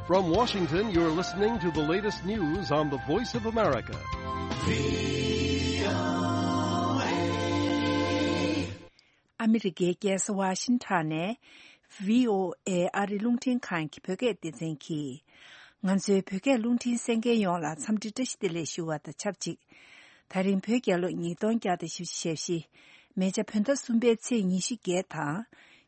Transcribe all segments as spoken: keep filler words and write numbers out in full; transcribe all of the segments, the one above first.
From Washington, you're listening to the latest news on the Voice of America. ཨ་མི་རི་ཀའི་རྒྱལ་ས་ཝ་ཤིང་ཊོན་ནས་བྷི་ཨོ་ཨེ་ཨ་རིའི་རླུང་འཕྲིན་ཁང་གི་བོད་སྐད་སྡེ་ཚན་གྱིས། ང་ཚོའི་བོད་སྐད་རླུང་འཕྲིན་གསན་མཁན་ཡོངས་ལ་འཚམས་འདྲི་བཀྲ་ཤིས་བདེ་ལེགས་ཞུ་བ་དང་ཆབས་ཅིག། ད་རིང་བོད་རྒྱལ་ལོ་ཉིས་སྟོང་བརྒྱ་དང་བཞི་བཅུ་ཞེ་བཞི། མེ་བྱ་བོད་ཟླ་གསུམ་པའི་ཚེས་ཉི་ཤུ་བརྒྱད་དང་།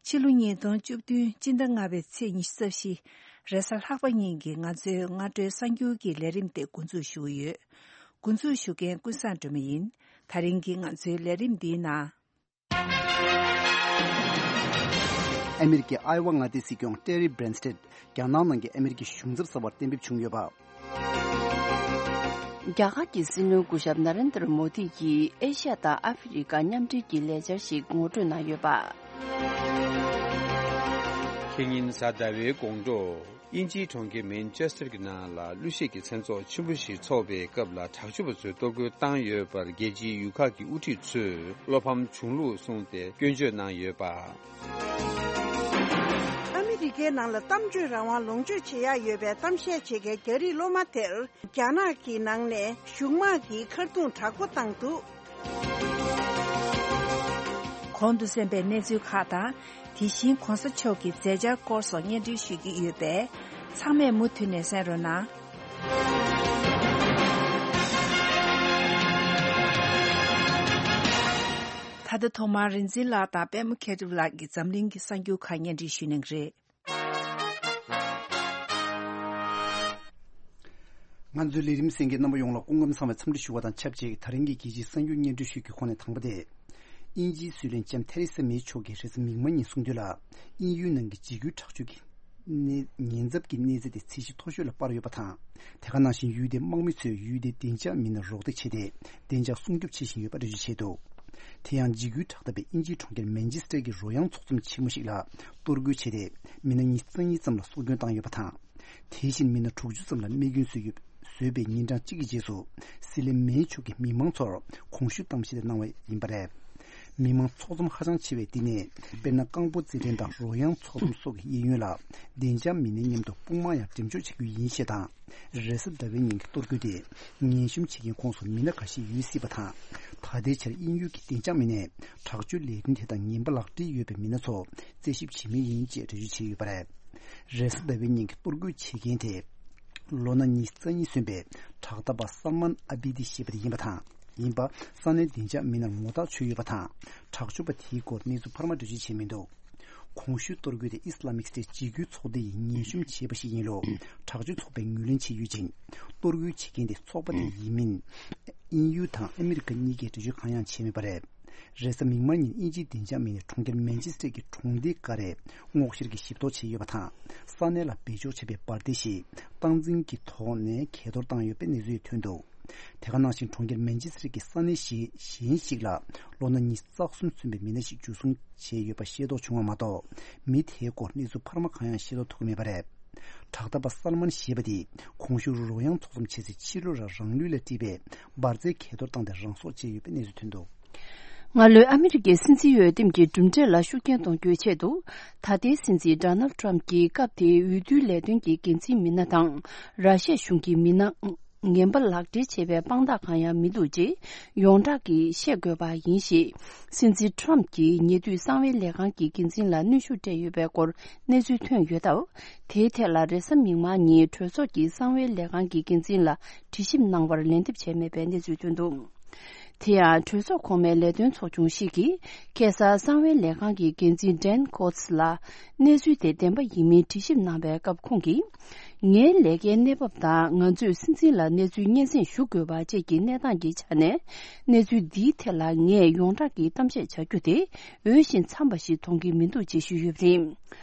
ཕྱི་ལོ་ཉིས་སྟོང་བཅུ་བདུན་སྤྱི་ཟླ་ལྔ་པའི་ཚེས་ཉི་ཤུ་རྩ་བཞི། རེས་གཟའ་ལྷག་པ་ཉིན་གྱི་ང་ཚོའི་སྔ་དྲོའི་གསར་འགྱུར་གྱི་ལས་རིམ་དེ་འགོ་འཛུགས་ཞུ་གི་ཡོད། འགོ་འཛུགས་ཞུ་མཁན་ཀུན་བཟང་སྒྲོལ་མ་ཡིན། ད་རིང་གི་ང་ཚོའི་ལས་རིམ་འདིའི་ནང་། ཨ་མི་རི་ཀའི་ཨའེ་ཝ་མངའ་སྡེའི་སྲིད་སྐྱོང་ཏེ་རི་བྷི་རེན་སྟེད་རྒྱ་ནག་ནང་གི་ཨ་མི་རི་ཀའི་གཞུང་ཚབ་གསར་པར་གཏན་འབེབས་བྱུང་ཡོད་པ། རྒྱ་གར་གྱི་སྲིད་བློན་སྐུ་ཞབས་ན་རེན་དར་མོ་དི་ཡིས་ཨེ་ཤ་ཡ་དང་ཨ་ཧྥེ་རི་ཀ་མཉམ་འབྲེལ་གྱི་ལས་འཆར་ཞིག་ངོ་སྤྲོད་གནང་ཡོད་པ། ཁེ་ཉིན་གཟའ་ཟླ་བའི་དགོང་དྲོ། དབྱིན་ཇིའི་གྲོང་ཁྱེར་མན་ཆེ་སྟར་གྱི་ནང་ལ་གླུ་གཞས་ཀྱི་མཚན་ཚོགས་ཆེན་པོ་ཞིག་འཚོགས་པའི་སྐབས་ལ་དྲག་སྤྱོད་པ་ཚོས་གཏོར་རྒོལ་བཏང་ཡོད་པར་རྒྱལ་སྤྱིའི་ཡུལ་ཁག་གི་དབུ་ཁྲིད་ཚོས་བློ་ཕམ་བྱུང་ལུགས་གསུངས་ཏེ་སྐྱོན་བརྗོད་གནང་ཡོད་པ། ཨ་མི་རི་ཀའི་ནང་ལ་གཏམ་བརྗོད་རང་དབང་ལོངས་སྤྱོད་བྱེད་ཡག་ཡོད་པའི་གཏམ་བཤད་བྱེད་མཁན་རྒྱ་རིགས་སློབ་མ་དེར་རྒྱ་ནག་གི་ནང་ནས་གཞུང་དམག་གིས་མཁར་རྡུང་དྲག་པོ་བཏང་འདུག། གོང་དུ་གསན་པའི་གནས་ཚུལ་ཁག་དང་། དེ་བཞིན་གོང་ས་མཆོག་གི་མཛད་འཆར་སྐོར་སོགས་སྙན་སྒྲོན་ཞུ་རྒྱུ་ཡོད་པས། ཚང་མས་མུ་མཐུད་ནས་གསན་རོགས་གནང་། ད་ལྟ་ཐོག་མར་རིག་འཛིན་ལགས་དང་པད་མ་མཁས་གྲུབ་ལགས་ཀྱིས་འཛམ་གླིང་གི་གསར་འགྱུར་ཁག་སྙན་སྒྲོན་ཞུ་གནང་གི་རེད། ང་ཚོའི་ལས་རིམ་གསན་མཁན་རྣམ་པ་ཡོངས་ལ་སྐུ་ཁམས་བཟང་བའི་འཚམས་འདྲི་ཞུ་བ་དང་ཆབས་ཅིག། ད་རིང་གི་རྒྱལ་སྤྱིའི་གསར་འགྱུར་སྙན་སྒྲོན་ཞུ་རྒྱུའི་ཁོངས་ནས་དང་པོ་དེ། དབྱིན་ཇིའི་སྲིད་བློན་ལྕམ་ཐེ་རེ་ས་མེ་མཆོག་གིས་རེས་གཟའ་མིག་དམར་ཉིན་གསུངས་དོན་ལ། དབྱིན་ཡུལ་ནང་གི་འཇིགས་སྐུལ་དྲག་སྤྱོད་ཀྱི་གནས་ཉེན་ཚབས་ཀྱི་གནས་ཚད་དེ་ཚད་གཞི་མཐོ་ཤོས་ལ་སྤར་ཡོད་པ་དང་། དེ་ག་ནང་བཞིན་ཡུལ་དེའི་དམག་མི་ཚོས་ཡུལ་དེའི་བདེ་འཇགས་མི་སྣར་རོགས་འདེགས་བྱས་ཏེ། བདེ་འཇགས་སྲུང་སྐྱོབ་བྱེད་བཞིན་ཡོད་པ་འགྲེལ་བརྗོད་བྱས་འདུག། དེ་ཡང་འཇིགས་སྐུལ་དྲག་འཐབ་པའི་དབྱིན་ཇིའི་གྲོང་ཁྱེར་མན་ཆེ་སྟར་གྱི་རོལ་དབྱངས་ཚོགས་འཛོམས་ཆེན་མོ་ཞིག་ལ་གཏོར་རྒོལ་བྱས་ཏེ། མི་སྣ་ཉི་ཤུ་རྩ་གཉིས་ཙམ་ལ་སྲོག་སྐྱོན་བཏང་ཡོད་པ་དང་། དེ་བཞིན་མི་སྣ་དྲུག་ཅུ་ཙམ་ལ་རྨས་སྐྱོན་བཟོས་ཡོད། བཟོས་པའི་ཉིན་གྲངས་གཅིག་གི་རྗེས་སུ། སྲིད་བློན་མེ་མཆོག་གིས་མི་མང་ཚོར་གོང་ཞུས་གཏམ་བཤད་གནང་བ་ཡིན་པ་རེད། མི་མང་ཚོགས་འཛོམས་ཧ་ཅང་ཆེ་བའི་འདི་ནས། དཔེར་ན། རྐང་སྤོལ་རྩེད་འགྲན་དང་རོལ་དབྱངས་ཚོགས་འཛོམས་སོགས་ཀྱི་གཡས་གཡོན་ལ། བདེ་འཇགས་མི་སྣའི་མཉམ་དུ་དཔུང་དམག་ཡང་འགྲེམས་འཇོག་བྱེད་རྒྱུ་ཡིན་ཞེས་དང་། རེས་གཟའ་ཟླ་བའི་ཉིན་གྱི་གཏོར་རྒོལ་དེ། ངན་གཤོམ་བྱེད་མཁན་ཁོངས་སུ་མི་སྣ་འགའ་ཤས་ཡོད་སྲིད་པ་དང་། ད་ལྟའི་ཆར་དབྱིན་ཡུལ་གྱི་བདེ་འཇགས་མི་སྣས་དྲག་སྤྱོད་ལས་དོན་དེ་དང་ངན་པ་ལག་འབྲེལ་ཡོད་པའི་མི་སྣ་ཚོ་རྩད་ཞིབ་བྱེད་མུས་ཡིན་ཅེས་འགྲེལ་བརྗོད་བྱས་ཡོད་པ་རེད། རེས་གཟའ་ཟླ་བའི་ཉིན་གྱི་གཏོར་རྒོལ་བྱེད་མཁན་དེ། ལོ་ན་ཉི་ཤུ་རྩ་གཉིས་སོན་པའི་དྲག་འཐབ་པ་སལ་མན་ཨ་བི་དི་ཞེས་པ་དེ་ཡིན་པ་དང་། ཡིན་པ། ས་གནས་བདེ་འཇགས་མི་སྣར་ངོ་ཐག་ཆོད་ཡོད་པ་དང་། དྲག་སྤྱོད་པ་དེའི་སྐོར་གནས་ཚུལ་འཕར་མ་འགྲེལ་བརྗོད་བྱས་མི་འདུག། གོང་ཞུས་གཏོར་རྒོལ་དེ་ཨི་སི་ལ་མིག་སྟེ་འཇིགས་སྐུལ་ཚོགས་སྡེ་ཡིས་ངན་གཤོམ་བྱས་པ་ཞིག་ཡིན་ལུགས་དྲག་སྤྱོད་ཚོགས་པས་ངོས་ལེན་བྱས་ཡོད་ཅིང་། གཏོར་རྒོལ་བྱེད་མཁན་དེ་ཚོགས་པ་དེ་ཡིན་མིན། དབྱིན་ཡུལ་དང་ཨ་མི་རི་ཀ་གཉིས་ཀས་འགྲེལ་བརྗོད་གང་ཡང་བྱས་མེད་པ་རེད། རེས་གཟའ་མིག་དམར་ཉིན་དབྱིན་ཇིའི་བདེ་འཇགས་མི་སྣས་གྲོང་ཁྱེར་མན་ཆེ་སྟར་གྱི་གྲོང་སྡེ་འགའ་རེ་སྔོག་བཤེར་གྱིས་ཞིབ་རྟོག་བྱས་ཡོད་པ་དང་། ས་གནས་ལ་སྦས་འཇོག་བྱས་པའི་འབར་མདེལ་ཞིག་སྟངས་འཛིན་གྱི་ཐོག་ནས་གས་གཏོར་བཏང་ཡོད་པའི་གནས་ཚུལ་ཐོན་འདུག། དེ་ག་ནང་བཞིན་གྲོང་ཁྱེར་མན་ཆེ་སྟར་གྱི་ས་གནས་གཞན་གཞན་ཞིག་ལ་ལོ་ན་ཉི་ཤུ་རྩ་གསུམ་སོན་པའི་མི་སྣ་ཞིག་འཇུ་བཟུང་བྱས་ཡོད་པ་ཤེས་རྟོགས་བྱུང་བ་མ་གཏོགས། མི་དེའི་སྐོར་གནས་ཚུལ་འཕར་མ་གང་ཡང་ཤེས་རྟོགས་ཐུབ་ཀྱི་མེད་པ་རེད། དྲག་འཐབ་པ་སལ་མན་ཞེས་པ་དེས་གོང་ཞུས་རོལ་དབྱངས་ཚོགས་འཛོམས་བྱེད་སའི་ཕྱི་ལོགས་ལ་རང་ལུས་ལ་དཀྲིས་པའི་འབར་རྫས་གས་གཏོར་བཏང་སྟེ་རང་སྲོག་བཅད་ཡོད་པའི་གནས་ཚུལ་ཐོན་འདུག། སྔ་ལོའི་ཨ་མི་རི་ཀའི་སྲིད་འཛིན་འོས་འདེམས་ཀྱི་གྲུབ་འབྲས་ལ་ཤུགས་རྐྱེན་གཏོང་རྒྱུའི་ཆེད་དུ། ད་ལྟའི་སྲིད་འཛིན་ཌོ་ནལ་ཊམ་གྱིས་སྐབས་དེའི་འོས་བསྡུའི་ལས་དོན་གྱི་འགན་འཛིན་མི་སྣ་དང་། ར་ཤི་ཡ་གཞུང་གི་མི་སྣ་ངན་པ་ལག་སྦྲེལ་བྱས་པའི་དཔང་རྟགས་གང་ཡང་མི་འདུག་ཅེས་ཡོངས་གྲགས་ཀྱིས་བཤད་དགོས་པ་ཡིན་ཞེས། སྲིད་འཛིན་ཊམ་གྱིས་ཉེ་དུས་གསང་བའི་ལས་ཁང་གི་འགན་འཛིན་ལ་གནོན་ཤུགས་སྤྲད་ཡོད་པའི་སྐོར་གནས་ཚུལ་ཐོན་ཡོད་སྟབས། དེའི་ཐད་ལ་རེས་གཟའ་མིག་དམར་ཉིན་གྲོས་ཚོགས་ཀྱིས་གསང་བའི་ལས་ཁང་གི་འགན་འཛིན་ལ་དྲི་ཞིབ་གནང་བར་ལན་འདེབས་བྱས་མེད་པའི་གནས་ཚུལ་ཐོན་འདུག། དེ་ཡང་གྲོས་ཚོགས་གོང་མའི་ལས་དོན་ཚོགས་ཆུང་ཞིག་གིས་ཁ་སང་གསང་བའི་ལས་ཁང་གི་འགན་འཛིན་ཌན་ཀོ་ཊི་ལ་གནས་ཚུལ་དེ་བདེན་པ་ཡིན་མིན་དྲི་ཞིབ་གནང་བའི་སྐབས་ཁོང་གིས། ངའི་ལས་ཀའི་གནས་བབ་དང་ང་ཚོས་སྲིད་འཛིན་ལ་གནས་ཚུལ་སྙན་སེང་ཞུ་དགོས་པ་བཅས་ཀྱི་གནས་སྟངས་ཀྱི་ཆ་ནས། གནས་ཚུལ་འདིའི་ཐད་ལ་ངས་ཡོངས་གྲགས་ཀྱི་གཏམ་བཤད་བྱ་རྒྱུ་དེ་འོས་ཤིང་འཚམ་པ་ཞིག་མཐོང་གི་མི་འདུག་ཅེས་ཞུས་ཡོད་པ་རེད།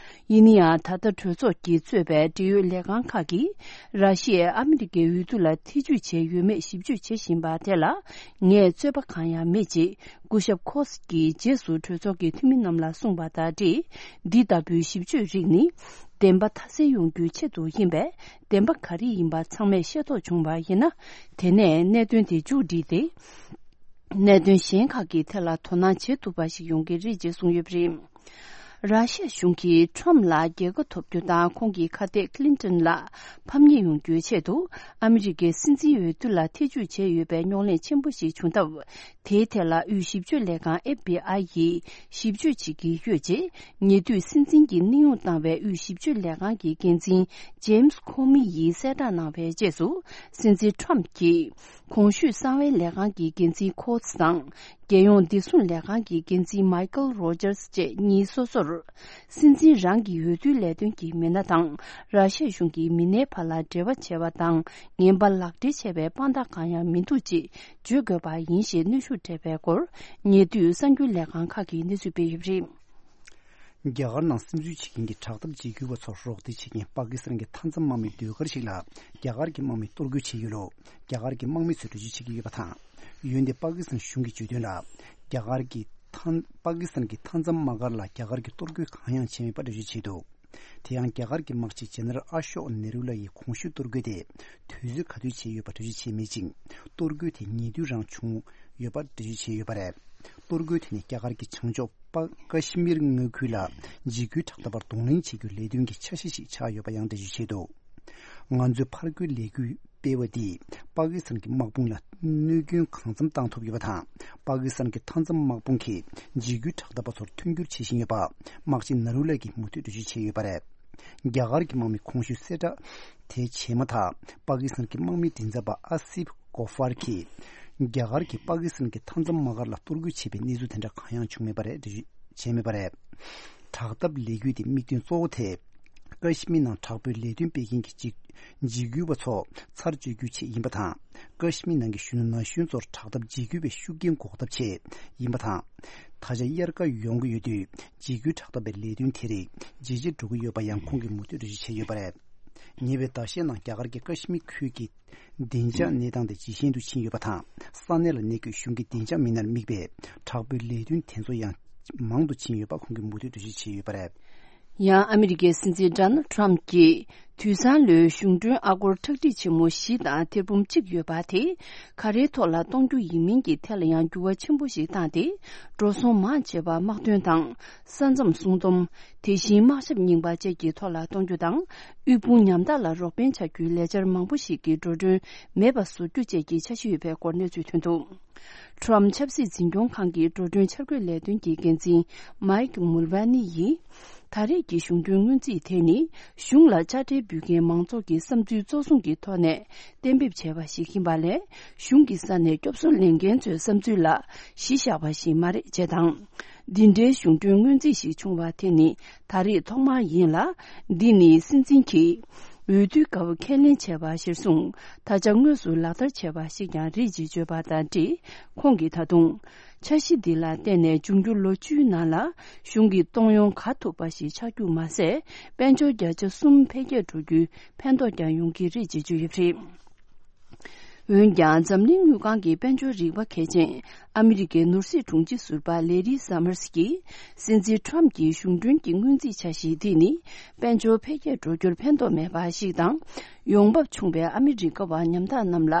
ཡིན་ན་ཡང་། ད་ལྟ་གྲོས་ཚོགས་ཀྱིས་གཙོས་པའི་འབྲེལ་ཡོད་ལས་ཁང་ཁག་གིས་ར་ཤི་ཡས་ཨ་མི་རི་ཀའི་འོས་བསྡུ་ལ་ཐེ་ཇུས་བྱས་ཡོད་མེད་ཞིབ་དཔྱོད་བྱེད་བཞིན་པ་དེ་ལ་ངས་རྩོད་པ་གང་ཡང་མེད་ཅེས་སྐུ་ཞབས་ཁོ་སི་ཀྱིས་རྗེས་སུ་གྲོས་ཚོགས་ཀྱི་འཐུས་མི་རྣམས་ལ་གསུངས་པ་དང་འབྲེལ། འདི་ལྟ་བུའི་ཞིབ་དཔྱོད་རིགས་ནི་བདེན་པ་མཐའ་གསལ་ཡོང་རྒྱུའི་ཆེད་དུ་ཡིན་པས། བདེན་པ་ག་རེ་ཡིན་པ་ཚང་མས་ཤེས་རྟོགས་བྱུང་བ་ཡིན་ན། དེ་ནས་གནད་དོན་དེ་མཇུག་བསྒྲིལ་ཏེ། གནད་དོན་གཞན་ཁག་གི་ཐད་ལ་དོ་སྣང་བྱེད་ཐུབ་པ་ཞིག་ཡོང་གི་རེད་ཅེས་གསུངས་ཡོད་པ་རེད། ར་ཤ་གཞུང་གིས་ཁྲོམ་ལ་རྒྱལ་ཁ་ཐོབ་རྒྱུ་དང་ཁོང་གི་ཁ་གཏད་ཀླིན་ཏོན་ལ་ཕམ་ཉེས་ཡོང་རྒྱུའི་ཆེད་དུ་ཨ་མི་རི་ཀའི་སྲིད་འཛིན་འོས་བསྡུ་ལ་ཐེ་བྱུས་བྱས་ཡོད་པའི་རྙོག་གླེང་ཆེན་པོ་ཞིག་བྱུང་སྟབས། དེའི་ཐད་ལ་དབུས་ཞིབ་དཔྱོད་ལས་ཁང་FBI ཡིས་ཞིབ་དཔྱོད་བྱེད་ཀྱི་ཡོད་ཅེས་ཉེ་དུས་སྲིད་འཛིན་གྱི་གནས་དབྱུང་བཏང་བའི་དབུས་ཞིབ་དཔྱོད་ལས་ཁང་གི་འགན་འཛིན་ཇེམ་སི་ཁོ་མི་ཡིས་གསལ་བསྒྲགས་གནང་བའི་རྗེས་སུ། སྲིད་འཛིན་ཁྲོམ་གྱིས་གོང་ཞུས་གསང་བའི་ལས་ཁང་གི་འགན་འཛིན་ཁོ་ཚི་དང་། རྒྱལ་ཡོངས་བདེ་སྲུང་ལས་ཁང་གི་འགན་འཛིན་མའི་ཀལ་རོ་ཇར་སི་བཅས་གཉིས་སོ་སོར། སྲིད་འཛིན་རང་གི་འོས་བསྡུའི་ལས་དོན་གྱི་མི་སྣ་དང་། ར་ཤ་གཞུང་གི་མི་སྣའི་བར་ལ་འབྲེལ་བ་བྱས་པ་དང་ངན་པ་ལག་འབྲེལ་བྱས་པའི་དཔང་རྟགས་གང་ཡང་མི་འདུག་ཅེས་བརྗོད་དགོས་པ་ཡིན་ཞེས་གནོན་ཤུགས་སྤྲད་པའི་སྐོར། ཉེ་དུས་གསར་འགྱུར་ལས་ཁང་ཁག་གིས་གནས་ཚུལ་སྤེལ་ཡོད་པ་རེད། རྒྱ་གར་ནང་སིམ་འཛུལ་བྱེད་མཁན་གྱི་དྲག་འཐབ་འཇིགས་སྐུལ་བ་ཚོར་རོགས་འདེགས་བྱེད་མཁན་པ་ཀི་སི་ཐན་གྱི་མཐའ་མཚམས་དམག་མིའི་ཟློས་གར་ཞིག་ལ་རྒྱ་གར་གྱི་དམག་མིས་གཏོར་རྒོལ་བྱས་ཡོད་ལུགས་རྒྱ་གར་གྱི་དམག་མི་ཚོས་འགྲེལ་བརྗོད་བྱེད་ཀྱི་ཡོད་པ་དང་། འོན་ཏེ་པ་ཀི་སི་ཐན་གཞུང་གིས་བརྗོད་དོན་ལ། རྒྱ་གར་གྱི་མཐའ། པ་ཀི་སི་ཐན་གྱི་མཐའ་མཚམས་དམག་སྒར་ལ་རྒྱ་གར་གྱིས་གཏོར་རྒོལ་གང་ཡང་བྱས་མེད་པ་འགྲེལ་བརྗོད་བྱས་འདུག་དེ་ཡང་རྒྱ་གར་གྱི་དམག་སྤྱི་ཇེ་ནེ་རལ་ཨ་ཤོག་ནེ་རུ་ལ་ཡིས་གོང་ཞུས་གཏོར་རྒོལ་དེ་དུས་ཚོད་ག་དུས་བྱས་ཡོད་པ་འགྲེལ་བརྗོད་བྱས་མེད་ཅིང་། གཏོར་རྒོལ་དེ་ཉེ་དུས་རང་བྱུང་ཡོད་པ་འགྲེལ་བརྗོད་བྱས་ཡོད་པ་རེད། གཏོར་རྒོལ་དེ་ནི་རྒྱ་གར་གྱི་བྱང་ཕྱོགས་པ་ཀ་ཤི་མིར་མངའ་ཁུལ་ལ་འཇིགས་སྐུལ་དྲག་འཐབ་པར་གདོང་ལེན་བྱེད་རྒྱུའི་ལས་དོན་གྱི་འཆར་གཞི་ཞིག་ཆགས་ཡོད་པ་ཡང་འགྲེལ་བརྗོད་བྱས་འདུག་ང་ཚོས་ཕར་རྒོལ་ལས་འགུལ་སྤེལ་བ་འདིས་པ་ཀི་སི་ཐན་གྱི་དམག་དཔུང་ལ་གནོད་སྐྱོན་གང་འཚམ་བཏང་ཐུབ་ཡོད་པ་དང་། པ་ཀི་སི་ཐན་གྱི་མཐའ་མཚམས་དམག་དཔུང་གིས་འཇིགས་སྐུལ་དྲག་འཐབ་པ་ཚོར་མཐུན་འགྱུར་བྱེད་བཞིན་ཡོད་པ། དམག་སྤྱི་ནཱ་རུ་ལ་གིས་མུ་མཐུད་འགྲེལ་བརྗོད་བྱས་ཡོད་པ་རེད། རྒྱ་གར་གྱི་དམག་མི་གོང་ཞུས་གསལ་བསྒྲགས་དེ་བྱས་མ་ཐག་པ་ཀི་སི་ཐན་གྱི་དམག་མིའི་མགྲིན་ཚབ་པ་ཨ་སིབ་གོ་ཧྥར་གྱིས། རྒྱ་གར་གྱིས་པ་ཀི་སི་ཐན་གྱི་མཐའ་མཚམས་དམག་སྒར་ལ་གཏོར་རྒོལ་བྱས་པའི་གནས་ཚུལ་དེ་འདྲ་གང་ཡང་བྱུང་མེད་པ་རེད། འགྲེལ་བརྗོད་བྱས་མེད་པ་རེད། དྲག་འཐབ་ལས་འགུལ་དེའི་དམིགས་དོན་གཙོ་བོ་དེ། ཀ་ཤི་མིར་ནང་དྲག་པོའི་ལས་དོན་སྤེལ་མཁན་གྱི་འཇིགས་འཇིགས་སྐུལ་བ་ཚོ་ཚར་གཅོད་རྒྱུའི་ཆེད་ཡིན་པ་དང་། ཀ་ཤི་མིར་ནང་གི་གཞོན་ནུ་ན་གཞོན་ཚོར་དྲག་འཐབ་འཇིགས་སྐུལ་བའི་ཤུགས་རྐྱེན་འགོག་ཐབས་ཆེད་ཡིན་པ་དང་། ད་ཆ་དབྱར་ཁ་ཡོང་གི་ཡོད་དུས་འཇིགས་སྐུལ་དྲག་འཐབ་པའི་ལས་དོན་དེ་རིགས་ཇེ་ཆེར་འགྲོ་གི་ཡོད་པ་ཡང་ཁོང་གིས་མུ་མཐུད་འགྲེལ་བརྗོད་བྱས་ཡོད་པ་རེད། ཉེ་བའི་ཟླ་ཤས་ནང་རྒྱ་གར་གྱི་ཀ་ཤི་མིར་ཁུལ་གྱི་བདེ་འཇགས་གནས་སྟངས་དེ་ཇེ་ཞན་དུ་ཕྱིན་ཡོད་པ་དང་། ས་གནས་ལ་གནས་འཁོད་གཞུང་གི་བདེ་འཇགས་མི་སྣར་དམིགས་པའི་དྲག་པོའི་ལས་དོན་དེ་ཚོ་ཡང་མང་དུ་ཕྱིན་ཡོད་པ་ཁོང་གིས་མུ་མཐུད་འགྲེལ་བརྗོད་བྱས་ཡོད་པ་རེད། ཡང་ཨ་མི་རི་ཀའི་སྲིད་འཛིན་ཌོ་ནལ་ཌི་ཊརམ་གྱིས་དུས་སང་ལོའི་གཞུང་གྲོན་ཨ་སྒོར་ཁྲག་ཁྲིག་ཆེན་མོ་བཞི་དང་ཐེར་འབུམ་གཅིག་ཡོད་པ་དེ་ག་རེའི་ཐོག་ལ་གཏོང་རྒྱུ་ཡིན་མིན་གྱི་ཐད་ལ་ཡང་འགྱུར་བ་ཆེན་པོ་ཞིག་བཏང་སྟེ། འགྲོ་སོང་མང་ཆེ་བ་དམག་དོན་དང་ས་མཚམས་སྲུང་སྡོམ། དེ་བཞིན་དམག་ཞབས་རྙིང་པ་བཅས་ཀྱི་ཐོག་ལ་གཏོང་རྒྱུ་དང་། དབུལ་ཕོངས་ཉམ་ཐག་ལ་རོགས་ཕན་བྱ་རྒྱུའི་ལས་འཆར་མང་པོ་ཞིག་གི་འགྲོ་གྲོན་མེད་པ་བཟོ་རྒྱུ་བཅས་ཀྱི་འཆར་གཞི་ཡོད་པའི་སྐོར་གནས་ཚུལ་ཐོན་འདུག་ཊརམ་ཆབ་སྲིད་འཛིན་སྐྱོང་ཁང་གི་འགྲོ་གྲོན་འཆར་འགོད་ལས་དོན་གྱི་འགན་འཛིན་མའིག་མུལ་བྷ་ནི་ཡིས། ད་རེས་ཀྱི་གཞུང་གྲོན་སྔོན་རྩིས་དེ་ནི་གཞུང་ལ་དཔྱ་ཁྲལ་འབུལ་མཁན་མང་ཚོགས་ཀྱི་བསམ་ཚུལ་གཙོ་བཟུང་གི་ཐོག་ནས་གཏན་འབེབས་བྱས་པ་ཞིག་ཡིན་པ་ལས། གཞུང་གི་ས་ནས་སྐྱོབ་གསོ་ལེན་མཁན་ཚོའི་བསམ་ཚུལ་ལ་གཞི་བཞག་པ་ཞིག་མ་རེད་ཅེས་དང་། འདི་འདྲའི་གཞུང་གྲོན་སྔོན་རྩིས་ཤིག་བྱུང་བ་དེ་ནི་ད་རེས་ཐོག་མ་ཡིན་ལ། འདི་ནི་སྲིད་འཛིན་གྱིས་འོས་བསྡུའི་སྐབས་ཁས་ལེན་བྱས་པ་གཞིར་བཟུང་ད་ཆ་དངོས་སུ་ལག་བསྟར་བྱས་པ་ཞིག་ཀྱང་རེད་ཅེས་བརྗོད་པ་དང་འབྲེལ། ཁོང་གིས་ད་དུང་། འཆར་གཞི་འདི་ལ་བརྟེན་ནས་འབྱུང་འགྱུར་ལོ་བཅུའི་ནང་ལ་གཞུང་གི་གཏོང་ཡོང་ག་ཐུབ་པ་ཞིག་ཆགས་རྒྱུ་མ་ཟད། དཔལ་འབྱོར་བརྒྱ་ཆ་གསུམ་འཕེལ་རྒྱས་འགྲོ་རྒྱུའི་ཕན་ཐོགས་ཀྱང་ཡོང་གི་རེད་ཅེས་བརྗོད་ཡོད་པ་རེད། འོན་ཀྱང་འཛམ་གླིང་དངུལ་ཁང་གི་དཔལ་འབྱོར་རིག་པ་མཁས་ཅན་ཨ་མི་རི་ཀའི་ནོར་སྲིད་དྲུང་ཆེ་ཟུར་པ་ལེ་རི་སཱ་མར་སི་ཀྱིས། སྲིད་འཛིན་ཊརམ་གྱི་གཞུང་གྲོན་གྱི་སྔོན་རྩིས་འཆར་གཞི་འདི་ནི་དཔལ་འབྱོར་འཕེལ་རྒྱས་འགྲོ་རྒྱུར་ཕན་ཐོགས་མེད་པ་ཞིག་དང་། ཡོང་འབབ་ཆུང་བའི་ཨ་མི་རི་ཀ་བ་ཉམ་ཐག་རྣམས་ལ་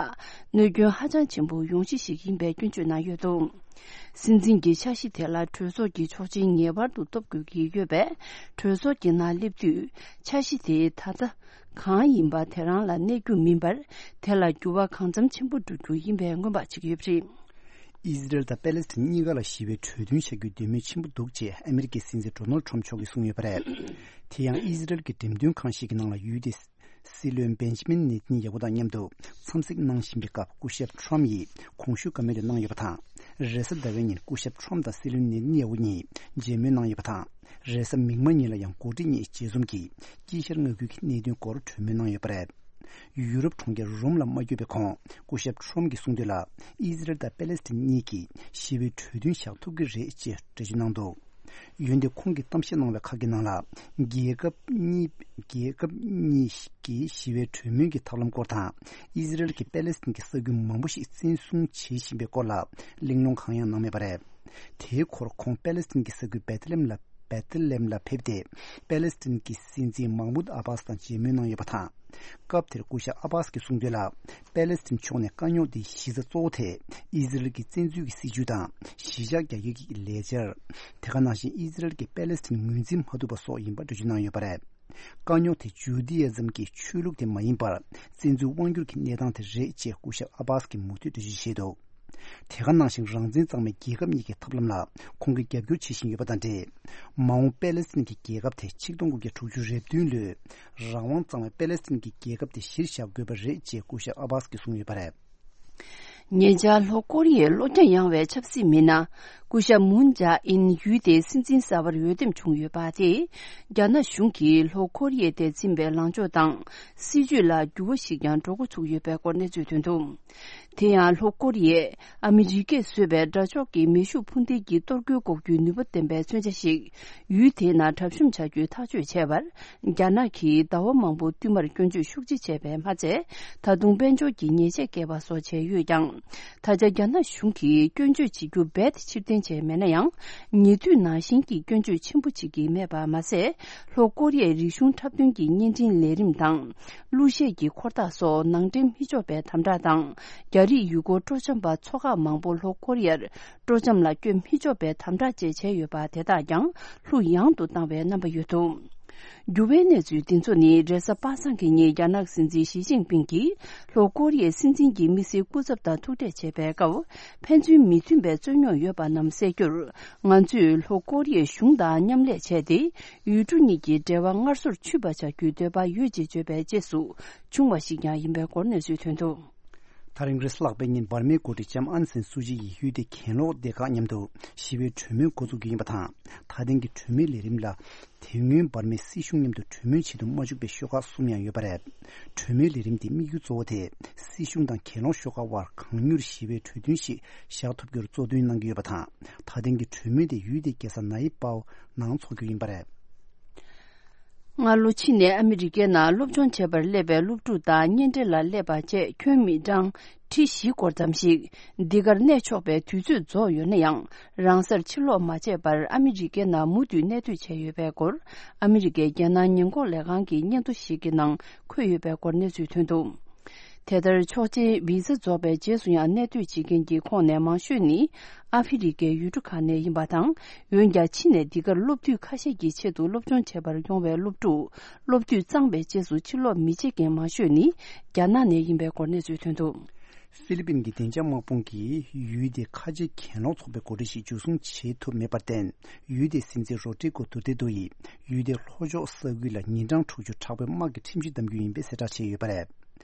གནོད་སྐྱོན་ཧ་ཅང་ཆེན་པོ་ཡོང་གཞི་ཞིག་ཡིན་པའི་སྐྱོན་བརྗོད་གནང་ཡོད་འདུག་སྲིད་འཛིན་གྱི་འཆར་གཞི་དེ་ལ་གྲོས་ཚོགས་ཀྱི་ཆོག་མཆན་ངེས་པར་དུ་ཐོབ་དགོས་ཀྱི་ཡོད་པས། གྲོས་ཚོགས་ཀྱི་ནང་སླེབས་དུས་འཆར་གཞི་དེ་ད་ལྟ་གང་ཡིན་པ་དེ་རང་ལ་གནས་རྒྱུ་མིན་པར། དེ་ལ་འགྱུར་བ་གང་འཚམ་ཆེན་པོ་འགྲོ་རྒྱུ་ཡིན་པའི་སྔོན་དཔག་བྱེད་ཀྱི་ཡོད་པ་རེད། ཨི་ཟི་རལ་དང་པེ་ལེ་སི་ཐན་གཉིས་ཀ་ལ་ཞི་བའི་གྲོས་མཐུན་བྱ་རྒྱུའི་འདོད་མོས་ཆེན་པོ་འདུག་ཅེས་ཨ་མི་རི་ཀའི་སྲིད་འཛིན་ཌོ་ནལ་ཌི་ཊརམ་མཆོག་གིས་གསུངས་ཡོད་པ་རེད། དེ་ཡང་ཨི་ཟི་རལ་གྱི་འགྲེམས་སྟོན་ཁང་ཞིག་གི་ནང་ལ་ཡུལ་དེའི་སྲིད་བློན་བེན་ཇི་མིན་ནེ་ཐན་ཡ་ཧུ་དང་མཉམ་དུ་འཚམས་གཟིགས་གནང་བཞིན་པའི་སྐབས། སྐུ་ཞབས་ཊརམ་ཡིས་གོང་ཞུས་བཀའ་མོལ་དེ་གནང་ཡོད་པ་དང་། རེས་གཟའ་ཟླ་བའི་ཉིན་སྐུ་ཞབས་ཊརམ་དང་སྲིད་བློན་ནེ་ཐན་ཡ་ཧུ་གཉིས་མཇལ་མོལ་གནང་ཡོད་པ་དང་། རེས་གཟའ་མིག་དམར་ཉིན་ལ་ཡང་འགོ་ཁྲིད་གཉིས་མཇལ་འཛོམས་ཀྱིས་དཀྱིལ་ཤར་མངའ་ཁུལ་གྱི་གནད་དོན་སྐོར་གྲོས་མོལ་གནང་ཡོད་པ་རེད། ཡུ་རོབ་གྲོང་ཁྱེར་རོམ་ལ་མ་བསྐྱོད་པའི་གོང་སྐུ་ཞབས་ཊརམ་གྱིས་གསུངས་དོན་ལ། ཨི་ཟི་རལ་དང་པེ་ལེ་སི་ཐན་གཉིས་ཀྱིས་ཞི་བའི་གྲོས་མཐུན་བཞག་ཐུབ་ཀྱི་རེད་ཅེས་འགྲེལ་བརྗོད་གནང་འདུག་འོན་ཏེ་ཁོང་གིས་གཏམ་བཤད་གནང་བའི་ཁག་གི་ནང་ལ། རྒྱལ་ཁབ་གཉིས་རྒྱལ་ཁབ་གཉིས་ཀྱི་ཞི་བའི་གྲོས་མོལ་གྱི་ཐབས་ལམ་སྐོར་དང་། ཨི་ཟི་རལ་གྱིས་པེ་ལེ་སི་ཐན་གྱི་ས་ཁུལ་མང་པོ་ཞིག་བཙན་བཟུང་བྱེད་བཞིན་པའི་སྐོར་ལ་གླེང་སློང་གང་ཡང་གནང་མེད་པ་རེད། དེའི་སྐོར་ཁོང་པེ་ལེ་སི་ཐན་གྱི་ས་ཁུལ་བེ་ཐ་ལེམ་ལ། བེ་ཐི་ལེམ་ལ་ཕེབས་ཏེ། པེ་ལེ་སི་ཐན་གྱི་སྲིད་འཛིན་མཱ་མུད་ཨ་བྷ་སི་དང་མཇལ་མོལ་གནང་ཡོད་པ་དང་། སྐབས་དེར་སྐུ་ཞབས་ཨ་བྷ་སི་གིས་གསུངས་དོན་ལ། པེ་ལེ་སི་ཐན་ཕྱོགས་ནས་དཀའ་རྙོག་དེའི་གཞི་རྩ་གཙོ་བོ་དེ་ཨི་ཟི་རལ་གྱི་བཙན་འཛུལ་གྱི་སྲིད་བྱུས་དང་། གཞིས་ཆགས་རྒྱ་སྐྱེད་ཀྱི་ལས་འཆར། དེ་ག་ནང་བཞིན་ཨི་ཟི་རལ་གྱིས་པེ་ལེ་སི་ཐན་ངོས་འཛིན་མ་ཐུབ་པ་སོགས་ཡིན་པ་འགྲེལ་བརྗོད་གནང་ཡོད་པ་རེད། དཀའ་རྙོག་དེ་ཇུ་དི་ཡ་ཛམ་གྱི་ཆོས་ལུགས་དེ་མ་ཡིན་པར། བཙན་འཛུལ་དབང་སྒྱུར་གྱི་གནས་སྟངས་དེ་རེད་ཅེས་སྐུ་ཞབས་ཨ་བྷ་སི་གིས་མུ་མཐུད་འགྲེལ་བརྗོད་བྱས་འདུག་དེ་ག་ནང་བཞིན་རང་བཙན་གཙང་མའི་རྒྱལ་ཁབ་གཉིས་ཀྱི་ཐབས་ལམ་ལ་ཁོང་གིས་རྒྱབ་སྐྱོར་བྱེད་བཞིན་ཡོད་པ་དང་འབྲེལ། མ་འོངས་པེ་ལེ་སི་ཐན་གྱི་རྒྱལ་ཁབ་དེ་ཆིག་སྟོང་དགུ་བརྒྱ་དྲུག་ཅུ་རེ་བདུན་ལོའི་རང་དབང་གཙང་མའི་པེ་ལེ་སི་ཐན་གྱི་རྒྱལ་ཁབ་དེ་གཞིར་བཞག་དགོས་པ་རེད་ཅེས་སྐུ་ཞབས་ཨ་བྷ་སི་གིས་གསུངས་ཡོད་པ་རེད། ཉེ་ཆར་ལྷོ་ཀོ་རི་ཡའི་བློ་རྒྱ་ཡངས་པའི་ཆབ་སྲིད་མི་སྣ་སྐུ་ཞབས་མུན་ཇཱ་ཨིན་ཡུལ་དེའི་སྲིད་འཛིན་གསར་པར་འོས་འདེམས་བྱུང་ཡོད་པ་དེས། རྒྱ་ནག་གཞུང་གིས་ལྷོ་ཀོ་རི་ཡའི་ཐད་འཛིན་པའི་ལངས་ཕྱོགས་དང་། སྲིད་བྱུས་ལ་འགྱུར་བ་ཞིག་ཀྱང་འགྲོ་འགོ་ཚུགས་ཡོད་པའི་སྐོར་གནས་ཚུལ་ཐོན་འདུག་དེ་ཡང་ལྷོ་ཀོ་རི་ཡས་ཨ་མི་རི་ཀས་བཟོས་པའི་དགྲ་ཕྱོགས་ཀྱི་མེ་ཤུགས་འཕུར་མདེལ་གྱི་གཏོར་རྒོལ་འགོག་རྒྱུའི་ནུས་པ་ལྡན་པའི་མཚོན་ཆ་ཞིག་ཡུལ་དེའི་ནང་གྲབས་གཤོམ་བྱ་རྒྱུའི་ཐག་གཅོད་བྱས་པར། རྒྱ་ནག་གིས་ཟླ་བ་མང་པོ་བསྟུད་མར་སྐྱོན་བརྗོད་ཤུགས་ཆེ་བྱས་པས་མ་ཚད། ད་དུང་དཔལ་འབྱོར་གྱི་ཉེས་ཆད་བཀལ་བ་སོགས་བྱས་ཡོད་ཀྱང་། ད་ཆ་རྒྱ་ནག་གཞུང་གིས་སྐྱོན་བརྗོད་བྱེད་རྒྱུ་རྦད་དེ་ཕྱིར་འཐེན་བྱས་མེད་ན་ཡང་། ཉེ་དུས་ནང་བཞིན་གྱི་སྐྱོན་བརྗོད་ཆེན་པོ་བྱེད་ཀྱི་མེད་པ་མ་ཟད། ལྷོ་ཀོ་རི་ཡའི་རིག་གཞུང་འཁྲབ་སྟོན་གྱི་བརྙན་འཕྲིན་ལས་རིམ་དང་། གླུ་གཞས་ཀྱི་འཁོར་ཐག་སོགས་ནང་འདྲེན་མི་ཆོག་པའི་དམ་དྲག་དང་། རྒྱ་རིགས་ཡུལ་སྐོར་སྤྲོ་འཆམ་པ་ཚོ་ཁག་མང་པོ་ལྷོ་ཀོ་རི་ཡར་སྤྲོ་འཆམ་ལ་བསྐྱོད་མི་ཆོག་པའི་དམ་དྲག་བཅས་བྱས་ཡོད་པ་དེ་དག་ཀྱང་ལྷུག་ཡངས་དུ་བཏང་བའི་རྣམ་པ་ཡོད་འདུག་འགྱུར་བའི་གནས་ཚུལ་འདི་ཚོ་ནི་རེས་གཟའ་པ་སངས་ཀྱི་ཉིན་རྒྱ་ནག་སྲིད་འཛིན་ཞི་ཅིན་ཕིང་གིས་ལྷོ་ཀོ་རི་ཡའི་སྲིད་འཛིན་གྱི་མི་སེར་སྐུ་ཚབ་དང་ཐུག་འཕྲད་བྱེད་པའི་སྐབས། ཕན་ཚུན་མི་མཐུན་པའི་རྩོད་རྙོག་ཡོད་པ་རྣམས་སེལ་རྒྱུར། ང་ཚོས་ལྷོ་ཀོ་རི་ཡའི་གཞུང་དང་མཉམ་ལས་བྱས་ཏེ། ཡུལ་གྲུ་གཉིས་ཀྱི་འབྲེལ་བ་སྔར་སོར་ཆུད་པ་བྱ་རྒྱུའི་འདོད་པ་ཡོད་ཅེས་བརྗོད་པའི་རྗེས་སུ་བྱུང་བ་ཞིག་ཀྱང་ཡིན་པའི་སྐོར་གནས་ཚུལ་ཐོན་འདུག་ད་རིང་རེས་གཟའ་ལྷག་པའི་ཉིན་འབར་མའི་འགོ་ཁྲིད་ལྕམ་ཨན་སན་སུ་ཅི་ཡིས་ཡུལ་དེའི་གྱེན་ལོག་སྡེ་ཁག་མཉམ་དུ་ཞི་བའི་གྲོས་མོལ་འགོ་འཛུགས་རྒྱུ་ཡིན་པ་དང་། ད་ཐེངས་ཀྱི་གྲོས་མོལ་ལས་རིམ་ལ། དེ་སྔོན་འབར་མའི་སྲིད་གཞུང་མཉམ་དུ་གྲོས་མོལ་བྱེད་དུ་མ་བཅུག་པའི་ཤོག་ཁག་གསུམ་ཡང་ཡོད་པ་རེད། གྲོས་མོལ་ལས་རིམ་དེའི་དམིགས་ཡུལ་གཙོ་བོ་དེ། སྲིད་གཞུང་དང་གྱེན་ལོག་ཤོག་ཁག་དབར་གང་མྱུར་ཞི་བའི་གྲོས་མཐུན་ཞིག་བཞག་ཐུབ་རྒྱུར་གཙོ་འདོན་གནང་གི་ཡོད་པ་དང་། ད་ཐེངས་ཀྱི་གྲོས་མོལ་དེ་ཡུལ་དེའི་རྒྱལ་ས་ནའི་པའོ་ནང་འཚོགས་རྒྱུ་ཡིན་པ་རེད། སྔ་ལོ་ཕྱི་ནས་ཨ་མི་རི་ཀའི་ནང་སློབ་སྦྱོང་བྱེད་པར་སླེབས་པའི་སློབ་ཕྲུག་དང་གཉེན་འབྲེལ་ལ་སླེབས་པ་བཅས་ཁྱོན་མི་གྲངས་ཁྲི་བཞི་སྐོར་ཙམ་ཞིག་འདི་གར་གནས་ཆོག་པའི་དུས་ཚོད་རྫོགས་ཡོད་ན་ཡང་། རང་སར་ཕྱིར་ལོག་མ་བྱས་པར་ཨ་མི་རི་ཀའི་ནང་མུ་མཐུད་གནས་སྡོད་བྱས་ཡོད་པའི་སྐོར། ཨ་མི་རི་ཀའི་རྒྱལ་ནང་ཉེན་འགོག་ལས་ཁང་གི་སྙན་ཐོ་ཞིག་གི་ནང་འཁོད་ཡོད་པའི་སྐོར་གནས་ཚུལ་ཐོན་འདུག་དེ་ལྟར་ཆོག་མཆན་བི་ཟ་རྫོགས་པའི་རྗེས་སུ་ཡང་གནས་སྡོད་བྱེད་མཁན་གྱི་ཁོངས་ནས་མང་ཤོས་ནི་ཨ་ཧྥེ་རི་ཀའི་ཡུལ་གྲུ་ཁག་ནས་ཡིན་པ་དང་། འོན་ཀྱང་ཕྱི་ནས་འདི་གར་སློབ་དུས་ཁ་ཤས་ཀྱི་ཆེད་དུ་སློབ་སྦྱོང་བྱེད་པར་ཡོང་བའི་སློབ་ཕྲུག་སློབ་དུས་གཙང་པའི་རྗེས་སུ་ཕྱིར་ལོག་མི་བྱེད་མཁན་མང་ཤོས་ནི་རྒྱ་ནག་ནས་ཡིན་པའི་སྐོར་གནས་ཚུལ་ཐོན་འདུག་ཧྥི་ལི་པིན་གྱི་བདེ་འཇགས་དམག་དཔུང་གིས་ཡུལ་དེའི་ཁ་ཆེ་གྱེན་ལོག་ཚོགས་པའི་འགོ་ཁྲིད་ཞིག་འཇུ་བཟུང་བྱེད་ཐུབ་མེད་པར་བརྟེན། ཡུལ་དེའི་སྲིད་འཛིན་རོ་ཏྲི་ཀོ་ཏུར་ཏེ་ཏུ་ཡིས་ཡུལ་དེའི་ལྷོ་ཕྱོགས་ས་ཁུལ་ལ་ཉིན་གྲངས་དྲུག་ཅུ་དྲག་པོའི་དམག་གི་ཁྲིམས་གཞི་བསྡམ་རྒྱུ་ཡིན་པའི་གསལ་བསྒྲགས་བྱས་ཡོད་པ་རེད།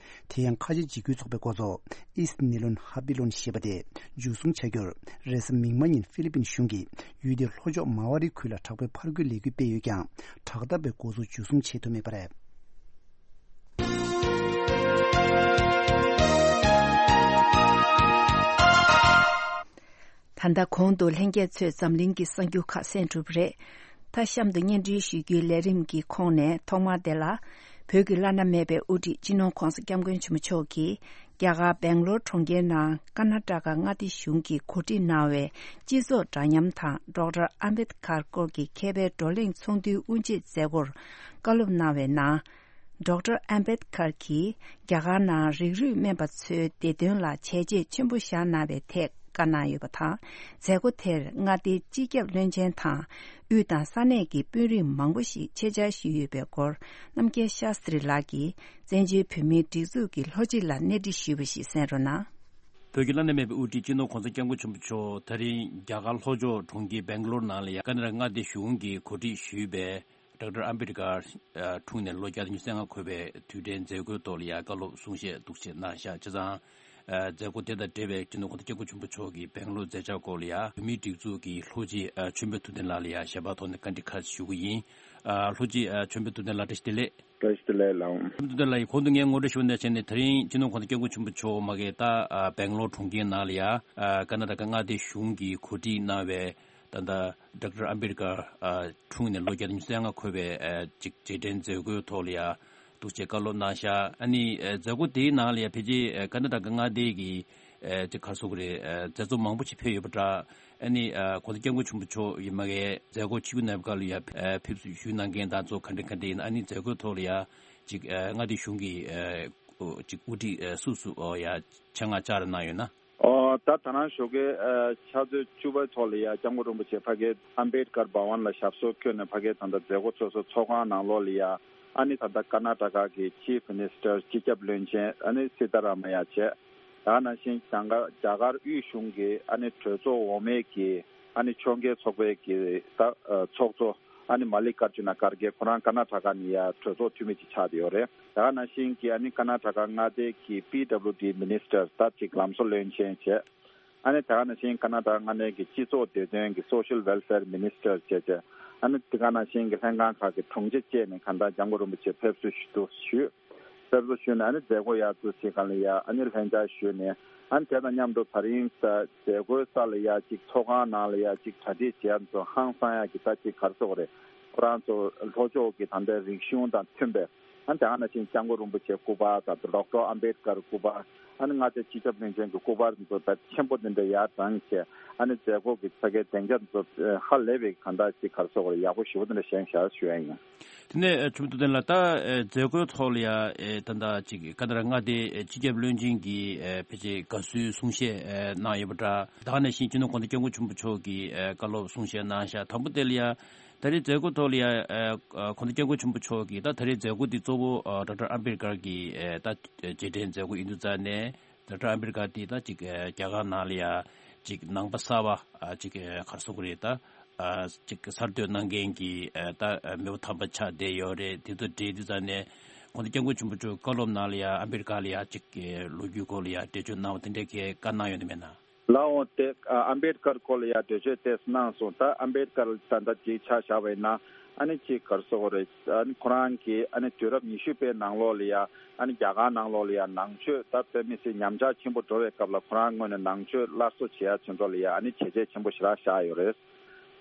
དེ་ཡང་ཁ་ཆེ་འཇིགས་སྐུལ་ཚོགས་པའི་འགོ་གཙོ་ཨིས་ནི་ལོན་ཧ་པི་ལོན་ཞེས་པ་དེ་འཇུ་བཟུང་བྱ་རྒྱུར། རེས་གཟའ་མིག་དམར་ཉིན་ཧྥི་ལི་པིན་གཞུང་གིས་ཡུལ་དེའི་ལྷོ་ཕྱོགས་མ་ཝ་རི་ཁུལ་ལ་དྲག་པོའི་ཕར་རྒོལ་ལས་འགུལ་སྤེལ་ཡོད་ཀྱང་། དྲག་འཐབ་པའི་འགོ་གཙོ་འཇུ་བཟུང་བྱེད་ཐུབ་མེད་པ་རེད། ད་ལྟ་གོང་དུ་ལྷན་རྒྱས་ཚོས་འཛམ་གླིང་གི་གསར་འགྱུར་ཁག་གསན་གྲུབ་པ་རེད། ད་གཤམ་དུ་སྙན་སྒྲོན་ཞུ་རྒྱུའི་ལས་རིམ་གྱི་ཁོངས་ནས་ཐོག་མར་དེ་ལ། བོད་ཀྱི་བླ་ན་མེད་པའི་དབུ་ཁྲིད་སྤྱི་ནོར་༧གོང་ས་༧སྐྱབས་མགོན་ཆེན་པོ་མཆོག་གིས་རྒྱ་གར་སྦེང་ལོར་གྲོང་ཁྱེར་ནང་ཀར་ན་ཊ་ཀ་མངའ་སྡེ་གཞུང་གིས་གོ་སྒྲིག་གནང་བའི་སྤྱི་ཚོགས་འདྲ་མཉམ་དང་ཌོག་ཊར་ཨམ་བེད་ཀར་སྐོར་གྱི་མཁས་པའི་བགྲོ་གླེང་ཚོགས་འདུའི་དབུ་འབྱེད་མཛད་སྒོར་བཀའ་སློབ་གནང་བའི་ནང་། ཌོག་ཊར་ཨམ་བེད་ཀར་གྱིས་རྒྱ་གར་ནང་རིགས་རུས་སྨན་པ་ཚོའི་བདེ་དོན་ལ་བྱས་རྗེས་ཆེན་པོ་བཞག་གནང་བའི་ཐད་བཀའ་གནང་ཡོད་པ་དང་། མཛད་སྒོ་དེར་མངའ་སྡེའི་སྤྱི་ཁྱབ་བློན་ཆེན་དང་དབུས་དང་ས་གནས་ཀྱི་དཔོན་རིགས་མང་པོ་ཞིག་ཆེད་བཅར་ཞུས་ཡོད་པའི་སྐོར། རྣམ་རྒྱལ་ཤཱ་སྟྲི་ལགས་ཀྱིས་བཙན་བྱོལ་བོད་མིའི་སྒྲིག་འཛུགས་ཀྱི་ལྷོ་སྤྱི་ལ་གནས་འདྲི་ཞུས་པ་ཞིག་གསན་རོགས་གནང་། བོད་ཀྱི་བླ་ན་མེད་པའི་དབུ་ཁྲིད་སྤྱི་ནོར་༧གོང་ས་༧སྐྱབས་མགོན་ཆེན་པོ་མཆོག་དེ་རིང་རྒྱ་གར་ལྷོ་ཕྱོགས་གྲོང་ཁྱེར་སྦེང་ལོར་ནང་ལ་ཡང་ཀར་ན་ཊ་ཀ་མངའ་སྡེ་གཞུང་གིས་གོ་སྒྲིག་ཞུས་པའི་ཌོག་ཊར་ཨམ་བེད་ཀར་འཁྲུངས་ནས་ལོ་བརྒྱ་དང་ཉི་ཤུ་རྩ་ལྔ་འཁོར་བའི་དུས་དྲན་མཛད་སྒོའི་ཐོག་ལ་ཡང་བཀའ་སློབ་གསུང་བཤད་འདུག་སེ་གནང་བཞག་བྱས་ཙང་། མཛད་སྒོ་དེ་དང་འབྲེལ་བའི་སྤྱི་ནོར་༧གོང་ས་༧སྐྱབས་མགོན་ཆེན་པོ་མཆོག་གིས་སྦེང་ལོར་མཛད་འཆར་སྐོར་ལ་ཡང་བོད་མིའི་སྒྲིག་འཛུགས་ཀྱི་ལྷོ་སྤྱི་ཆོས་འཕེལ་ཐུབ་བསྟན་ལགས་ལ་ཡང་ཞལ་པར་ཐོག་ནས་བཀའ་འདྲི་ཁ་ཤས་ཞུ་གི་ཡིན། ལྷོ་སྤྱི་ཆོས་འཕེལ་ཐུབ་བསྟན་ལགས་བཀྲ་ཤིས་བདེ་ལེགས། བཀྲ་ཤིས་བདེ་ལེགས་ལགས། ཆོས་འཕེལ་ཐུབ་བསྟན་ལགས་ཡིས་གོང་དུ་ངས་ངོ་སྤྲོད་ཞུས་པ་ནང་བཞིན་ནས་དེ་རིང་སྤྱི་ནོར་༧གོང་ས་༧སྐྱབས་མགོན་ཆེན་པོ་མཆོག་མ་གི་ད་སྦེང་ལོར་གྲོང་ཁྱེར་ནང་ལ་ཡང་ཀར་ན་ཊ་ཀ་མངའ་སྡེ་གཞུང་གིས་གོ་སྒྲིག་གནང་བའི་ད་ལྟ་ཌོག་ཊར་ཨམ་བེད་ཀར་འཁྲུངས་ནས་ལོ་བརྒྱ་དང་ཉི་ཤུ་རྩ་ལྔ་འཁོར་བའི་ཅིག་རྗེས་དྲན་མཛད་སྒོའི་ཐོག་ལ་ཡང་འདུག་སེ་བཀའ་སློབ་གནང་བཞག་ཨ་ནི་མཛད་སྒོ་དེའི་ནང་ལ་ཡང་ཕལ་ཆེར་ཀར་ན་ཊ་ཀ་མངའ་སྡེ་གི་ ཨ་ཅིག་ག་རེ་ཟེར་དགོས་རེད། ཨ་མཛད་གཙོ་མང་པོ་ཞིག་ཕེབས་ཡོད་པ་འདྲ། ཨ་ནི་ཨ་གོང་ས་སྐྱབས་མགོན་ཆེན་པོ་མཆོག་ཡིན་མ་གས་མཛད་སྒོ་ཆིབས་བསྒྱུར་གནང་བའི་སྐབས་ལ་ཡ་ཨ་ཕེབས་བསུ་ཞུས་གནང་མཁན་དང་ཚོ་ག་འདྲ་ག་འདྲ་ཡིན། ཨ་ནི་མཛད་སྒོའི་ཐོག་ལ་ཡ་ཅིག་ཨ་མངའ་སྡེ་གཞུང་གི་ཨ་ཅིག་དབུ་ཁྲིད་ཨ་སུ་སུ་ཨོ་ཡ་ཆེད་མངགས་བཅར་གནང་ཡོད་ན། ཨོ་ད་ད་རང་ཞོགས་ཀའི་ཨ་ཕྱག་ཚོད་བཅུ་པའི་ཐོག་ལ་ཡ་སྐྱབས་མགོན་རིན་པོ་ཆེ་ཕ་གིའི་ཨམ་བེད་ཀར་བྷ་ཝན་ལ་ཞབས་སོར་བཀོད་ནས་ཕ་གིའི་ད་ལྟ་མཛད་སྒོ་ཚོགས་གཙོ་ཚོགས་ཁང་ནང་ལོགས་ལ་ཡ་ཨ་ནི་ད་ལྟ་ཀར་ནཱ་ཊ་ཀ་གི་ཅིབ་མི་ནིས་ཊར་སྤྱི་ཁྱབ་བློན་ཆེན་ཨ་ནི་སི་ཏཱ་ར་མ་ཡ་བྱས། ད་ག་ནང་བཞིན་བྱང་གར་རྒྱ་གར་དབུས་གཞུང་གི་ཨ་ནི་གྲོས་ཚོགས་འོག་མའི་གི་ཨ་ནི་ཕྱོགས་འགལ་ཚོགས་པའི་གི་ད་ཨ་ཚོགས་གཙོ་ཨ་ནི་མ་ལི་ཀར་ཇུ་ན་ཁར་གེ་ཁོ་རང་ཀར་ནཱ་ཊ་ཀ་ནས་ཡ་གྲོས་ཚོགས་འཐུས་མི་ཅིག་ཆགས་བསྡད་ཡོད་རེད། ད་ག་ནང་བཞིན་གི་ཨ་ནི་ཀར་ནཱ་ཊ་ཀ་མངའ་སྡེ་གི་པི་ཌབ་ལུ་ཌི་མི་ནིས་ཊར་ད་ཅིག་ལམ་བཟོ་བློན་ཆེན་བྱས། ཨ་ནི་ད་ག་ནང་བཞིན་ཀར་ནཱ་ཊ་ཀ་མངའ་སྡེ་གི་སྤྱི་ཚོགས་བདེ་དོན་གི་སོ་ཤལ་ཝེལ་ཕེར་མི་ནིས་ཊར་བྱས་བྱས། ཨ་ནི་དེ་ག་ནང་བཞིན་གི་ལྷན་ཁང་ཁག་གི་དྲུང་ཆེ་བཅས་ནས་གང་ལྟར་སྐྱབས་མགོན་རིན་པོ་ཆེ་ཕེབས་བསུ་ཞུ་དུ་ཞུས། ཕེབས་བསུ་ཞུས་ནས་ཨ་ནི་མཛད་སྒོ་ཡར་ཚུར་བྱེད་གང་ལ་ཡ་ཨ་ནི་ལྷན་བཅར་ཞུས་ནས། ཨ་ནི་དེ་དང་མཉམ་དུ་ད་རིང་ད་མཛད་སྒོའི་ས་ལ་ཡ་གཅིག་ཚོགས་ཁང་ནང་ལ་ཡ་གཅིག་གྲ་སྒྲིག་བྱས་ཚོ་ཧང་སང་ཡ་གི་ད་གཅིག་ག་རེ་ཟེར་དགོས་རེད། ཁོ་རང་ཚོ་ལྷོ་ཕྱོགས་ཀྱི་ད་ལྟའི་རིག་གཞུང་དང་མཐུན་པའི་ཨ་ནི་དེ་ག་ནང་བཞིན་སྐྱབས་མགོན་རིན་པོ་ཆེ་སྐུ་པར་དང་ཌོག་ཊར་ཨམ་བེད་ཀར་སྐུ་པར། ཨ་ནི་མངའ་སྡེ་སྤྱི་ཁྱབ་བློན་ཆེན་གྱི་སྐུ་པར་ཚོ་ད་ཆེན་པོ་དེ་འདྲ་ཡར་དྲངས་བྱས། ཨ་ནི་མཛད་སྒོ་གི་ཕ་གའི་སྡིངས་ཆ་ཚོ་ཧ་ལས་པའི་གང་ལྟར་ཅིག་ག་རེ་ཟེར་དགོས་རེད། ཡག་པོ་ཞེ་པོ་དེ་འདྲ་བཞེངས་བཞག་ཞུ་ཡ་ཡིན། དེ་ནས་ཨ་ཆུ་མོ་ཐུབ་བསྟན་ལགས། ད་ཨ་མཛད་སྒོའི་ཐོག་ལ་ཡ་ཨེ་ད་ལྟ་ཅིག་ཀ་ན་ཌ་མངའ་སྡེ་ཨེ་སྤྱི་ཁྱབ་བློན་ཆེན་གྱིས་ཨེ་ཕལ་ཆེར་དགའ་བསུའི་གསུང་བཤད་ཨེ་གནང་ཡོད་པ་འདྲ། ད་ག་ནང་བཞིན་སྤྱི་ནོར་༸གོང་ས་༸སྐྱབས་མགོན་ཆེན་པོ་མཆོག་གིས་ཨེ་བཀའ་སློབ་གསུང་བཤད་གནང་བཞག་དང་པོ་དེ་ལ་ཡ་ད་རེས་མཛད་སྒོ་ཐོག་ལ་ཡ་ཨེ་༸གོང་ས་༸སྐྱབས་མགོན་ཆེན་པོ་མཆོག་གིས་ད་ད་རེས་མཛད་སྒོ་འདི་གཙོ་བོ་ཨེ་ཌོག་ཊར་ཨམ་བེད་ཀར་གྱི་ཨེ་ད་རྗེས་དྲན་མཛད་སྒོ་ཡིན་དུས་ཙང་ནས། ཌོག་ཊར་ཨམ་བེད་ཀར་དེ་ད་ཅིག་ཨ་རྒྱ་གར་ནང་ལ་ཡ་ཅིག་ནང་པ་གསར་པ་ཨ་ཅིག་ཨ་ག་རེ་ཟེར་དགོས་རེད། ད་ཨ་ཅིག་གསར་གཏོད་གནང་མཁན་གྱི་ཨ་ད་ཨ་མི་བོ་དམ་པ་ཆགས་བསྡད་ཡོད་རེད། དེ་ཚོ་འབྲེལ་དུས་ཙང་ནས་༸གོང་ས་༸སྐྱབས་མགོན་ཆེན་པོ་མཆོག་བཀའ་སློབ་ནང་ལ་ཡ་ཨམ་བེད་ཀར་ལ་ཡ་ཅིག་ཨ་ལོ་རྒྱུས་སྐོར་ལ་ཡ་འགྲེལ་བརྗོད་གནང་བ་དེ་འདྲའི་གི་བཀའ་གནང་ཡོད་དམ་མེད་ན། ལགས་འོང་། དེ་ཨ་ཨམ་བེད་ཀར་སྐོར་ལ་ཡ་འགྲེལ་བརྗོད་ཏོག་ཙམ་གནང་སོང་། ད་ཨམ་བེད་ཀར་ད་ལྟ་ཅིག་ཆ་བཞག་པ་ཡིན་ན། ཨ་ནི་ཅིག་ག་རེ་ཟེར་དགོས་རེད། ཨ་ནི་ཁོ་རང་གིས་ཨ་ནི་དུས་རབས་ཉི་ཤུ་པའི་ནང་ལོགས་ལ་ཡ་ཨ་ནི་རྒྱ་གར་ནང་ལོགས་ལ་ཡ་ནང་ཆོས་ད་དཔེ་མི་སྲིད་ཉམས་ཆག་ཆེན་པོ་འགྲོ་བའི་སྐབས་ལ་ཁོ་རང་ངོས་ནས་ནང་ཆོས་སླར་གསོ་བྱེད་ཡ་ཆེད་དུ་ལ་ཡ་ཨ་ནི་བྱས་རྗེས་ཆེན་པོ་ཞེ་དྲག་བཞག་ཡོད་རེད།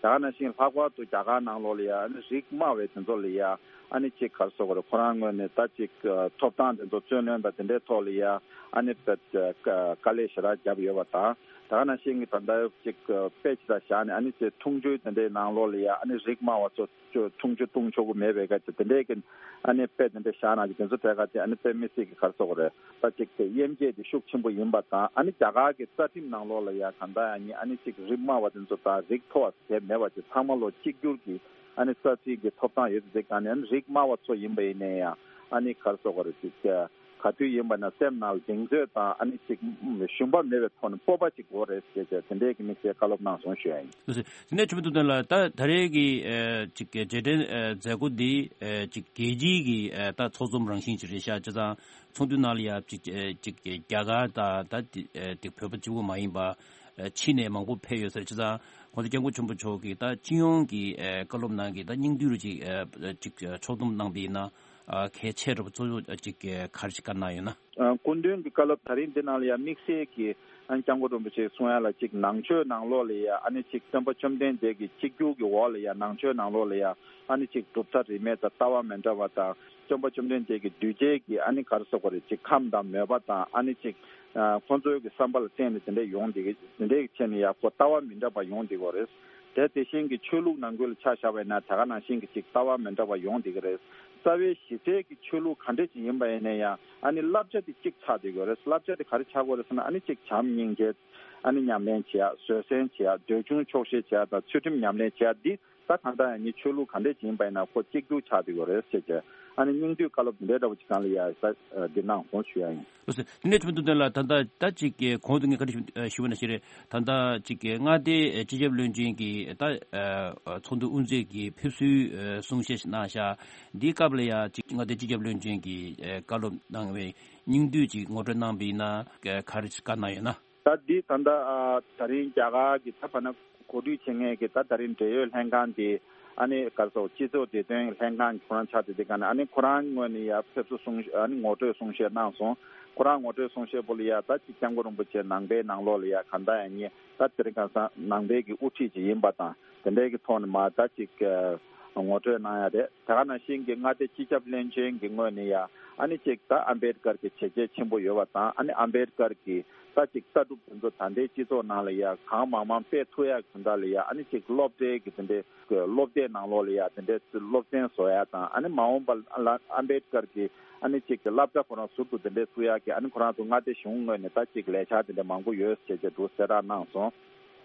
ད་ག་ནང་བཞིན་ལྷག་པར་དུ་རྒྱ་གར་ནང་ལོགས་ལ་ཡ་ཨ་ནི་རིགས་དམའ་བའི་དེ་ཚོ་ལ་ཡ་ཨ་ནི་ཅིག་ག་རེ་ཟེར་དགོས་རེད། ཁོ་རང་ངོས་ནས་ད་ཅིག་ཐོབ་ཐང་དེ་ཚོ་རྩོད་ལེན་དང་དེ་འདྲའི་ཐོག་ལ་ཡ་ཨ་ནི་དཔེ་དཀའ་ལས་ཞེ་དྲག་བརྒྱབ་ཡོད་པ་དང་། ད་ག་ནང་བཞིན་གྱི་ད་ལྟ་ཅིག་དཔེ་ཅིག་ད་བཞག་ནས་ཨ་ནི་ཅིག་འཐུང་ཆུའི་དེ་འདྲའི་ནང་ལོགས་ལ་ཡ་ཨ་ནི་རིགས་དམའ་བ་ཚོ་ཆུ་འཐུང་ཆུ་བཏུང་ཆོག་གི་མེད་པའི་སྐད་ཆ་དེ་འདྲའི་གི་ཨ་ནི་དཔེ་དེ་འདྲ་བཞག་ན་གི་དེ་ཚོ་གྲས་ཁ་དེ་ཨ་ནི་དཔེ་མི་སྲིད་གི་ག་རེ་ཟེར་དགོས་རེད། ད་ཅིག་དེ་དབྱེ་འབྱེད་དེ་ཤུགས་ཆེན་པོ་ཡིན་པ་དང་། ཨ་ནི་རྒྱ་གར་གི་རྩ་ཁྲིམས་ནང་ལོགས་ལ་ཡ་གང་ལྟར་ཡང་ནི་ཨ་ནི་ཅིག་རིགས་དམའ་བ་དེ་ཚོ་དང་རིགས་མཐོ་བ་དེ་མེད་པ་ཅིག་ཚང་མ་ལོ་གཅིག་གྱུར་གི་ཨ་ནི་རྩ་ཁྲིམས་ཀྱི་ཐོབ་ཐང་ཡོད་དེ་གང་ནས་ཨ་ནི་རིགས་དམའ་བ་ཚོ་ཡིན་པ་ཡིན་ནའི་ཡང་ཨ་ནི་ག་རེ་ཟེར་དགོས་རེད། ཅིག་ག་དུས་ཡིན་པ་ན་སེམས་ནང་ལ་གདེང་ཚོད་དང་ཨ་ནི་ཅིག་ཞུམ་པ་མེད་པའི་ཐོག་ནས་སྤོབས་པ་ཅིག་དགོས་རེད་ཟེར་བྱས་དེ་འདྲའི་གི་དམིགས་བསལ་བཀའ་སློབ་གནང་སོང་ཞུ་ཡ་ཡིན། ལགས་སོ། དེ་ནས་ཆུ་མོ་ཐུབ་བསྟན་ལགས། ད་ད་རེས་ཀྱི་ཨ་ཅིག་རྗེས་དྲན་ཨ་མཛད་སྒོ་འདི་ཨ་ཅིག་རྒྱལ་སྤྱིའི་གི་ཨ་ད་ཚོགས་འཛོམས་རང་བཞིན་ཅིག་རེད་ཤག་བྱས་ཙང་ཚོགས་འདུ་ནང་ལ་ཡ་ཅིག་ཨ་ཅིག་རྒྱ་གར་དང་ད་དེ་ཨ་དེ་བོད་པ་གཅིག་པུ་མ་ཡིན་པ་ཨ་ཕྱི་ནས་མང་པོ་ཕེབས་ཡོད་ས་རེད། བྱས་ཙང་༸གོང་ས་༸སྐྱབས་མགོན་ཆེན་པོ་མཆོག་གིས་ད་སྤྱི་ཡོངས་ཀྱི་ཨ་བཀའ་སློབ་ནང་གི་ད་སྙིང་བསྡུས་རུ་ཅིག་ཨ་ཅིག་ཕྱོགས་བསྡོམས་གནང་པ་ཡིན་ན་ཨ་གལ་ཆེ་དྲགས་པ་གཙོ་བོ་ཅིག་ག་རེ་ཞིག་བཀའ་གནང་ཡོད་ན། ཨ་སྐུ་མདུན་གྱི་བཀའ་སློབ་ད་རིང་འདི་ནང་ལ་ཡང་དམིགས་བསལ་གྱི་ཨ་ནི་སྐྱབས་མགོན་རིན་པོ་ཆེས་གསུང་ཡ་ལ་ཅིག་ནང་ཆོས་ནང་ལོགས་ལ་ཡ་ཨ་ནི་ཅིག་སྟོན་པ་བཅོམ་ལྡན་འདས་ཀྱི་གཅིག་གྱུར་གྱི་འོག་ལ་ཡ་ནང་ཆོས་ནང་ལོགས་ལ་ཡ་ཨ་ནི་ཅིག་གྲུབ་མཐའ་རིས་མེད་དང་ལྟ་བ་མི་འདྲ་བ་དང་སྟོན་པ་བཅོམ་ལྡན་འདས་ཀྱི་གདུལ་བྱའི་གི་ཨ་ནི་ག་རེ་ཟེར་དགོས་རེད། ཅིག་ཁམས་དང་མོས་པ་དང་ཨ་ནི་ཅིག་ཨ་ཁོང་ཚོའི་གི་བསམ་པ་ལ་བརྟེན་ནས་དེ་འདྲ་ཡོང་བསྡད་ཀྱི་དེ་འདྲའི་གི་ཆེད་ནས་ཡ་ཁོ་ལྟ་བ་མི་འདྲ་བ་ཡོང་བསྡད་ཀྱི་ཡོད་རེད། དེ་དེ་བཞིན་གྱི་ཆོས་ལུགས་ནང་ཁུལ་ལ་ཆ་བཞག་པ་ཡིན་ན་དེ་ག་ནང་བཞིན་གྱི་ཅིག་ལྟ་བ་མི་འདྲ་བ་ཡོང་བསྡད་ཀྱི་རེད། རྩ་བའི་གཞི་རྩའི་གི་ཆོས་ལུགས་ག་འདྲ་ཅིག་ཡིན་པ་ཡིན་ན་ཡང་ཨ་ནི་བསླབ་བྱ་དེ་གཅིག་ཆགས་བསྡད་ཀྱི་ཡོད་རེད། བསླབ་བྱ་དེ་ག་རེ་ཆགས་ཀྱི་ཡོད་རེད་ཟེར་ན་ཨ་ནི་ཅིག་བྱམས་སྙིང་རྗེ་ཨ་ནི་ཉམས་ལེན་བྱེད་ཡ། བཟོད་བསྲན་བྱེད་ཡ། འདོད་ཆུང་ཆོག་ཤེས་བྱེད་ཡ་དང་ཚུལ་ཁྲིམས་ཉམས་ལེན་བྱེད་ཡ། འདི་ད་གང་ལྟར་ཡང་ནི་ཆོས་ལུགས་ག་འདྲ་ཅིག་ཡིན་པ་ཡིན་ན་ཁོ་གཅིག་གྱུར་ཆགས་བསྡད་ཀྱི་ཡོད་རེད་ཟེར་བྱས་ཨ་ནི་སྙིང་བསྡུས་བཀའ་སློབ་འདི་འདྲ་འདྲ་བོ་ཅིག་སྒང་ལ་ཡ་ས་འདི་གནང་སོང་ཞུ་ཡ་ཡིན། ལགས་སོ། དེ་ནས་ཆུ་མོ་ཐུབ་བསྟན་ལགས། ད་ལྟ་ད་ཅིག་གི་གོང་དུ་ངས་བཀའ་འདྲི་ཞུ་ཞུ་བ་ནང་བཞིན་རེད། ད་ལྟ་ཅིག་གི་མངའ་སྡེའི་སྤྱི་ཁྱབ་བློན་ཆེན་གྱིས་ད་ཚོགས་འདུ་དབུ་འཛུགས་ཀྱི་ཕེབས་བསུའི་གསུང་བཤད་ཞིག་གནང་ཤག་འདིའི་སྐབས་ལ་ཡ་ཅིག་མངའ་སྡེའི་སྤྱི་ཁྱབ་བློན་ཆེན་གྱིས་བཀའ་སློབ་གནང་བའི་སྙིང་བསྡུས་ཅིག་ངོ་སྤྲོད་གནང་བ་ཡིན་ན་ག་རེ་ཞིག་བཀའ་གནང་ཡོད་ན། ད་འདི་ད་ལྟ་ཨ་ད་རིང་རྒྱ་གར་གྱི་ད་བར་ན་གོ་སྒྲིག་བྱེད་མཁན་གྱི་ད་ད་རིང་འབྲེལ་ཡོད་ལྷན་ཁང་དེ་ཨ་ནི་ག་རེ་ཟེར་སྤྱི་ཚོགས་བདེ་དོན་ལྷན་ཁང་གི་ཁོ་རང་ཆགས་བསྡད་དེ་ག་ནས་ཨ་ནི་ཁོ་རང་ངོས་ནས་ཡ་ཕེབས་བསུ་གསུང་ཨ་ནི་ངོ་སྤྲོད་གསུང་བཤད་གནང་སོང་། ཁོ་རང་ངོ་སྤྲོད་གསུང་བཤད་པོ་ལ་ཡ་ད་ཅིག་སྐྱབས་མགོན་རིན་པོ་ཆེ་ནང་པའི་ནང་ལོགས་ལ་ཡ་ག་ད་ཡ་ཉེ་ད་དེ་རིང་ཁ་སང་ནང་པའི་གི་དབུ་ཁྲིད་ཅིག་ཡིན་པ་དང་དེ་འདྲའི་གི་ཐོག་ནས་མ་ད་ཅིག་ངོ་སྤྲོད་གནང་ཡ་རེད། དེ་ག་ནང་བཞིན་གྱི་མངའ་སྡེ་སྤྱི་ཁྱབ་བློན་ཆེན་གྱི་ངོས་ནས་ཡ་ཨ་ནི་ཅིག་ད་ཨམ་བེད་ཀར་གྱི་བྱས་རྗེས་ཆེན་པོ་ཡོད་པ་དང་ཨ་ནི་ཨམ་བེད་ཀར་གྱི་ ད་ཅིག་ལྟ་གྲུབ་དེ་ཚོ་ད་ལྟའི་སྤྱི་ཚོགས་ནང་ལ་ཡ་གང་མང་མང་སྤེལ་ཐུབ་ཡག་དེ་འདྲ་ལ་ཡ། ཨ་ནི་ཅིག་སློབ་གྲྭའི་གི་དེ་འདྲའི་སློབ་དེབ་ནང་ལོགས་ལ་ཡ་དེ་འདྲའི་སློབ་ཚན་བཟོ་ཡ་དང་། ཨ་ནི་མ་འོངས་པ་ལ་ཨམ་བེད་ཀར་གྱི་ཨ་ནི་ཅིག་སློབ་གྲྭ་ཁོ་རང་ཟུར་དུ་དེ་འདྲའི་བཙུགས་ཡག་གི་ཨ་ནི་ཁོ་རང་ཚོ་མངའ་སྡེ་གཞུང་ངོས་ནས་ད་ཅིག་ལས་འཆར་དེ་འདྲ་མང་པོ་ཡོད་ཅེས་ཅེས་འདུག་གསལ་བསྒྲགས་གནང་སོང་།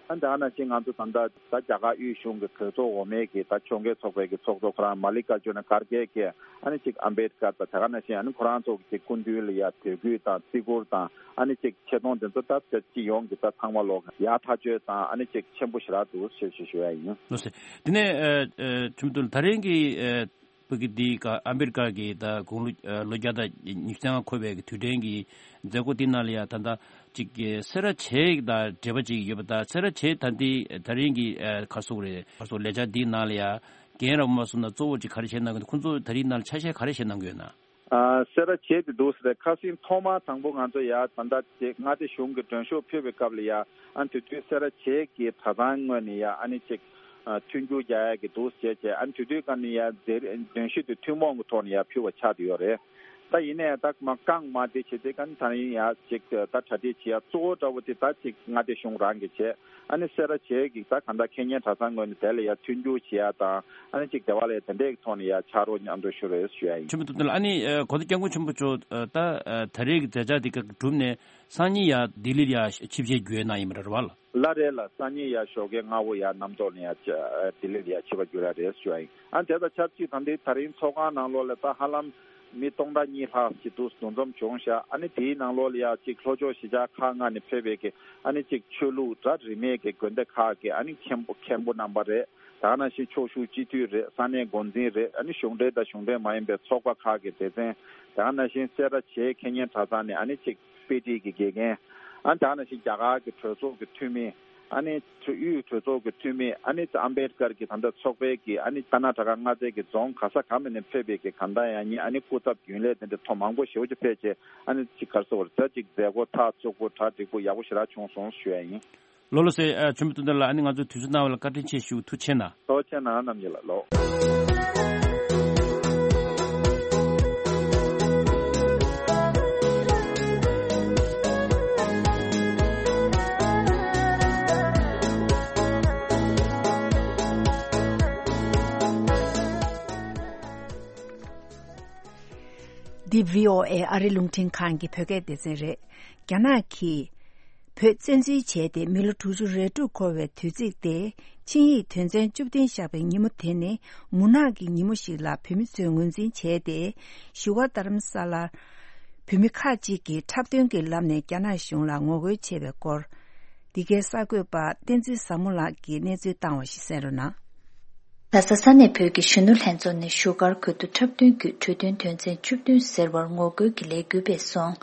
ཨ་ནི་ད་ག་ནང་བཞིན་ང་ཚོ་ད་ལྟ་ད་རྒྱ་གར་དབུས་གཞུང་གི་གྲོས་ཚོགས་འོག་མའི་གི་ད་ཕྱོགས་འགལ་ཚོགས་པའི་གི་ཚོགས་གཙོ་ཁོ་རང་མ་ལི་ཀར་ཇུ་ན་ཁར་གེ་གིས་ཨ་ནི་ཅིག་ཨམ་བེད་ཀར་དང་ད་ག་ནང་བཞིན་ཨ་ནི་ཁོ་རང་ཚོ་གི་སྐུ་མདུན་ལ་ཡ་དད་གུས་དང་བརྩི་བཀུར་དང་ཨ་ནི་ཅིག་ཆེ་མཐོང་དེ་ཚོ་ད་སྤྱི་ཡོངས་ཀྱི་ད་ཚང་མ་ལོག་ཡག་ཐག་ཆོད་དང་ཨ་ནི་ཅིག་ཆེན་པོ་ཞེ་དྲག་འདུག་ཞེས་ཞུ་ཞུ་ཡ་ཡིན། ལགས་སོ། དེ་ནས་ཨ་ཨ་ཁྲིམས་དོན་ད་རིང་གི་ཨ་བོད་ཀྱི་འདི་ག་ཨ་མེ་རི་ཀ་གི་ད་དགུང་ལོ་ཨ་ལོ་བརྒྱ་དང་ཉི་ཤུ་རྩ་ལྔ་འཁོར་བའི་གི་དུས་དྲན་གྱི་མཛད་སྒོ་འདི་ནང་ལ་ཡ་ད་ལྟ་ཅིག་གི་སེ་ར་བྱེས་དང་འབྲེལ་བ་ཅིག་ཡོད་པ། ད་སེ་ར་བྱེས་ད་འདི་ད་རིང་གི་ཨ་ག་སོག་རེད་ག་སོག་ལས་འཆར་འདིའི་ནང་ལ་ཡ་རྒན་རབས་མ་སོང་ན་གཙོ་བོ་ཅིག་ག་རེ་བྱེད་གནང་གི་འདུག་ཁོང་ཚོ་ད་རིང་ནང་ལ་ཆ་ཤས་ག་རེ་བྱེད་གནང་གི་ཡོད་ན། ཨ་སེ་ར་བྱེས་དེ་འདུག་ཟེར་ཁ་སང་ཐོག་མ་དང་པོ་ང་ཚོ་ཡ་ད་ལྟ་ཅིག་མངའ་སྡེ་གཞུང་གི་མགྲོན་ཤོག་ཕུལ་བའི་སྐབས་ལ་ཡ། ཨ་དེ་དུས་སེ་ར་བྱེས་ཀྱི་གྲྭ་ཚང་ངོས་ནས་ཡ་ཨ་ནི་ཅིག་ཨ་མཐུན་འགྱུར་རྒྱག་ཡ་གི་འདུག་ཟེར་བྱས། ཨ་དེ་དུས་ཀ་ནས་ཡ་མཛད་མགྲོན་ཤོག་དེ་ཐུན་མོང་གི་ཐོག་ནས་ཡ་ཕུལ་བ་ཆགས་བསྡད་ཡོད་རེད། ད་ཡིན་ནའི་ད་མ་རྐང་མ་དེ་བྱེད་དེ་ཀ་ནས་ད་ཡིན་ཡ་ཅིག་ད་གྲ་སྒྲིག་བྱེད་ཡ་གཙོ་བོ་འདྲ་བོ་དེ་ད་ཅིག་མངའ་སྡེ་གཞུང་རང་གིས་བྱས། ཨ་ནི་སེ་ར་བྱེས་ཀྱི་ད་གང་ལྟར་ཁེ་ཉེན་གྲྭ་ཚང་ངོས་ནས་དེ་ལ་ཡ་མཐུན་འགྱུར་བྱེད་ཡ་དང་། ཨ་ནི་ཅིག་དེ་བ་ལ་ཡ་དེ་འདྲའི་ཐོག་ནས་ཡ་ཕྱག་རོགས་མཉམ་དུ་ཞུ་རེས་ཞུ་ཡ་ཡིན། ཆེན་པོ་ཐུབ་བསྟན་ལགས། ཨ་ནི་ཨ་གོང་ས་སྐྱབས་མགོན་ཆེན་པོ་མཆོག་ཨ་ད་ཨ་ད་རེས་ཀྱི་མཛད་འཆར་འདི་ག་གྲུབ་ནས་སང་ཉིན་ཡ་ལྡི་ལིར་ཡ་ཆིབས་ཞལ་བསྒྱུར་གནང་ཡིན་པ་རེད་བ། ལགས་རེད་ལགས། སང་ཉིན་ཡ་ཞོགས་ཀའི་སྔ་པོ་ཡ་གནམ་ཐོག་ནས་ཡ་ལྡི་ལིར་ཡ་ཆིབས་པ་བསྒྱུར་ཡ་རེད་ཞུ་ཡ་ཡིན། ཨ་དེ་དང་ཆབས་ཅིག་ད་འདི་ད་རིང་ཚོགས་ཁང་ནང་ལོགས་ལ་ད་ཧ་ལམ་མི་སྟོང་ཕྲག་གཉིས་ལྷག་ཅིག་འདུ་འཛོམས་བྱུང་ཤག་ཨ་ནི་དེའི་ནང་ལོགས་ལ་ཡ་ཅིག་ལྷོ་ཕྱོགས་གཞིས་ཆགས་ཁག་ལྔ་ནས་ཕེབས་པའི་གི་ཨ་ནི་ཅིག་ཆོས་ལུགས་ད་རིས་མེད་ཀྱི་དགོན་སྡེ་ཁག་གི་ཨ་ནི་མཁན་པོ་མཁན་པོ་རྣམ་པ་རེད། ད་ག་ནང་བཞིན་ཕྱོགས་བཞུགས་སྤྱི་འཐུས་རེད། ས་གནས་འགོ་འཛིན་རེད། ཨ་ནི་གཞུང་འབྲེལ་དང་གཞུང་འབྲེལ་མ་ཡིན་པའི་ཚོགས་པ་ཁག་གི་སྡེ་ཚན། ད་ག་ནང་བཞིན་སེ་ར་བྱེས་ཁེ་ཉེན་གྲྭ་ཚང་ནས་ཨ་ནི་ཅིག་དཔེ་ཁྲིད་ཀྱི་དགེ་རྒན། ཨ་ནི་ད་ག་ནང་བཞིན་རྒྱ་གར་གྱི་གྲོས་ཚོགས་ཀྱི་འཐུས་མི། ཨ་ནི་དབུས་གྲོས་ཚོགས་ཀྱི་འཐུས་མི། ཨ་ནི་ཨམ་བེད་ཀར་གྱི་ད་ལྟ་ཚོགས་པའི་གི་ཨ་ནི་ཀར་ན་ཊ་ཀ་མངའ་སྡེ་གི་རྫོང་ག་ས་ག་མིན་ནས་ཕེབས་པའི་གི་གང་ལྟར་ཡང་ཉིན་ཨ་ནི་སྐུ་ཚབ་རྒྱུན་ལས་དེ་འདྲ་ཐོག་མང་པོ་ཞེ་པོ་ཅིག་ཕེབས་བྱས། ཨ་ནི་ཅིག་ག་རེ་ཟེར་དགོས་རེད། ད་ཅིག་མཛད་སྒོ་ཐག་བཅུག་པོ་གྲ་འགྲིག་པོ་ཡག་པོ་ཞེ་དྲག་བྱུང་སོང་ཞུ་ཡ་ཡིན། ལགས་ལགས་སེ། ཨ་ཆེན་པོ་ཐུབ་བསྟན་ལགས། ཨ་ནི་ང་ཚོའི་དུས་ཚོད་གནང་བ་ལ་བཀའ་དྲིན་ཆེ་ཞུ། ཐུགས་རྗེ་ཆེ་གནང་། ལགས་རྣམ་རྒྱལ་ལགས་ལགས། འདི་བྷི་ཨོ་ཨེ་ཨ་རི་རླུང་འཕྲིན་ཁང་གི་བོད་སྐད་སྡེ་ཚན་རེད། རྒྱ་ནག་གིས་བོད་བཙན་འཛུལ་བྱས་ཏེ་མི་ལོ་དྲུག་ཅུ་རེ་དྲུག་འཁོར་བའི་དུས་ཚིགས་ཏེ། ཆིངས་ཡིག་དོན་ཚན་བཅུ་བདུན་བཞག་པའི་ཉིན་མོ་དེ་ནི་མུན་ནག་གི་ཉིན་མོ་ཞིག་ལ་བོད་མི་ཚོས་ངོས་འཛིན་བྱས་ཏེ། བཞུགས་སྒར་རྡ་རམ་ས་ལར་བོད་མི་ཁག་ཅིག་གིས་འཁྲབ་སྟོན་གྱི་ལམ་ནས་རྒྱ་ནག་གཞུང་ལ་ངོ་རྒོལ་བྱས་པའི་སྐོར། འདི་གའི་གསར་འགོད་པ་བསྟན་འཛིན་བཟང་མོ་ལགས་ཀྱིས་གནས་ཚུལ་བཏང་བ་ཞིག་གསན་རོགས་གནང་། ལྷ་ས་ས་གནས་བོད་ཀྱི་གཞོན་ནུ་ལྷན་ཚོགས་ནས་བཞུགས་སྒར་ཁུལ་དུ་འཁྲབ་སྟོན་བརྒྱུད་གྲོས་མཐུན་དོན་ཚན་བཅུ་བདུན་ཟེར་བར་ངོ་རྒོལ་གྱི་ལས་འགུལ་སྤེལ་སོང་།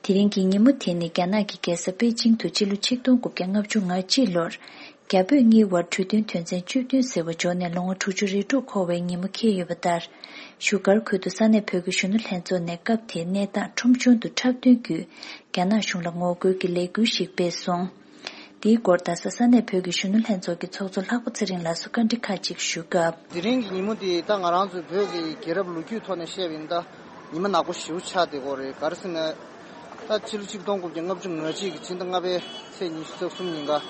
དེ་རིང་གི་ཉིན་མོ་དེ་ནི་རྒྱ་ནག་གི་རྒྱལ་ས་པེ་ཅིང་དུ་སྤྱི་ལོ་ཆིག་སྟོང་དགུ་བརྒྱ་ལྔ་བཅུ་ང་གཅིག་ལོར་རྒྱ་བོད་གཉིས་བར་གྲོས་མཐུན་དོན་ཚན་བཅུ་བདུན་ཟེར་བ་འཇོག་ནས་ལོ་ངོ་དྲུག་ཅུ་རེ་དྲུག་འཁོར་བའི་ཉིན་མོ་འཁེལ་ཡོད་པ་ལྟར། བཞུགས་སྒར་ཁུལ་དུ་ས་གནས་བོད་ཀྱི་གཞོན་ནུ་ལྷན་ཚོགས་ནས་སྐབས་དེའི་གནས་སྟངས་ཁྲོམ་གཞུང་དུ་འཁྲབ་སྟོན་བརྒྱུད། རྒྱ་ནག་གཞུང་ལ་ངོ་རྒོལ་གྱི་ལས་འགུལ་ཞིག་སྤེལ་སོང་། དེའི་སྐོར་རྡ་ས་ས་གནས་བོད་ཀྱི་གཞོན་ནུ་ལྷན་ཚོགས་ཀྱི་ཚོགས་གཙོ་ལྷག་པ་ཚེ་རིང་ལགས་སུ་བཀའ་འདྲི་ཁག་ཅིག་ཞུས་སྐབས། དེ་རིང་གི་ཉིན་མོ་འདི་ད་ང་རང་ཚོའི་བོད་ཀྱི་རྒྱལ་རབས་ལོ་རྒྱུས་ཐོག་ནས་བཤད་པ་ཡིན་ད། ཉི་མ་ནག་པོ་ཞེ་པོ་ཆགས་བསྡད་ཀྱི་ཡོད་རེད། ག་རེ་ཟེར་ན། ད་ཕྱི་ལོ་ཆིག་སྟོང་དགུ་བརྒྱ་ལྔ་བཅུ་ང་གཅིག་གི་ཕྱི་ཟླ་ལྔ་པའི་ཚེས་ཉི་ཤུ་རྩ་གསུམ་ཉིན་ཀ། རྒྱ་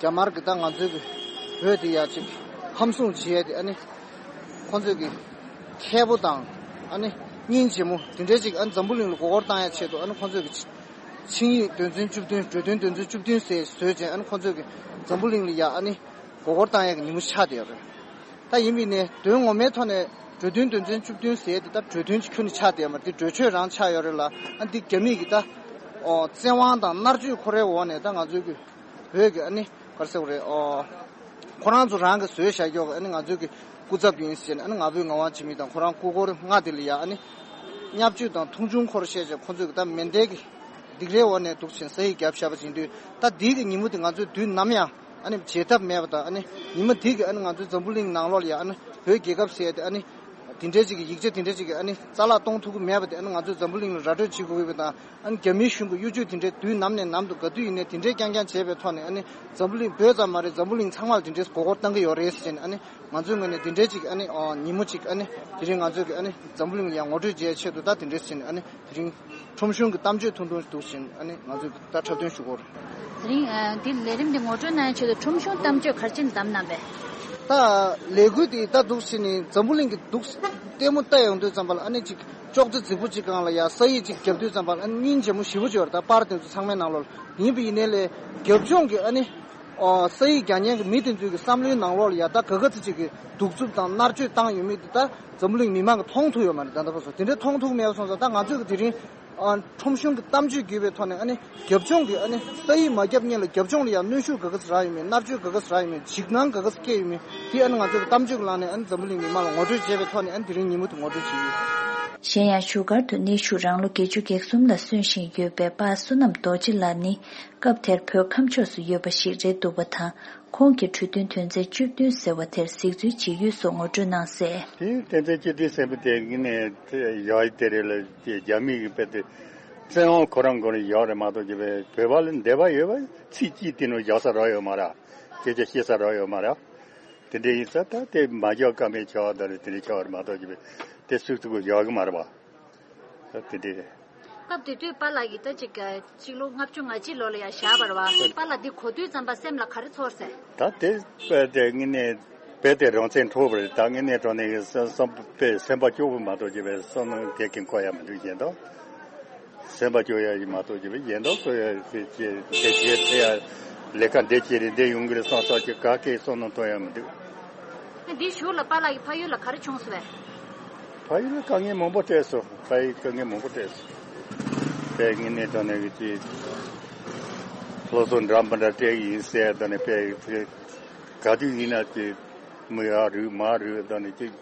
དམར་གྱིས་ད་ང་ཚོའི་གི་བོད་འདི་ཡ་ཅིག་ཧམ་བཟུང་བྱས་ཏེ། ཨ་ནི་ཁོང་ཚོས་གི་ཁྱེད་པོ་དང་། ཨ་ནི་སྙིང་རྗེ་མོ་དེ་འདྲའི་ཅིག་ཨ་ནི་འཛམ་བུ་གླིང་ལ་མགོ་སྐོར་བཏང་ཡ་ཆེད་དུ། ཨ་ནི་ཁོང་ཚོས་གི་ཆིངས་ཡིག་དོན་ཚན་བཅུ་བདུན། གྲོས་མཐུན་དོན་ཚན་བཅུ་བདུན་ཟེར་བཟོས་བྱས། ཨ་ནི་ཁོང་ཚོས་གི་འཛམ་བུ་གླིང་ལ་ཡ་ཨ་ནི་མགོ་སྐོར་བཏང་ཡ་གི་ཉིན་མོ་ཆགས་བསྡད་ཡོད་རེད། ད་ཡིན་པས་ནས་དོན་ངོ་མའི་ཐོག་ནས་གྲོས་མཐུན་དོན་ཚན་བཅུ་བདུན་ཟེར་དེ་ད་གྲོས་མཐུན་གཅིག་ཁྱོན་ནས་ཆགས་བསྡད་ཡོད་མ་རེད། འདི་གྲོས་ཆོད་རང་ཆགས་ཡོད་རེད་ལ། ཨ་འདི་རྒྱ་མི་གི་ད་ཨོ་བཙན་དབང་དང་མནར་གཅོད་ཁོ་རའི་འོག་ནས་ད་ང་ཚོའི་གི་བོད་ཀྱི་ཨ་ནི་ག་རེ་ཟེར་དགོས་རེད། ཨོ་ཁོ་རང་ཚོ་རང་གི་བཟོས་བཞག་ཀྱོག་གི་ཨ་ནི་ང་ཚོའི་གི་སྐུ་ཚབ་ཡིན་ཟེར་ནས། ཨ་ནི་ང་ཕོད་ངག་དབང་འཇིགས་མེད་དང་ཁོ་རང་སྐུ་འཁོར་ལྔ་དེ་ལ་ཡ་ཨ་ནི་བརྙས་བཅོས་དང་མཐོང་ཆུང་ཁོ་ར་བཤད་བྱས། ཁོ་ཚོས་གི་ད་མེ་མདའི་གི་སྡིགས་རའི་འོག་ནས་འདུག་བྱས་ས་ཡིག་བརྒྱབ་བཞག་པ་ཅིག་ཡིན་དུས། ད་འདི་གི་ཉིན་མོ་དེ་ང་ཚོས་དུས་ནམ་ཡང་ཨ་ནི་བརྗེད་ཐབས་མེད་པ་དང་། ཨ་ནི་ཉི་མ་འདི་གི་ཨ་ནི་ང་ཚོའི་འཛམ་བུ་གླིང་ནང་ལོགས་ལ་ཡ་ཨ་ནི་བོད་རྒྱལ་ཁབ་ཟེར་ཡ་དེ་ཨ་ནི་ དེ་འདྲའི་ཅིག་གི་ཡིག་ཆ་དེ་འདྲའི་ཅིག་གི་ཨ་ནི་རྩ་བརླག་གཏོང་ཐུབ་ཀྱི་མེད་པ་དེ་ཨ་ནི་ང་ཚོས་འཛམ་བུ་གླིང་ལ་ར་སྤྲོད་བྱེད་དགོས་ཀྱི་ཡོད་པ་དང་། ཨ་ནི་རྒྱ་མིའི་གཞུང་གི་གཡོ་ཇུས་དེ་འདྲའི་དུས་ནམ་ནས་ནམ་དུ་ག་དུས་ཡིན་ནའི་དེ་འདྲའི་རྐྱང་རྐྱང་བྱས་པའི་ཐོག་ནས། ཨ་ནི་འཛམ་བུ་གླིང་བོད་ཙམ་མ་རེད། འཛམ་བུ་གླིང་ཚང་མ་ལ་དེ་འདྲའི་མགོ་སྐོར་བཏང་གི་ཡོད་རེད་ཟེར་ནས། ཨ་ནི་ང་ཚོའི་ངོས་ནས་དེ་འདྲའི་ཅིག་ཨ་ནི་ཨ་ཉིན་མོ་ཅིག་ཨ་ནི་དེ་རིང་ང་ཚོས་ཀྱི་ཨ་ནི་འཛམ་བུ་གླིང་ལ་ཡང་ངོ་སྤྲོད་བྱེད་ཡའི་ཆེད་དུ་ད་དེ་འདྲའི་ཟེར་ནས། ཨ་ནི་དེ་རིང་ཁྲོམ་གཞུང་གི་གཏམ་བརྗོད་ཐུང་ཐུང་འདུག་ཟེར་ནས། ཨ་ནི་ང་ཚོས་ད་འཁྲབ་སྟོན་ཞུ་གི་ཡོད་རེད། དེ་རིང་ཨ་འདི་ལས་རིམ་འདི་ངོ་སྤྲོད་གནང་ཡའི་ཆེད་དུ་ཁྲོམ་གཞུང་གཏམ་བརྗོད་ག་རེ་བྱས་ནས་བདམས་གནང་པས། ད་ལས་འགུལ་འདི་ད་འདུག་ཟེར་ནས་འཛམ་བུ་གླིང་གི་འདུག་ལྟད་མོ་ལྟ་ཡོང་དུས་ཙམ་པ་ལ། ཨ་ནི་ཅིག་ཅོག་ཙེ་རྫིག་པོ་ཅིག་སྒང་ལ་ཡ་ས་ཡིག་ཅིག་བརྒྱབ་དུས་ཙམ་པ་ལ། ཨ་ནི་སྙིང་རྗེ་མོ་ཞེ་པོ་ཅིག་ཡོད་རེད། ད་པར་དེ་ཚོ་ཚང་མའི་ནང་ལོགས་ལ། ཡིན་པ་ཡིན་ནའི་ལས་རྒྱབ་ལྗོངས་ཀྱི་ཨ་ནི་ཨོ་ས་ཡིག་རྒྱག་མཁན་གྱི་མི་དེ་ཚོའི་གི་བསམ་བློའི་ནང་ལོགས་ལ་ཡ་ད་ག་ག་ཚོད་ཅིག་གི་གདུག་རྩུབ་དང་མནར་གཅོད་བཏང་ཡོད་མེད་དེ་ད་འཛམ་བུ་གླིང་མི་མང་གིས་མཐོང་ཐུབ་ཡོད་མ་རེད། ད་ལྟ་བར་དུ་དེ་འདྲའི་མཐོང་ཐུབ་མེད་པ་སོང་ཙང་། ད་ང་ཚོས་གི་དེ་རིང་ཨ་ཁྲོམ་གཞུང་གི་གཏམ་བརྗོད་བརྒྱུད་པའི་ཐོག་ནས། ཨ་ནི་རྒྱབ་ལྗོངས་ཀྱི་ཨ་ནི་ས་ཡིག་མ་བརྒྱབ་སྔོན་ལ་རྒྱབ་ལྗོངས་ལ་ཡང་གནོན་ཤུགས་ག་ག་ཚོད་རག་ཡོད་མེད། མནར་གཅོད་ག་ག་ཚོད་རག་ཡོད་མེད། འཇིགས་སྣང་ག་ག་ཚོད་སྐྱེས་ཡོད་མེད། དེ་ཨ་ནི་ང་ཚོས་གི་གཏམ་བརྗོད་ཀྱི་ལམ་ནས་ཨ་ནི་འཛམ་བུ་གླིང་མི་མང་ལ་ངོ་སྤྲོད་བྱས་པའི་ཐོག་ནས། ཨ་ནི་དེ་རིང་ཉིན་མོ་དེ་ངོ་སྤྲོད་བྱས་ཡོད། གཞན་ཡང་བཞུགས་སྒར་དུ་གནས་བཞུགས་རང་ལོ་བརྒྱད་ཅུ་གྱ་གསུམ་ལ་སོན་བཞིན་ཡོད་པའི་པ་བསོད་ནམས་རྡོ་རྗེ་ལགས་ནི། སྐབས་དེར་བོད་ཁམས་ཕྱོགས་སུ་ཡོད་པ་ཞིག་རེད་འདུག་པ་དང་། ཁོང་གིས་གྲོས་མཐུན་དོན་ཚན་བཅུ་བདུན་ཟེར་བ་དེར་གཟིགས་ཚུལ་ཇི་ཡོད་སོགས་ངོ་སྤྲོད་གནང་གསལ། དེ་དོན་ཚན་བཅུ་བདུན་ཟེར་བ་དེ་ངས་ནས་དེ་ཡག་དེ་རེད་ལ། དེ་རྒྱ་མི་གི་དཔེ་དེ་བཙན་དབང་ཁོ་རང་མགོ་ནས་བཞག་རེད་མ་གཏོགས་ཀྱི་བོད་པ་ལ་འདོད་པ་ཡོད་པ་ཚིག་གཅིག་དེ་ནང་བཞག་ས་རག་ཡོད་མ་རེད། སྐད་ཆ་བཤད་ས་རག་ཡོད་མ་རེད། དེ་འདྲ་ཡིན་ཙང་ད་དེ་མ་བཞག་ཀ་མེད་ཆགས་པ་དང་རེད། དེ་འདྲ་ཆགས་པ་རེད་མ་གཏོགས་ཀྱི་དེ་སུས་ཐུག་གི་བཞག་གི་མ་རེད་པ། ད་དེ་འདྲ་རེད། སྐབས་དེ་དུས་པཱ་ལགས་ཀྱིས་ད་ཅིག་གཅིག་ལོ་ལྔ་བཅུ་ང་གཅིག་ལོ་ལ་ཡང་བཞག་པ་རེད་པ། པཱ་ལགས་འདི་གོ་དུས་ཙམ་པ་སེམས་ལ་ག་རེ་ཚོར་སོང་། ད་དེ་དཔེ་དེ་དངོས་གནས་དཔེ་དེ་རང་བཙན་འཕྲོག་པ་རེད། ད་དངོས་གནས་དྲང་གནས་ཀྱི་སེམས་སེམས་དཔེ་སེམས་པ་སྐྱོ་པོ་མ་གཏོགས་ཀྱི་བའི་བསམ་བློ་གལ་གང་འཁོར་ཡ་མི་འདུག་གཞན་དག་སེམས་པ་སྐྱོ་ཡ་ཞིག་མ་གཏོགས་ཀྱི་བའི་གཞན་དག་ཚོ་ཡ་དེ་བྱེད་དེ་བྱེད་དེ་ཡ་ལས་ཀ་འདི་བྱེད་རེད། འདི་ཡོང་གི་རེད་བསམ་བསམ་གྱི་ག་གེ་བསམ་བློ་གཏོང་ཡ་མི་འདུག་འདིའི་གཞུག་ལ་པཱ་ལགས་ཀྱི་ཕ་ཡུལ་ལ་ག་རེ་བྱུང་སོང་བས། ཕ་ཡུལ་ལ་དཀའ་ངལ་མང་པོ་འཕྲད་སོང་། ཕ་ཡུལ་དཀའ་ངལ་མང་པོ་འཕྲད་སོང་། དཔེ་དངོས་གནས་དྲང་གནས་ཀྱི་ཅིག་སློབ་གསོ་འདྲ་མི་འདྲ་སྤྲད་ཀྱི་ཡིན་ཟེར། དེ་ནས་དཔེ་ག་དུས་ཡིན་ན་ཅིག་མི་ཡར་རུད་མར་རུད། དེ་ནས་ཅིག་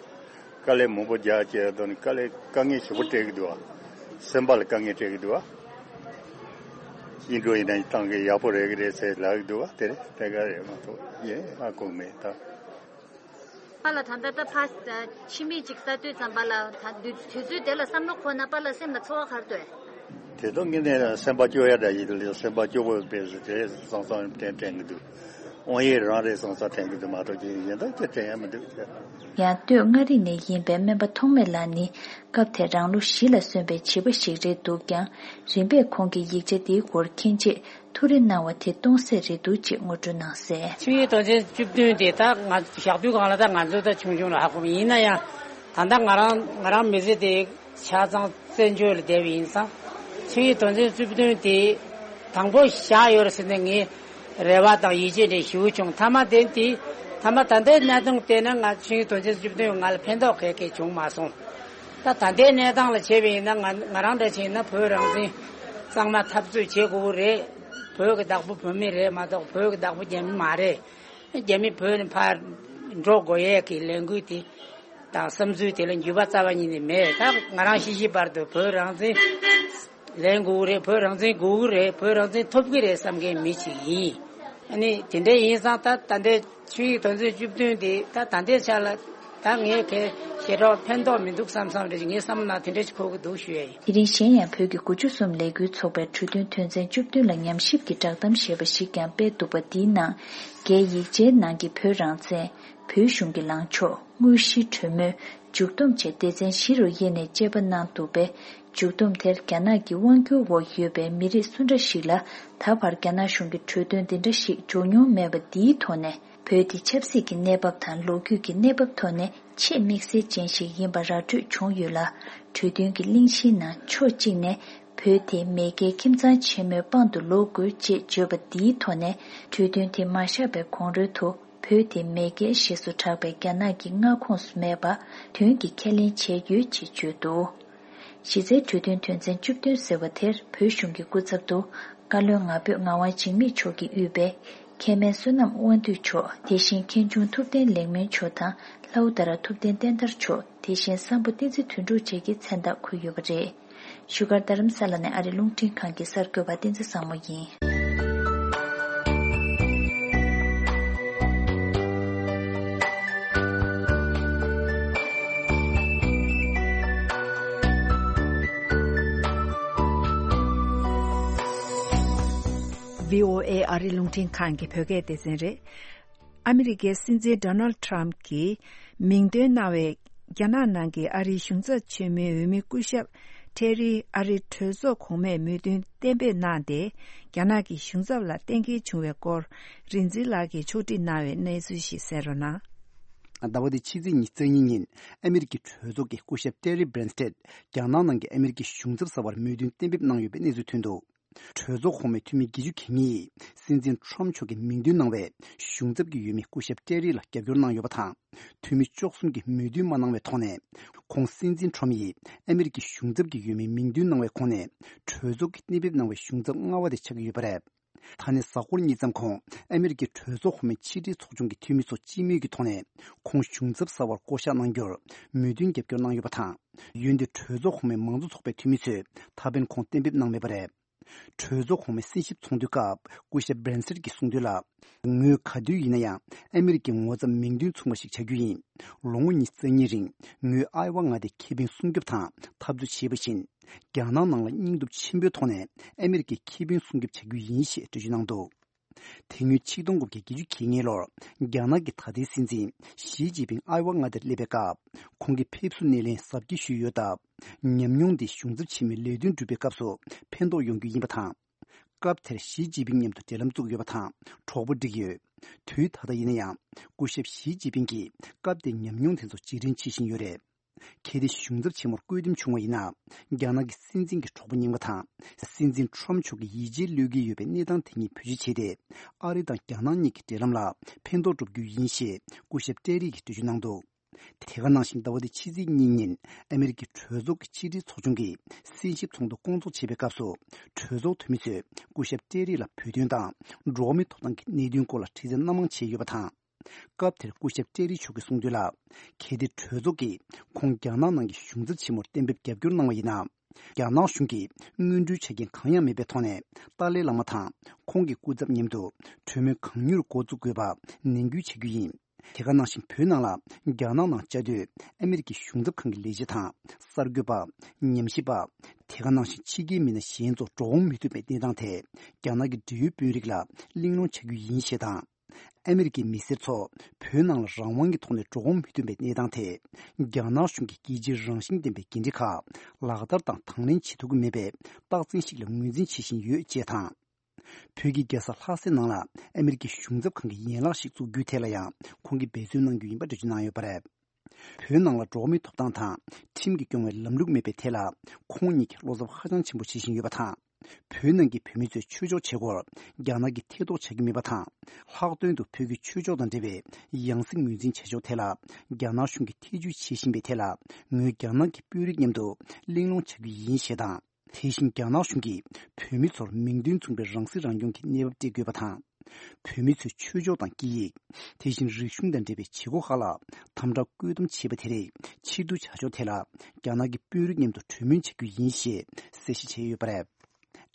དཀའ་ལས་མང་པོ་རྒྱག་བྱས། དེ་ནས་དཀའ་ལས་དཀའ་ངལ་ཞེ་པོ་སྤྲད་ཀྱི་འདུག་བ། སེམས་པ་ལ་དཀའ་ངལ་སྤྲད་ཀྱི་འདུག་བ། ཡིན་འགྲོ་ཡིན་ན་བཏང་གི་ཡག་པོ་རེད་ཀྱི་རེད་ཟེར་ལབ་ཀྱི་འདུག་བ། དེ་རེད། དེ་ག་རེད་མ་གཏོགས་ཡིན་ཧ་གོ་མེད་ད། པཱ་ལགས་ད་ལྟ་ད་ཕ་ཕྱི་མིག་ཅིག་ལྟ་དུས་ཙམ་པ་ལ་ད་དུས་དུས་ཚོད་དེ་ལ་བསམ་བློ་འཁོར་ན་པཱ་ལགས་སེམས་ལ་ཚོར་བ་ག་རེ་འདུག་དེ་དག་ངས་ནས་སེམས་པ་སྐྱོ་ཡ་འདྲ་ཞིག་ལ་སེམས་པ་སྐྱོ་པོ་དཔེ་ཟེར་དེ་བསམ་བསམ་དྲན་དྲན་གྱི་འདུག་དབང་ཡེ་རང་རེད་བསམ་བསམ་དྲན་གྱི་འདུག་མ་གཏོགས་ཅི་གཞན་དག་ཅི་དྲན་ཡ་མི་འདུག་ཡང་སྟོད་མངའ་རིས་ནས་ཡིན་པའི་སྨན་པ་ཐོགས་མེད་ལགས་ནི། སྐབས་དེར་རང་ལོ་བཞི་ལ་སོན་པའི་བྱིས་པ་ཞིག་རེད་འདུག་ཀྱང་། རིམ་པས་ཁོང་གིས་ཡིག་ཆ་འདིའི་སྐོར་མཁྱེན་རྗེས་ཐུགས་རེ་གནང་བ་དེ་སྟོང་ཟད་རེད་འདུག་ཅེས་ངོ་སྤྲོད་གནང་གསལ། ཆིངས་ཡིག་དོན་ཚན་བཅུ་བདུན་དེ་ད་ང་བཞག་དུས་སྒང་ལ་ད་ང་ཚོ་ད་ཆུང་ཆུང་ལ་ཧ་གོ་མི་ཡིན་ན་ཡང་། ད་ལྟ་ང་རང་ང་རང་མི་ཚེ་དེ་ཆ་ཚང་བཙན་བྱོལ་ལ་བསྡད་པ་ཡིན་ཙང་། ཆིངས་ཡིག་དོན་ཚན་བཅུ་བདུན་དེ་དང་པོ་བཞག་ཡོད་རེད་ཟེར་ནས་ངས་རེ་བ་དང་ཡིད་ཆེས་འདྲ་ཞེ་པོ་བྱུང་། མཐའ་མ་དེ་དེ་མཐའ་མ་ད་ལྟའི་གནས་སྟངས་བལྟས་ན་ང་ཆིངས་ཡིག་དོན་ཚན་བཅུ་བདུན་ང་ལ་ཕན་ཐོགས་ག་གེ་བྱུང་མ་སོང་། ད་ད་ལྟའི་གནས་སྟངས་ལ་བྱས་པ་ཡིན་ན་ང་ང་རང་འདྲ་བྱས་ན་བོད་རང་བཙན་གཙང་མ་འཐབ་རྩོད་བྱེད་དགོས་ཀྱི་རེད། བོད་ཀྱི་བདག་པོ་བོད་མི་རེད་མ་གཏོགས་བོད་ཀྱི་བདག་པོ་རྒྱ་མི་མ་རེད། རྒྱ་མི་བོད་ནས་ཕར་འགྲོ་དགོས་ཡས་ཀྱི་ལས་འགུལ་དེ་དང་བསམ་ཚུལ་དེ་ལ་འགྱུར་བ་རྩ་བ་ཉིད་ནས་མེད། ད་ང་རང་ཤི་ཤི་བར་དུ་བོད་རང་བཙན་ལེན་དགོས་ཀྱི་རེད། བོད་རང་བཙན་དགོས་ཀྱི་རེད། བོད་རང་བཙན་ཐོབ་ཀྱི་རེད་བསམ་མཁན་མི་ཞིག་ཡིན། ཨ་ནི་དེ་འདྲ་ཡིན་ཙང་ད་ད་ལྟའི་ཆིངས་ཡིག་དོན་ཚན་བཅུ་བདུན་དེ་ད་ད་ལྟའི་ཆ་ལ་ད་ངས་གལ་ཞེ་དྲག་ཕན་ཐོགས་མི་འདུག་བསམ་བསམ་རེ་ངའི་བསམ་ན་དེ་འདྲ་ཞིག་གོ་གི་འདུག་ཞུ་ཡ་ཡིན། དེ་རིང་གཞན་ཡང་བོད་ཀྱི་དགུ་བཅུ་གསུམ་ལས་འགུལ་ཚོགས་པའི་གྲོས་མཐུན་དོན་ཚན་བཅུ་བདུན་ལ་ཉམས་ཞིབ་ཀྱི་བསྒྲགས་གཏམ་ཞེས་པ་ཞིག་ཀྱང་སྤེལ་འདུག་པ། འདིའི་ནང་རྒྱའི་ཡིག་ཆའི་ནང་གི་བོད་རང་བཙན། བོད་གཞུང་གི་ལངས་ཕྱོགས། དངོས་གཞིའི་གྲོས་མོལ། མཇུག་བསྡོམས་བཅས་སྡེ་ཚན་བཞི་རུ་དབྱེ་ནས་དཔྱད་པ་གནང་འདུག་པས། མཇུག་བསྡོམས་དེར་རྒྱ་ནག་གི་དབང་སྒྱུར་འོག་ཡོད་པའི་མི་རིགས་སུ་འདྲ་ཞིག་ལ་ད་བར་རྒྱ་ནག་གཞུང་གི་གྲོས་དོན་འདི་འདྲ་ཞིག་འབྱོར་མྱོང་མེད་པ། འདིའི་ཐོག་ནས་བོད་འདི་ཆབ་སྲིད་ཀྱི་གནས་བབ་དང་ལོ་རྒྱུས་ཀྱི་གནས་བབ་ཐོག་ནས་ཆེས་དམིགས་བསལ་ཅན་ཞིག་ཡིན་པ་ར་སྤྲོད་བྱུང་ཡོད་ལ། གྲོས་མཐུན་གྱི་གླེང་གཞིའི་ནང་ཕྱོགས་གཅིག་ནས་བོད་དེ་མེས་རྒྱལ་ཁྱིམ་ཚང་ཆེན་མོའི་དཔང་དུ་ལོག་དགོས་ཅེས་བརྗོད་པ། འདིའི་ཐོག་ནས་གྲོས་མཐུན་དེ་མ་བཞག་པའི་གོང་རོལ་དུ། བོད་དེ་མེས་རྒྱལ་ཞེས་སུ་གྲགས་པའི་རྒྱ་ནག་གི་མངའ་ཁོངས་སུ་མེད་པ་དོན་གྱིས་ཁས་ལེན་བྱས་ཡོད་ཅེས་བརྗོད་འདུག་གཞི་རྩའི་གྲོས་མཐུན་དོན་ཚན་བཅུ་བདུན་ཟེར་བ་དེར་བོད་གཞུང་གི་སྐུ་ཚབ་ཏུ་བཀའ་བློན་ང་ཕོད་ངག་དབང་འཇིགས་མེད་མཆོག་གིས་དབུས་པའི་མཁན་སྨན་བསོད་ནམས་དབང་འདུས་མཆོག་དེ་བཞིན་མཁན་ཆུང་ཐུབ་བསྟན་ལེགས་སྨོན་མཆོག་དང་ལྷའུ་ཏ་ར་ཐུབ་བསྟན་བསྟན་དར་མཆོག་དེ་བཞིན་སམ་བྷོ་བསྟན་འཛིན་དོན་གྲུབ་བཅས་ཀྱི་མཚན་རྟགས་འཁོད་ཡོད་པ་རེད། བཞུགས་སྒར་རྡ་རམ་ས་ལ་ནས་ཨ་རི་རླུང་འཕྲིན་ཁང་གི་གསར་འགོད་པ་བསྟན་འཛིན་བཟང་མོ་ཡིན། ཨོ་ཨེ་ཨ་རིའི་རླུང་འཕྲིན་ཁང་གི་བོད་སྐད་སྡེ་ཚན་རེད། ཨ་མི་རི་ཀའི་སྲིད་འཛིན་ཌོ་ནལ་ཌི་ཊརམ་ཕི་གྱིས་མིང་འདོན་གནང་བའི་རྒྱ་ནག་ནང་གི་ཨ་རིའི་གཞུང་ཚབ་ཆེན་མོའི་འོས་མི་སྐུ་ཞབས་ཊེ་རི་ཨ་རིའི་གྲོས་ཚོགས་གོང་མས་མོས་མཐུན་གཏན་འབེབས་གནང་སྟེ། རྒྱ་ནག་གི་གཞུང་ཚབ་ལ་གཏན་འཁེལ་བྱུང་བའི་སྐོར། རིག་འཛིན་ལགས་ཀྱིས་ཕྱོགས་སྒྲིག་གནང་བའི་གནས་ཚུལ་ཞིག་གསན་རོགས་གནང་། ཟླ་བ་འདིའི་ཕྱི་ཚེས་ཉི་ཤུ་རྩ་གཉིས་ཉིན་ཨ་མི་རི་ཀའི་གྲོས་ཚོགས་ཀྱི་སྐུ་ཞབས་ཊེ་རི་སྦྲན་སྟེད་རྒྱ་ནག་ནང་གི་ཨ་མི་རི་ཀའི་གཞུང་ཚབ་གསར་པར་མོས་མཐུན་གཏན་འབེབས་གནང་ཡོད་པའི་གནས་ཚུལ་ཐོན་འདུག་གྲོས་ཚོགས་གོང་མའི་འཐུས་མི་བརྒྱད་ཅུ་གྱ་གཉིས་ཡིས་སྲིད་འཛིན་ཊརམ་ཕི་མཆོག་གིས་མིང་འདོན་གནང་བའི་གཞུང་ཚབ་ཀྱི་འོས་མི་སྐུ་ཞབས་ཊེ་རི་ལ་རྒྱབ་སྐྱོར་གནང་ཡོད་པ་དང་། འཐུས་མི་བཅུ་གསུམ་གྱིས་མོས་མཐུན་མ་གནང་བའི་ཐོག་ནས། ཁོང་སྲིད་འཛིན་ཊརམ་ཕི་ཡིས་ཨ་མི་རི་ཀའི་གཞུང་ཚབ་ཀྱི་འོས་མིའི་མིང་འདོན་གནང་བའི་ཁོངས་ནས། གྲོས་ཚོགས་ཀྱིས་གཏན་འབེབས་གནང་བའི་གཞུང་ཚབ་ལྔ་པ་དེ་ཆགས་ཀྱི་ཡོད་པ་རེད། ད་ནས་གཟའ་འཁོར་གཉིས་ཙམ་གོང་ཨ་མི་རི་ཀའི་གྲོས་ཚོགས་གོང་མའི་ཕྱི་དྲིལ་ཚོགས་ཆུང་གི་འཐུས་མི་ཚོ་སྤྱི་མོས་ཀྱི་ཐོག་ནས་ཁོང་གཞུང་ཚབ་གསར་པར་བསྐོ་གཞག་གནང་རྒྱུར་མོས་མཐུན་རྒྱབ་སྐྱོར་གནང་ཡོད་པ་དང་། འོན་ཏེ་གྲོས་ཚོགས་གོང་མའི་མང་གཙོ་ཚོགས་པའི་འཐུས་མི་ཚོས་ད་ཕན་ཁོང་གཏན་འབེབས་གནང་མེད་པ་རེད། གྲོས་ཚོགས་གོང་མའི་གསན་ཞིབ་ཚོགས་འདུའི་སྐབས་སྐུ་ཞབས་སྦྲན་སེར་གྱིས་གསུངས་དོན་ལ། ངོས་ག་དུས་ཡིན་ན་ཡང་ཨ་མི་རི་ཀའི་ངོ་ཚབ་མིང་འདོན་ཚུགས་པ་ཞིག་བྱ་རྒྱུ་ཡིན། ལོ་ངོ་ཉི་ཤུ་རྩ་གཉིས་རིང་ངོས་ཨའེ་ཝ་མངའ་སྡེའི་ཁེ་ཕན་སྲུང་སྐྱོབ་དང་འཐབ་རྩོད་བྱས་པ་བཞིན། རྒྱ་ནག་ནང་ལ་སྙིང་སྟོབས་ཆེན་པོའི་ཐོག་ནས་ཨ་མི་རི་ཀའི་ཁེ་ཕན་སྲུང་སྐྱོབ་བྱ་རྒྱུ་ཡིན་ཞེས་འགྲེལ་བརྗོད་གནང་འདུག་དེ་སྔོན་ཆིག་སྟོང་དགུ་བརྒྱ་བརྒྱད་ཅུ་གྱ་གཉིས་ལོར་རྒྱ་ནག་གི་ད་ལྟའི་སྲིད་འཛིན་ཞི་ཅིན་ཕིང་ཨའེ་ཝ་མངའ་སྡེར་སླེབས་པའི་སྐབས། ཁོང་གིས་ཕེབས་བསུ་སྣེ་ལེན་གཟབ་རྒྱས་ཞུས་ཡོད་སྟབས། ཉམས་མྱོང་འདི་གཞུང་ཚབ་ཆེན་མོའི་ལས་དོན་སྒྲུབ་པའི་སྐབས་སུ་ཕན་ཐོགས་ཡོང་རྒྱུ་ཡིན་པ་དང་། སྐབས་དེར་ཞི་ཅིན་ཕིང་མཉམ་དུ་འབྲེལ་ལམ་བཙུགས་ཡོད་པ་དང་གྲོགས་པོ་བསྒྲིགས་ཡོད། དུས་ད་ལྟ་ཡིན་ན་ཡང་སྐུ་ཞབས་ཞི་ཅིན་ཕིང་གིས་སྐབས་དེའི་ཉམས་མྱོང་དེ་ཚོ་བརྗེ་དྲན་བྱེད་བཞིན་ཡོད་རེད། གལ་ཏེ་གཞུང་ཚབ་ཆེན་མོར་བསྐོས་འདེམས་བྱུང་བ་ཡིན་ན། རྒྱ་ནག་གི་སྲིད་འཛིན་གྱི་གྲོགས་པོ་རྙིང་པ་དང་། སྲིད་འཛིན་ཊརམ་ཕི་མཆོག་གི་ཡིད་ཆེས་བློས་འགེལ་ཡོད་པའི་གནས་སྟངས་དེ་ཉིད་བེད་སྤྱོད་བྱས་ཏེ། ཨ་རི་དང་རྒྱ་ནག་གཉིས་ཀྱི་འབྲེལ་ལམ་ལ་ཕན་ཐོགས་འགྲོ་རྒྱུ་ཡིན་ཞེས་སྐུ་ཞབས་ཏྲེ་རི་གིས་འགྲེལ་བརྗོད་གནང་འདུག་དེ་ག་ནང་བཞིན་ཟླ་བ་འདིའི་ཕྱི་ཚེས་གཉིས་ཉིན་ཨ་མི་རི་ཀའི་གྲོས་ཚོགས་ཀྱི་ཕྱི་དྲིལ་ཚོགས་ཆུང་གིས་གསན་ཞིབ་ཚོགས་འདུ་བསྐོང་ཚོགས་བྱེད་པའི་སྐབས་སུ། གྲོས་ཚོགས་འཐུས་མི་ཚོས་སྐུ་ཞབས་ཏྲེ་རི་ལ་བོད་དོན་དང་འགྲོ་བ་མིའི་ཐོབ་ཐང་གི་གནད་དོན་སྐོར་ལ་དྲི་རྩད་སྣ་མང་བྱས་ཡོད་པ་དང་། སྐབས་དེར་སྐུ་ཞབས་ཏྲེ་རི་མཆོག་གིས་གསུངས་དོན་ལ། གལ་ཏེ་གྲོས་ཚོགས་ཀྱིས་ཁོང་རྒྱ་ནག་ནང་གི་གཞུང་ཚབ་ཆེན་མོར་གཏན་འབེབས་རྒྱབ་སྐྱོར་གནང་བ་ཡིན་ན། རྒྱ་ནག་གཞུང་གིས་སྔོན་འགྲོའི་ཆ་རྐྱེན་གང་ཡང་མེད་པའི་ཐོག་ནས་ཏཱ་ལའི་བླ་མ་དང་ཁོང་གི་སྐུ་ཚབ་མཉམ་དུ་གྲོས་མོལ་གང་མྱུར་འགོ་འཛུགས་དགོས་པ་ནན་སྐུལ་བྱ་རྒྱུ་ཡིན། དེ་ག་ནང་བཞིན་བོད་ནང་ལ་རྒྱ་ནག་ནང་བཅའ་སྡོད་ཨ་མི་རི་ཀའི་གཞུང་ཚབ་ཁང་གི་ལས་བྱེད་དང་གསར་འགོད་པ། ཉམས་ཞིབ་པ། དེ་ག་ནང་བཞིན་ཕྱི་རྒྱལ་མི་སྣ་གཞན་ཚོ་འགྲོ་འོང་མི་ཐུབ་པའི་གནས་སྟངས་ཐད་རྒྱ་ནག་གི་འབྲེལ་ཡོད་དཔོན་རིགས་ལ་གླེང་སློང་བྱ་རྒྱུ་ཡིན་ཞེས་དང་། ཨ་མི་རི་ཀའི་མི་སེར་ཚོ་བོད་ནང་ལ་རང་དབང་གི་ཐོག་ནས་འགྲོ་འོང་མི་ཐུབ་པའི་གནས་སྟངས་ཐད། རྒྱ་ནག་གཞུང་གིས་རྒྱལ་སྤྱིའི་རང་བཞིན་ལྡན་པའི་འགན་འཁྲི་ཁག་ལག་བསྟར་དང་དང་ལེན་བྱེད་ཐུབ་ཀྱི་མེད་པའི་རྟགས་མཚན་ཞིག་ལ་ངོས་འཛིན་བྱེད་བཞིན་ཡོད་ཅེས་དང་། བོད་ཀྱི་རྒྱལ་ས་ལྷ་སའི་ནང་ལ་ཨ་མི་རི་ཀའི་གཞུང་ཚབ་ཁང་གི་ཡན་ལག་ཞིག་བཙུགས་རྒྱུའི་ཐད་ལ་ཡང་ཁོང་གིས་འབད་བརྩོན་གནང་རྒྱུ་ཡིན་པ་འགྲེལ་བརྗོད་གནང་ཡོད་པ་རེད། བོད་ནང་ལ་འགྲོ་བ་མིའི་ཐོབ་ཐང་དང་ཁྲིམས་ཀྱིས་སྐྱོང་བའི་ལམ་ལུགས་མེད་པའི་ཐད་ལ་ཁོང་ཉིད་ཀྱིས་བློ་འཚབ་ཧ་ཅང་ཆེན་པོ་བྱེད་བཞིན་ཡོད་པ་དང་། བོད་ནང་གི་བོད་མི་ཚོས་ཆོས་ཕྱོགས་བྱེད་སྒོར་རྒྱ་ནག་གིས་ཐེ་གཏོགས་བྱ་རྒྱུ་མེད་པ་དང་། ལྷག་དོན་དུ་བོད་ཀྱི་ཆོས་ཕྱོགས་དང་འབྲེལ་བའི་ཡང་སྲིད་ངོས་འཛིན་བྱ་ཕྱོགས་ཐད་ལ་རྒྱ་ནག་གཞུང་གིས་ཐེ་བྱུས་བྱེད་བཞིན་པའི་ཐད་ལ་ངོས་རྒྱ་ནག་གི་དཔོན་རིགས་མཉམ་དུ་གླེང་སློང་བྱ་རྒྱུ་ཡིན་ཞེས་དང་། དེ་བཞིན་རྒྱ་ནག་གཞུང་གིས་བོད་མི་ཚོར་མིང་དོན་མཚུངས་པའི་རང་སྲིད་རང་སྐྱོང་གི་གནས་བབ་སྤྲད་དགོས་པ་དང་། བོད་མི་ཚོའི་ཆོས་ཕྱོགས་དང་སྐད་ཡིག་དེ་བཞིན་རིག་གཞུང་དང་འབྲེལ་བའི་བྱེད་སྒོ་ཁག་ལ་དམ་དྲག་བཀོད་འདོམས་བྱས་པ་དེ་རིགས་ཕྱིར་བསྡུ་བྱ་ཕྱོགས་ཐད་ལ་རྒྱ་ནག་གི་དཔོན་རིགས་མཉམ་དུ་གྲོས་མོལ་བྱ་རྒྱུ་ཡིན་ཞེས་གསལ་བཤད་བྱས་ཡོད་པ་རེད།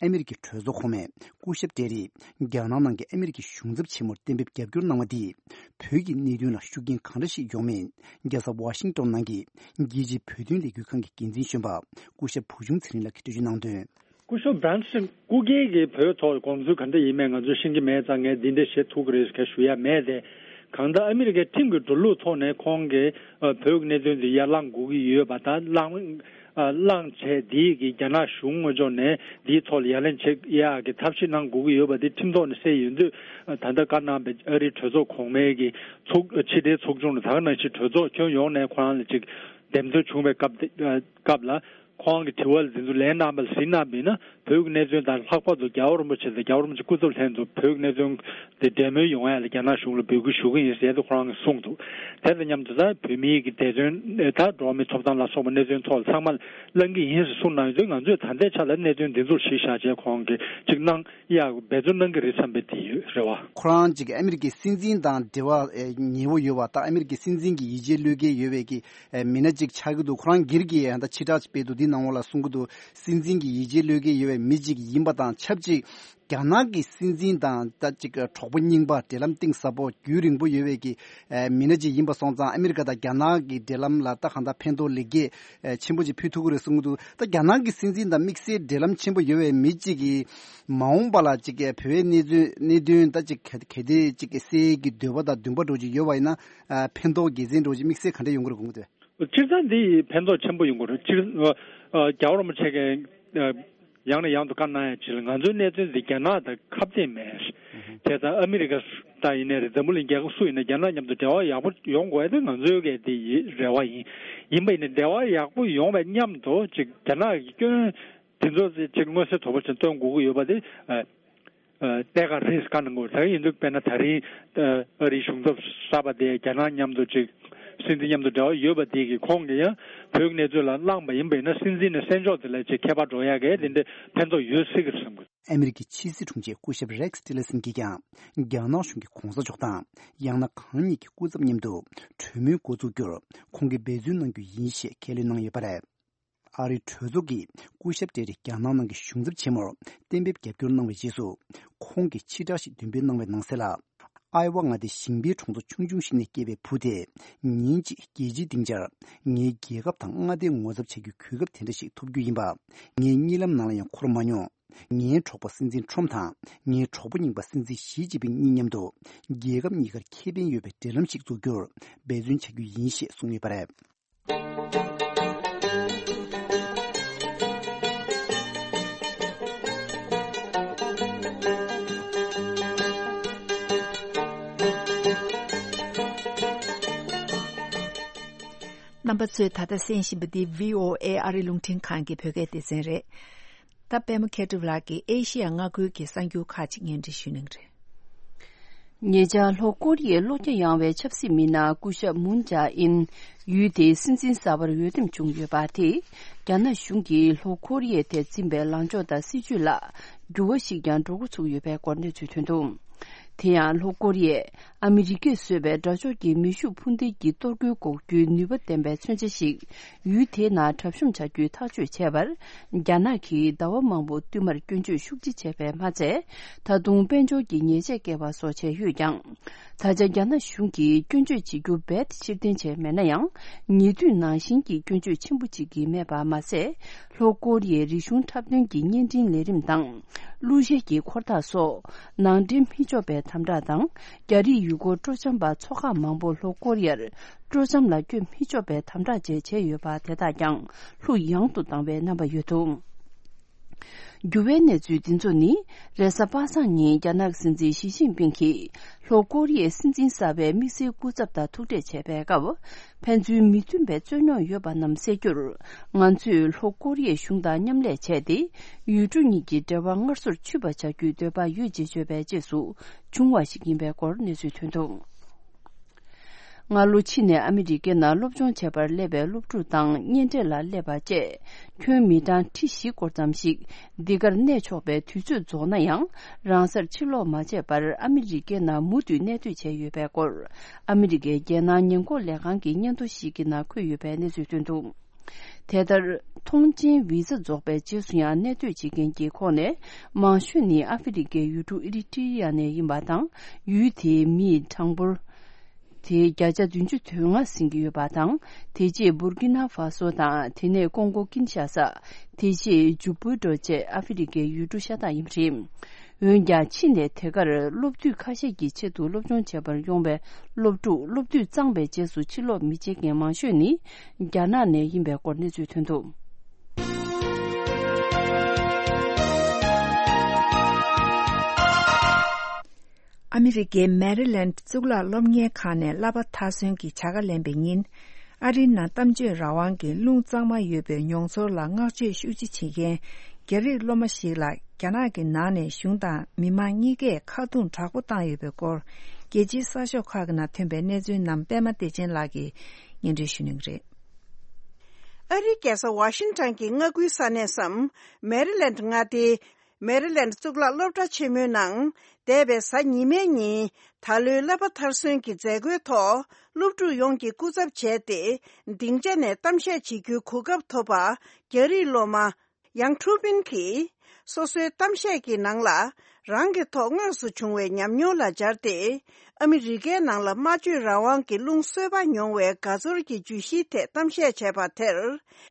ཨ་མི་རི་ཀའི་གྲོས་ཚོགས་གོང་མས་སྐུ་ཞབས་ཏྲེ་རིས་རྒྱ་ནག་ནང་གི་ཨ་མི་རི་ཀའི་གཞུང་ཚབ་ཆེན་མོར་གཏན་འབེབས་རྒྱབ་སྐྱོར་གནང་བ་འདིས་བོད་ཀྱི་གནད་དོན་ལ་ཤུགས་རྐྱེན་གང་འདྲ་ཞིག་ཡོང་མིན་རྒྱལ་ས་ཝ་ཤིང་ཏོན་ནང་གི་རྒྱལ་སྤྱིའི་བོད་དོན་ལས་འགུལ་ཁང་གི་འགན་འཛིན་གཞོན་པ་སྐུ་ཞབས་བུ་ཆུང་ཚེ་རིང་ལགས་ཀྱིས་འགྲེལ་བརྗོད་གནང་དོན། སྐུ་ཞབས་བྷན་སི་སྐུ་སྒེར་གྱི་བོད་ཐོག་དགོངས་ཚུལ་ག་འདྲ་ཡིན་མིན་ང་ཚོས་ཤེས་ཀྱི་མེད་ཙང་ངས་འདི་འདྲ་བཤད་ཐུབ་ཀྱི་རེད་ཟེར་ཞུ་ཡ་མེད་དེ། གང་ལྟར་ཨ་མི་རི་ཀའི་ཁྲིམས་ཀྱི་འགྲོ་ལུགས་ཐོག་ནས་ཁོང་གིས་ཨ་བོད་ཀྱི་གནད་དོན་འདི་ཡར་བསླངས་དགོས་ཀྱི་ཡོད་པ་དང་བསླངས་ཨ་བསླངས་བྱས་འདི་གི་རྒྱ་ནག་གཞུང་ངོས་ཕྱོགས་ནས་འདིའི་ཐོག་ལ་ཡ་ལན་བྱེད་ཡག་གི་ཐབས་ཤེས་གནང་དགོས་ཀྱི་ཡོད་པ་འདི་ཁྲིམས་ཐོག་ནས་གསལ་ཡོད་དུས་ད་ལྟ་བཀའ་གནང་པའི་ཨ་རིའི་གྲོས་ཚོགས་གོང་མའི་གི་ཚོགས་ཕྱི་དྲིལ་ཚོགས་ཆུང་ལ་ད་ག་ནང་བཞིན་གྲོས་ཚོགས་ཁྱོན་ཡོངས་ནས་ཁོ་རང་ལ་ཅིག་འདེམས་ཐོན་བྱུང་བའི་སྐབས་དེ་སྐབས་ལ། ཁོང་གི་དྲི་བ་ལ་དེ་ཚོ་ལན་གནང་བ་ལ་གཟིགས་གནང་བ་ཡིན་ན་བོད་ཀྱི་གནད་དོན་དང་ལྷག་པར་དུ་རྒྱལ་བ་རིན་པོ་ཆེ་དང་རྒྱལ་བ་རིན་པོ་ཆེ་སྐུ་ཚབ་ལྷན་དུ་བོད་ཀྱི་གནད་དོན་དེ་འབྲེལ་མོལ་ཡོང་ཡ་ལ་རྒྱ་ནག་གཞུང་ལ་འབོད་སྐུལ་ཞུ་གི་ཡིན་ཟེར་ཏེ་ཁོ་རང་གིས་གསུངས་འདུག་དེ་དང་མཉམ་དུ་ད་བོད་མིའི་གི་བདེ་དོན་ད་འགྲོ་བ་མིའི་ཐོབ་ཐང་ལ་སོགས་པ་གནད་དོན་ཐོག་ལ་ཚང་མ་གླེང་གི་ཡིན་ཟེར་གསུངས་གནང་ཡོད་དུས་ང་ཚོས་ད་ལྟའི་ཆ་ལ་གནད་དོན་འདི་ཚོར་གཞི་བཞག་བྱས་ཁོང་གིས་ཅིག་གནང་ཡག་འབད་བརྩོན་གནང་གི་རེད་བསམ་པའི་དེ་ཡོད་རེད་བ། ཁོ་རང་ཅིག་ཨ་མི་རི་ཀའི་སྲིད་འཛིན་དང་འབྲེལ་བ་ཉེ་བོ་ཡོད་པ་དང་ཨ་མི་རི་ཀའི་སྲིད་འཛིན་གྱི་ཡིད་ཆེས་བློས་འགེལ་ཡོད་པའི་གི་མི་སྣ་ཅིག་ཆགས་ཀྱི་འདུག་ཁོ་རང་སྒེར་གྱི་ཡང་ད་ཕྱིར་བསྒྲགས་སྤེལ་འདུག་ནང་ལོགས་ལ་གསུང་གི་འདུག་སྲིད་འཛིན་གྱི་ཡིད་ཆེས་བློས་འགེལ་ཡོད་པའི་མི་གཅིག་ཡིན་པ་དང་ཆབས་ཅིག་རྒྱ་ནག་གི་སྲིད་འཛིན་དང་ད་ཅིག་གྲོགས་པོ་རྙིང་པ། འབྲེལ་ལམ་གཏིང་ཟབ་པོ་རྒྱུན་རིང་པོ་ཡོད་པའི་གི་ཨེ་མི་སྣ་ཅིག་ཡིན་པ་སོང་ཙང་། ཨ་མི་རི་ཀ་དང་རྒྱ་ནག་གི་འབྲེལ་ལམ་ལ་ད་གང་ལྟར་ཕན་ཐོགས་ལེགས་སྐྱེས་ཨེ་ཆེན་པོ་ཅིག་ཕུལ་ཐུབ་ཀྱི་རེད་གསུང་གི་འདུག་ད་རྒྱ་ནག་གི་སྲིད་འཛིན་དང་དམིགས་བསལ་འབྲེལ་ལམ་ཆེན་པོ་ཡོད་པའི་མི་གཅིག་གིས་མ་འོངས་པ་ལ་ཅིག་བོད་པའི་གནས་ཚུལ་གནད་དོན་ད་ཅིག་ག་གལ་ཏེ་ཅིག་གསལ་གྱི་འདོད་པ་དང་འདུན་པ་འདྲ་ཅིག་ཡོད་པ་ཡིན་ན། ཨ་ཕན་ཐོགས་དགེ་མཚན་འདྲ་ཅིག་དམིགས་བསལ་ག་འདྲ་ཡོང་གི་རེད་དགོངས་ཀྱི་འདུག་སྤྱིར་བཏང་འདི་ཡིས་ཕན་ཐོགས་ཆེན་པོ་ཡོང་གི་རེད། སྤྱིར་ཨ་རྒྱལ་བ་རིན་པོ་ཆེ་གིས་ཨ་ཡང་ནས་ཡང་དུ་བཀའ་གནང་ཡ་ཅིག་ལ། ང་ཚོའི་གནས་ཚུལ་འདི་རྒྱ་ནག་དང་ཁ་གཏད་མེད། དེ་ལྟར་ཨ་མི་རི་ཀ་ད་ཡིན་ནའི་རེད། འཛམ་བུ་གླིང་རྒྱལ་ཁབ་སུ་ཡིན་ན་རྒྱ་ནག་མཉམ་དུ་འབྲེལ་བ་ཡག་པོ་ཡོང་དགོས་ཡ་དེ་ང་ཚོའི་གི་དེ་ཡི་རེ་བ་ཡིན། ཡིན་པ་ཡིན་ན་འབྲེལ་བ་ཡག་པོ་ཡོང་བའི་མཉམ་དུ་ཅིག་རྒྱ་ནག་གི་སྐྱོན་དེ་ཚོ་ཅིག་མངོན་གསལ་དོད་པོ་ཅིག་སྟོན་དགོས་ཀྱི་ཡོད་པ་དེ་ཨ། ཨ་གནད་འགག་རེད་བཀའ་གནང་དགོས། ད་ག་ཡིན་དུས་དཔེར་ན་ད་རིང་ཨ་ཨ་རིའི་གཞུང་ཚབ་གསར་པ་དེ་རྒྱ་ནག་མཉམ་དུ་ཅིག་སྲིད་འཛིན་མཉམ་དུ་འབྲེལ་བ་ཡོད་པ་དེ་གིས་ཁོང་གིས་ཡང་བོད་ཀྱི་གནས་ཚུལ་ལ་གླེང་བ་ཡིན་པ་ཡིན་ན། སྲིད་འཛིན་ནས་སྲིད་ཕྱོགས་དེ་ལ་ཅིག་ཁྱད་པར་འགྲོ་ཡ་གི་དེ་འདྲའི་ཕན་ཐོགས་ཡོད་སྲིད་ཀྱི་རེད་བསམ་གི། ཨ་མི་རི་ཀའི་ཕྱི་སྲིད་དྲུང་ཆེ་སྐུ་ཞབས་རེག་སི་ཊི་ལར་སན་གྱིས་ཀྱང་རྒྱ་ནག་གཞུང་གི་གོང་ས་མཆོག་དང་ཡང་ན་གང་ཉིད་ཀྱི་སྐུ་ཚབ་མཉམ་དུ་གྲོས་མོལ་འགོ་འཛུགས་རྒྱུར་ཁོང་གིས་འབད་བརྩོན་གནང་རྒྱུ་ཡིན་ཞེས་ཁས་ལེན་གནང་ཡོད་པ་རེད། ཨ་རིའི་གྲོས་ཚོགས་ཀྱི་སྐུ་ཞབས་ཏེ་རི་རྒྱ་ནག་ནང་གི་གཞུང་ཚབ་ཆེན་མོར་གཏན་འབེབས་རྒྱབ་སྐྱོར་གནང་བའི་རྗེས་སུ། ཁོང་གིས་ཕྱི་བསྒྲགས་ཤིག་འདོན་སྤེལ་གནང་བའི་ནང་གསལ་ལ། ཨའེ་ཝ་མངའ་སྡེའི་ཞིང་པའི་གྲོང་ཚོ་ཆུང་ཆུང་ཞིག་ནས་སྐྱེས་པའི་བུ་དེས་ཉིན་གཅིག་རྒྱལ་སྤྱིའི་སྡིངས་ཆར་ངའི་རྒྱལ་ཁབ་དང་མངའ་སྡེ་ངོ་ཚབ་བྱ་རྒྱུའི་གོ་སྐབས་དེ་འདྲ་ཞིག་ཐོབ་རྒྱུ་ཡིན་པ། ངའི་གཉིད་ལམ་ནང་ལ་ཡང་འཁོར་མ་མྱོང་། ངའི་གྲོགས་པོ་སྲིད་འཛིན་ཁྲོམ་དང་ངའི་གྲོགས་པོ་རྙིང་པ་སྲིད་འཛིན་ཞི་ཅིན་ཕིང་གཉིས་མཉམ་དུ་རྒྱལ་ཁབ་གཉིས་ཀར་ཁེ་ཕན་ཡོད་པའི་འབྲེལ་ལམ་ཞིག་འཛུགས་རྒྱུར་འབད་བརྩོན་བྱ་རྒྱུ་ཡིན་ཞེས་གསུངས་ཡོད་པ་རེད། རྣམ་པ་ཚོས་ད་ལྟ་གསན་བཞིན་པ་འདི་བྷི་ཨོ་ཨེ་ཨ་རི་རླུང་འཕྲིན་ཁང་གི་བོད་སྐད་སྡེ་ཚན་རེད། ད་པད་མ་མཁས་གྲུབ་ལགས་ཀྱིས་ཨེ་ཤི་ཡ་མངའ་ཁུལ་གྱི་གསར་འགྱུར་ཁག་ཅིག་སྙན་སྒྲོན་ཞུ་གནང་གི་རེད། ཉེ་ཆར་ལྷོ་ཀོ་རི་ཡའི་བློ་རྒྱ་ཡངས་པའི་ཆབ་སྲིད་མི་སྣ་སྐུ་ཞབས་མུན་ཇཱ་ཨིན་ཡུལ་དེའི་སྲིད་འཛིན་གསར་པར་འོས་འདེམས་བྱུང་ཡོད་པ་དེས། རྒྱ་ནག་གཞུང་གིས་ལྷོ་ཀོ་རི་ཡའི་ཐད་འཛིན་པའི་ལངས་ཕྱོགས་དང་སྲིད་བྱུས་ལ་འགྱུར་བ་ཞིག་ཀྱང་འགྲོ་འགོ་ཚུགས་ཡོད་པའི་སྐོར་གནས་ཚུལ་ཐོན་འདུག་དེ་ཡང་ལྷོ་ཀོ་རི་ཡས་ཨ་མི་རི་ཀས་བཟོས་པའི་དགྲ་ཕྱོགས་ཀྱི་མེ་ཤུགས་འཕུར་མདེལ་གྱི་གཏོར་རྒོལ་འགོག་རྒྱུའི་ནུས་པ་ལྡན་པའི་མཚོན་ཆ་ཞིག་ཡུལ་དེའི་ནང་གྲབས་གཤོམ་བྱ་རྒྱུའི་ཐག་གཅོད་བྱས་པར། རྒྱ་ནག་གིས་ཟླ་བ་མང་པོ་བསྟུད་མར་སྐྱོན་བརྗོད་ཤུགས་ཆེ་བྱས་པས་མ་ཚད། ད་དུང་དཔལ་འབྱོར་གྱི་ཉེས་ཆད་བཀལ་བ་སོགས་བྱས་ཡོད་ཀྱང་། ད་ཆ་རྒྱ་ནག་གཞུང་གིས་སྐྱོན་བརྗོད་བྱེད་རྒྱུ་རྦད་དེ་ཕྱིར་འཐེན་བྱས་མེད་ན་ཡང་། ཉེ་དུས་ནང་བཞིན་གྱི་སྐྱོན་བརྗོད་ཆེན་པོ་ཅིག་གིས་མེད་པ་མ་ཟད། ལྷོ་ཀོ་རི་ཡའི་རིག་གཞུང་འཁྲབ་སྟོན་གྱི་བརྙན་འཕྲིན་ལས་རིམ་དང་། གླུ་གཞས་ཀྱི་འཁོར་ཐག་སོགས། ནང་འདྲེན་མི་ཆོག་པའི་དམ་དྲག་དང་། རྒྱ་རིགས་ཡུལ་སྐོར་སྤྲོ་འཆམ་པ་ཚོ་ཁག་མང་པོ་ལྷོ་ཀོ་རི་ཡར་སྤྲོ་འཆམ་ལ་བསྐྱོད་མི་ཆོག་པའི་དམ་དྲག་བཅས་བྱས་ཡོད་པ་དེ་དག་ཀྱང་ལྷུག་ཡངས་དུ་བཏང་བའི་རྣམ་པ་ཡོད་འདུག་འགྱུར་བའི་གནས་ཚུལ་འདི་ཚོ་ནི། རེས་གཟའ་པ་སངས་ཉིན་རྒྱ་ནག་སྲིད་འཛིན་ཞི་ཅིན་ཕིང་གིས་ལྷོ་ཀོ་རི་ཡའི་སྲིད་འཛིན་གསར་པའི་དམིགས་བསལ་སྐུ་ཚབ་དང་ཐུག་འཕྲད་བྱས་པའི་སྐབས། ཕན་ཚུན་མི་མཐུན་པའི་རྩོད་རྙོག་ཡོད་པ་རྣམས་སེལ་རྒྱུར། ང་ཚོས་ལྷོ་ཀོ་རི་ཡའི་གཞུང་དང་མཉམ་ལས་བྱས་ཏེ། ཡུལ་གྲུ་གཉིས་ཀྱི་འབྲེལ་བ་སྔར་སོར་ཆུད་པ་བྱ་རྒྱུའི་འདོད་པ་ཡོད་ཅེས་བརྗོད་པའི་རྗེས་སུ་བྱུང་བ་ཞིག་ཡིན་པའི་སྐོར་གནས་ཚུལ་ཐོན་འདུག་སྔ་ལོ་ཕྱི་ནས་ཨ་མི་རི་ཀའི་ནང་སློབ་སྦྱོང་བྱེད་པར་སླེབས་པའི་སློབ་ཕྲུག་དང་གཉེན་འཕྲད་ལ་སླེབས་པ་བཅས་ཁྱོན་མི་གྲངས་ཁྲི་བཞི་སྐོར་ཙམ་ཞིག་འདི་གར་གནས་ཆོག་པའི་དུས་ཚོད་རྫོགས་ན་ཡང་རང་སར་ཕྱིར་ལོག་མ་བྱས་པར་ཨ་མི་རི་ཀའི་ནང་མུ་མཐུད་གནས་སྡོད་བྱས་ཡོད་པའི་སྐོར་ཨ་མི་རི་ཀའི་རྒྱལ་ནང་ཉེན་འགོག་ལས་ཁང་གི་སྙན་ཐོ་ཞིག་གི་ནང་འཁོད་ཡོད་པའི་གནས་ཚུལ་ཐོན་འདུག་དེ་ལྟར། ཐོངས་མཆན་བི་ཛ་རྫོགས་པའི་རྗེས་སུ་ཡང་གནས་སྡོད་བྱེད་མཁན་གྱི་ཁོངས་ནས་མང་ཤོས་ནི་ཨ་ཧྥེ་རི་ཀའི་ཡུལ་གྲུ་ཨི་རི་ཏི་རི་ཡ་ནས་ཡིན་པ་དང་། ཡུལ་དེའི་མིའི་གྲངས་འབོར་དེ་བརྒྱ་ཆ་བདུན་ཅུ་དོན་ལྔ་ཟིན་གྱི་ཡོད་པ་དང་། དེ་རྗེས་འབུར་ཀི་ན་ཧྥ་སོ་དང་། དེ་ནས་ཀོང་གོ་ཀིན་ཤ་ས། དེ་རྗེས་ཇུ་པུ་ཏོ་བཅས་ཨ་ཧྥེ་རི་ཀའི་ཡུལ་གྲུ་ཤ་སྟག་ཡིན་པ་རེད། འོན་ཀྱང་ཕྱི་ནས་དེ་གར་སློབ་དུས་ཁ་ཤས་ཀྱི་ཆེད་དུ་སློབ་སྦྱོང་བྱེད་པར་ཡོང་བའི་སློབ་ཕྲུག་སློབ་དུས་གཙང་བའི་རྗེས་སུ་ཕྱིར་ལོག་མི་བྱེད་མཁན་མང་ཤོས་ནི་རྒྱ་ནག་ནས་ཡིན་པའི་སྐོར་གནས་ཚུལ་ཐོན་འདུག་ཨ་མི་རི་ཀའི་མེ་རི་ལེན་གཙུག་ལག་སློབ་གཉེར་ཁང་ནས་བསླབ་པ་མཐར་སོན་གྱི་བྱ་དགའ་ལེན་པའི་ཉིན། ཨ་རིའི་ནང་གཏམ་བརྗོད་རང་དབང་གི་རླུང་གཙང་མ་ཡོད་པའི་མྱོང་ཚོར་ལ་བསྔགས་བརྗོད་ཤུགས་ཆེ་བྱེད་མཁན་རྒྱ་རིགས་སློབ་མ་ཞིག་ལ། རྒྱ་ནག་གི་ནང་ནས་གཞུང་དང་མི་མང་གཉིས་ཀས་ཁ་རྡུང་དྲག་པོ་བཏང་ཡོད་པའི་སྐོར། རྒྱལ་སྤྱིའི་གསར་ཤོག་ཁག་གི་ནང་ཐོན་པའི་གནས་ཚུལ་རྣམས་པད་མ་བདེ་ཆེན་ལགས་ཀྱིས་སྙན་སྒྲོན་ཞུ་གནང་གི་རེད། ཨ་རིའི་རྒྱལ་ས་ཝ་ཤིང་ཊོན་གྱི་མངའ་ཁུལ་ས་གནས་སམ། མེ་རི་ལེན་ཌི་མངའ་སྡེའི་ མེ་རི་ལེན་ཌི་གཙུག་ལག་སློབ་གྲྭ་ཆེན་མོའི་ནང་འདས་པའི་གཟའ་ཉི་མའི་ཉིན་ད་ལོའི་བསླབ་པ་མཐར་སོན་གྱི་མཛད་སྒོའི་ཐོག་སློབ་ཕྲུག་ཡོངས་ཀྱིས་སྐུ་ཚབ་བྱས་ཏེ་སྡིངས་ཆ་ནས་གཏམ་བཤད་བྱེད་རྒྱུའི་གོ་སྐབས་ཐོབ་པ། རྒྱ་རིགས་སློབ་མ་ཡང་ཁྲུ་པིན་གྱིས་སོ་སོའི་གཏམ་བཤད་ཀྱི་ནང་ལ་རང་གི་ཐོག་དངོས་སུ་བྱུང་བའི་ཉམས་མྱོང་ལ་སྦྱར་ཏེ། ཨ་མི་རི་ཀའི་ནང་ལ་སྨྲ་བརྗོད་རང་དབང་གི་རླུང་གསོས་པ་མྱོང་བའི་དགའ་ཚོར་གྱི་བརྗོད་གཞིའི་ཐད་གཏམ་བཤད་བྱས་པ་དེར།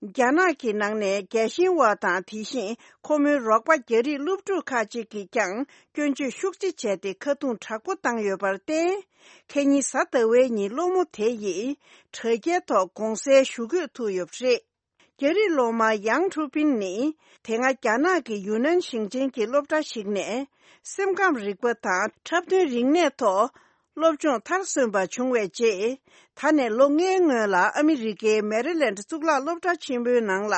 རྒྱ་ནག་གི་ནང་ནས་རྒྱལ་གཤེན་པ་དང་དེ་བཞིན་ཁོ་མོའི་རོགས་པ་རྒྱ་རིགས་སློབ་ཕྲུག་ཁག་ཅིག་གིས་ཀྱང་སྐྱོན་བརྗོད་ཤུགས་ཆེ་བྱས་ཏེ་ཁ་རྡུང་དྲག་པོ་བཏང་ཡོད་པར་བརྟེན། ཁེ་ཉིན་གཟའ་ཟླ་བའི་ཉིན་སློབ་མ་དེ་ཡིས་དྲ་རྒྱའི་ཐོག་དགོངས་སེལ་ཞུ་དགོས་ཐུག་ཡོད་པ་རེད། རྒྱ་རིགས་སློབ་མ་ཡང་ཁྲུ་པིན་ནི་དེ་སྔ་རྒྱ་ནག་གི་ཡུན་ནན་ཞིང་ཆེན་གྱི་སློབ་གྲྭ་ཞིག་ནས་སེམས་ཁམས་རིག་པ་དང་འཁྲབ་སྟོན་རིག་གནས་ཐོག་སློབ་སྦྱོང་མཐར་སོན་པ་བྱུང་བའི་རྗེས། ད་ནས་ལོ་ལྔའི་སྔོན་ལ་ཨ་མི་རི་ཀའི་མེ་རི་ལེན་ཌི་གཙུག་ལག་སློབ་གྲྭ་ཆེན་མོའི་ནང་ལ་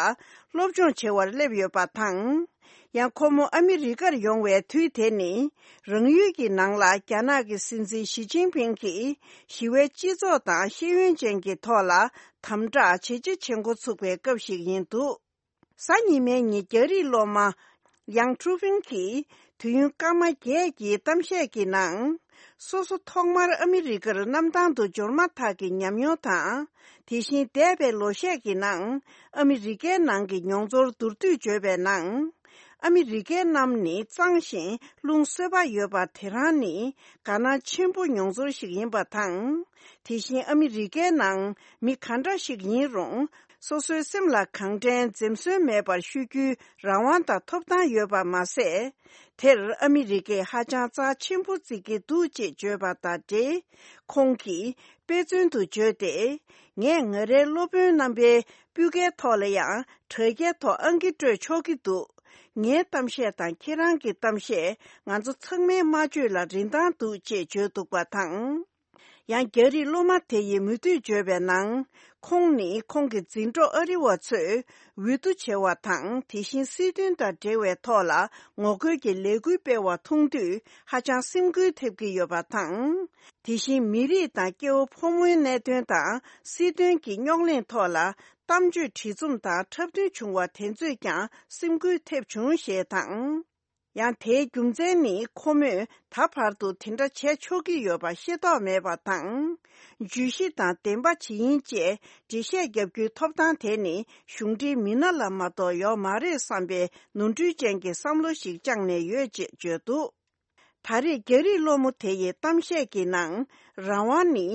སློབ་སྦྱོང་བྱེད་པར་སླེབས་ཡོད་པ་དང་། ཡང་ཁོ་མོ་ཨ་མི་རི་ཀར་ཡོང་བའི་དུས་དེ་ནི་རང་ཡུལ་གྱི་ནང་ལ་རྒྱ་ནག་གི་སྲིད་འཛིན་ཞི་ཅིན་ཕིང་གིས་ཞི་བའི་སྤྱི་ཚོགས་དང་ཤེས་ཡོན་ཅན་གྱི་ཐོག་ལ་དམ་དྲག་ཇེ་ཆེ་ཇེ་ཆེ་འགོ་ཚུགས་པའི་སྐབས་ཤིག་ཡིན་འདུག་གཟའ་ཉི་མའི་ཉིན་རྒྱ་རིགས་སློབ་མ་ཡང་ཁྲུ་ཕིང་གིས་དུས་ཡུན་སྐར་མ་བརྒྱད་ཀྱི་གཏམ་བཤད་ཀྱི་ནང་། སོ་སོ་ཐོག་མར་ཨ་མི་རི་ཀར་གནམ་ཐང་དུ་འབྱོར་མ་ཐག་གི་ཉམས་མྱོང་དང་། དེ་བཞིན་འདས་པའི་ལོ་ཤས་ཀྱི་ནང་ཨ་མི་རི་ཀའི་ནང་གི་མྱོང་ཚོར་མདོར་བསྡུས་བརྗོད་པའི་ནང་། ཨ་མི་རི་ཀའི་གནམ་ནི་གཙང་ཞིང་རླུང་གསོས་པ་ཡོད་པ་དེ་རང་ནི་དགའ་སྣང་ཆེན་པོ་མྱོང་ཚོར་ཞིག་ཡིན་པ་དང་། དེ་བཞིན་ཨ་མི་རི་ཀའི་ནང་མི་ག་འདྲ་ཞིག་ཡིན་རུང་། སོ་སོའི་སེམས་ལ་གང་དྲན་འཛེམ་ཟོན་མེད་པར་ཤོད་རྒྱུའི་རང་དབང་དང་ཐོབ་ཐང་ཡོད་པ་མ་ཟད། དེར་ཨ་མི་རི་ཀས་ཧ་ཅང་རྩ་ཆེན་པོ་བརྩི་གི་འདུག་ཅེས་བརྗོད་པ་དང་འབྲེལ། ཁོང་གིས་དཔེ་མཚོན་དུ་བརྗོད་དེ། ངས་ང་རའི་སློབ་དཔོན་རྣམ་པའི་སྤུས་ཀའི་ཐོག་ལ་ཡང་དྲ་རྒྱའི་ཐོག་ཨང་ཀི་སྤྲོད་ཆོག་གི་འདུག་ངའི་གཏམ་བཤད་དང་ཁྱེད་རང་གི་གཏམ་བཤད་ང་ཚོ་ཚང་མའི་སྨྲ་བརྗོད་ལ་རིན་ཐང་འདུག་ཅེས་བརྗོད་འདུག་པ་དང་། ཡང་རྒྱ་རིགས་སློབ་མ་དེ་ཡིས་མུ་མཐུད་བརྗོད་པའི་ནང་། ཁོང་ནི་ཁོང་གི་འཛིན་གྲོགས་ཨ་རི་བ་ཚོས་འོས་བསྡུ་བྱེད་པ་དང་། དེ་བཞིན་སྲིད་དོན་དང་འབྲེལ་བའི་ཐོག་ལ་ངོ་རྒོལ་གྱི་ལས་འགུལ་སྤེལ་བ་མཐོང་དུས་ཧ་ཅང་སེམས་འགུལ་ཐེབས་ཀྱི་ཡོད་པ་དང་། དེ་བཞིན་མི་རིགས་དང་སྐྱེ་བོ་ཕོ་མོའི་གནད་དོན་དང་སྲིད་དོན་གྱི་རྙོག་གླེང་ཐོག་ལ་གཏམ་བརྗོད་བྲིས་རྩོམ་དང་འཁྲབ་སྟོན་བྱུང་བ་དེ་ཚོས་ཀྱང་སེམས་འགུལ་ཐེབས་བྱུང་ཞེས་དང་། ཡང་དེའི་རྒྱུ་མཚན་ནི་ཁོ་མོས་ད་བར་དུ་དེ་འདྲ་བྱས་ཆོག་གི་ཡོད་པ་ཤེས་རྟོགས་མེད་པ་དང་། བརྗོད་གཞི་དང་བདེན་པ་ཇི་ཡིན་ཅེས་འགྲེལ་བཤད་རྒྱབ་རྒྱུའི་ཐོབ་ཐང་དེ་ནི་གཞུང་འབྲེལ་མི་སྣ་ལ་མ་གཏོགས་ཡོད་མ་རེད་བསམ་པའི་ནོར་འཁྲུལ་ཅན་གྱི་བསམ་བློ་ཞིག་བཅངས་ནས་ཡོད་ཅེས་བརྗོད་འདུག་ད་རེས་རྒྱ་རིགས་སློབ་མ་དེ་ཡི་གཏམ་བཤད་ཀྱི་ནང་རང་དབང་ནི་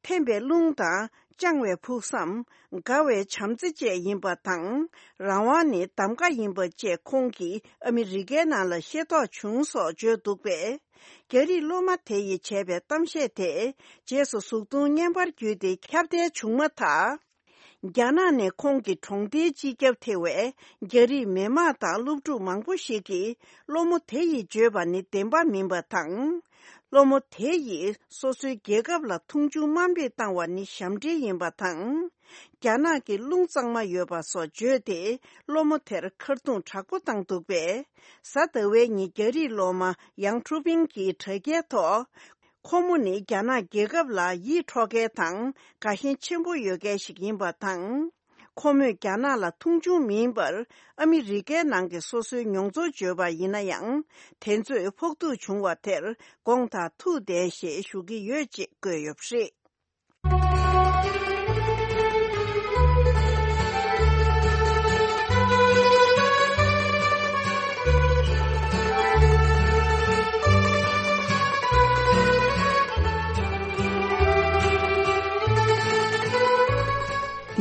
འཐེན་པའི་རླུང་དང་། བཅང་བའི་ཕུགས་བསམ། དགའ་བའི་བྱམས་བརྩེ་བཅས་ཡིན་པ་དང་། རང་དབང་ནི་གདམ་ག་ཡིན་པ་བཅས་ཁོང་གིས་ཨ་མི་རི་ཀའི་ནང་ལ་ཤེས་རྟོགས་བྱུང་སོགས་བརྗོད་འདུག་པས། རྒྱ་རིགས་སློབ་མ་དེ་ཡིས་བྱས་པའི་གཏམ་བཤད་དེ་རྗེས་སུ་གཟུགས་མཐོང་བརྙན་པར་བརྒྱུད་དེ་ཁྱབ་གདལ་བྱུང་མ་ཐག་རྒྱ་ནག་ནས་ཁོང་གི་གྲོང་སྡེའི་སྤྱི་ཁྱབ་ཐེ་བའི་རྒྱ་རིགས་མི་དམངས་དང་སློབ་ཕྲུག་མང་པོ་ཞིག་གིས་སློབ་མ་དེ་ཡིས་བརྗོད་པ་ནི་བདེན་པ་མིན་པ་དང་། སློབ་མ་དེ་ཡིས་སོ་སོའི་རྒྱལ་ཁབ་ལ་མཐོང་ཆུང་དམའ་འབེབས་བཏང་བ་ནི་ཞབས་འདྲེན་ཡིན་པ་དང་། རྒྱ་ནག་གི་རླུང་གཙང་མ་ཡོད་པ་སོགས་བརྗོད་དེ་སློབ་མ་དེར་ཁ་རྡུང་དྲག་པོ་བཏང་འདུག་པས། གཟའ་ཟླ་བའི་ཉིན་རྒྱ་རིགས་སློབ་མ་ཡང་ཁྲུ་པིང་གིས་དྲ་རྒྱའི་ཐོག་ཁོ་མོ་ནི་རྒྱ་ནག་རྒྱལ་ཁབ་ལ་ཡིད་འཕྲོག་མཁན་དང་དགའ་ཞེན་ཆེན་པོ་ཡོད་མཁན་ཞིག་ཡིན་པ་དང་། ཁོ་མོས་རྒྱ་ནག་ལ་མཐོང་ཆུང་མིན་པར་ཨ་མི་རི་ཀའི་ནང་གི་སོ་སོའི་མྱོང་ཚོར་བརྗོད་པ་ཡིན་ན་ཡང་། དེ་ཚོས་ཕོག་ཐུག་བྱུང་བ་དེར་དགོངས་དག་ཐུགས་བདེན་ཞེས་ཞུ་གི་ཡོད་ཅེས་བཀོད་ཡོད་པ་རེད།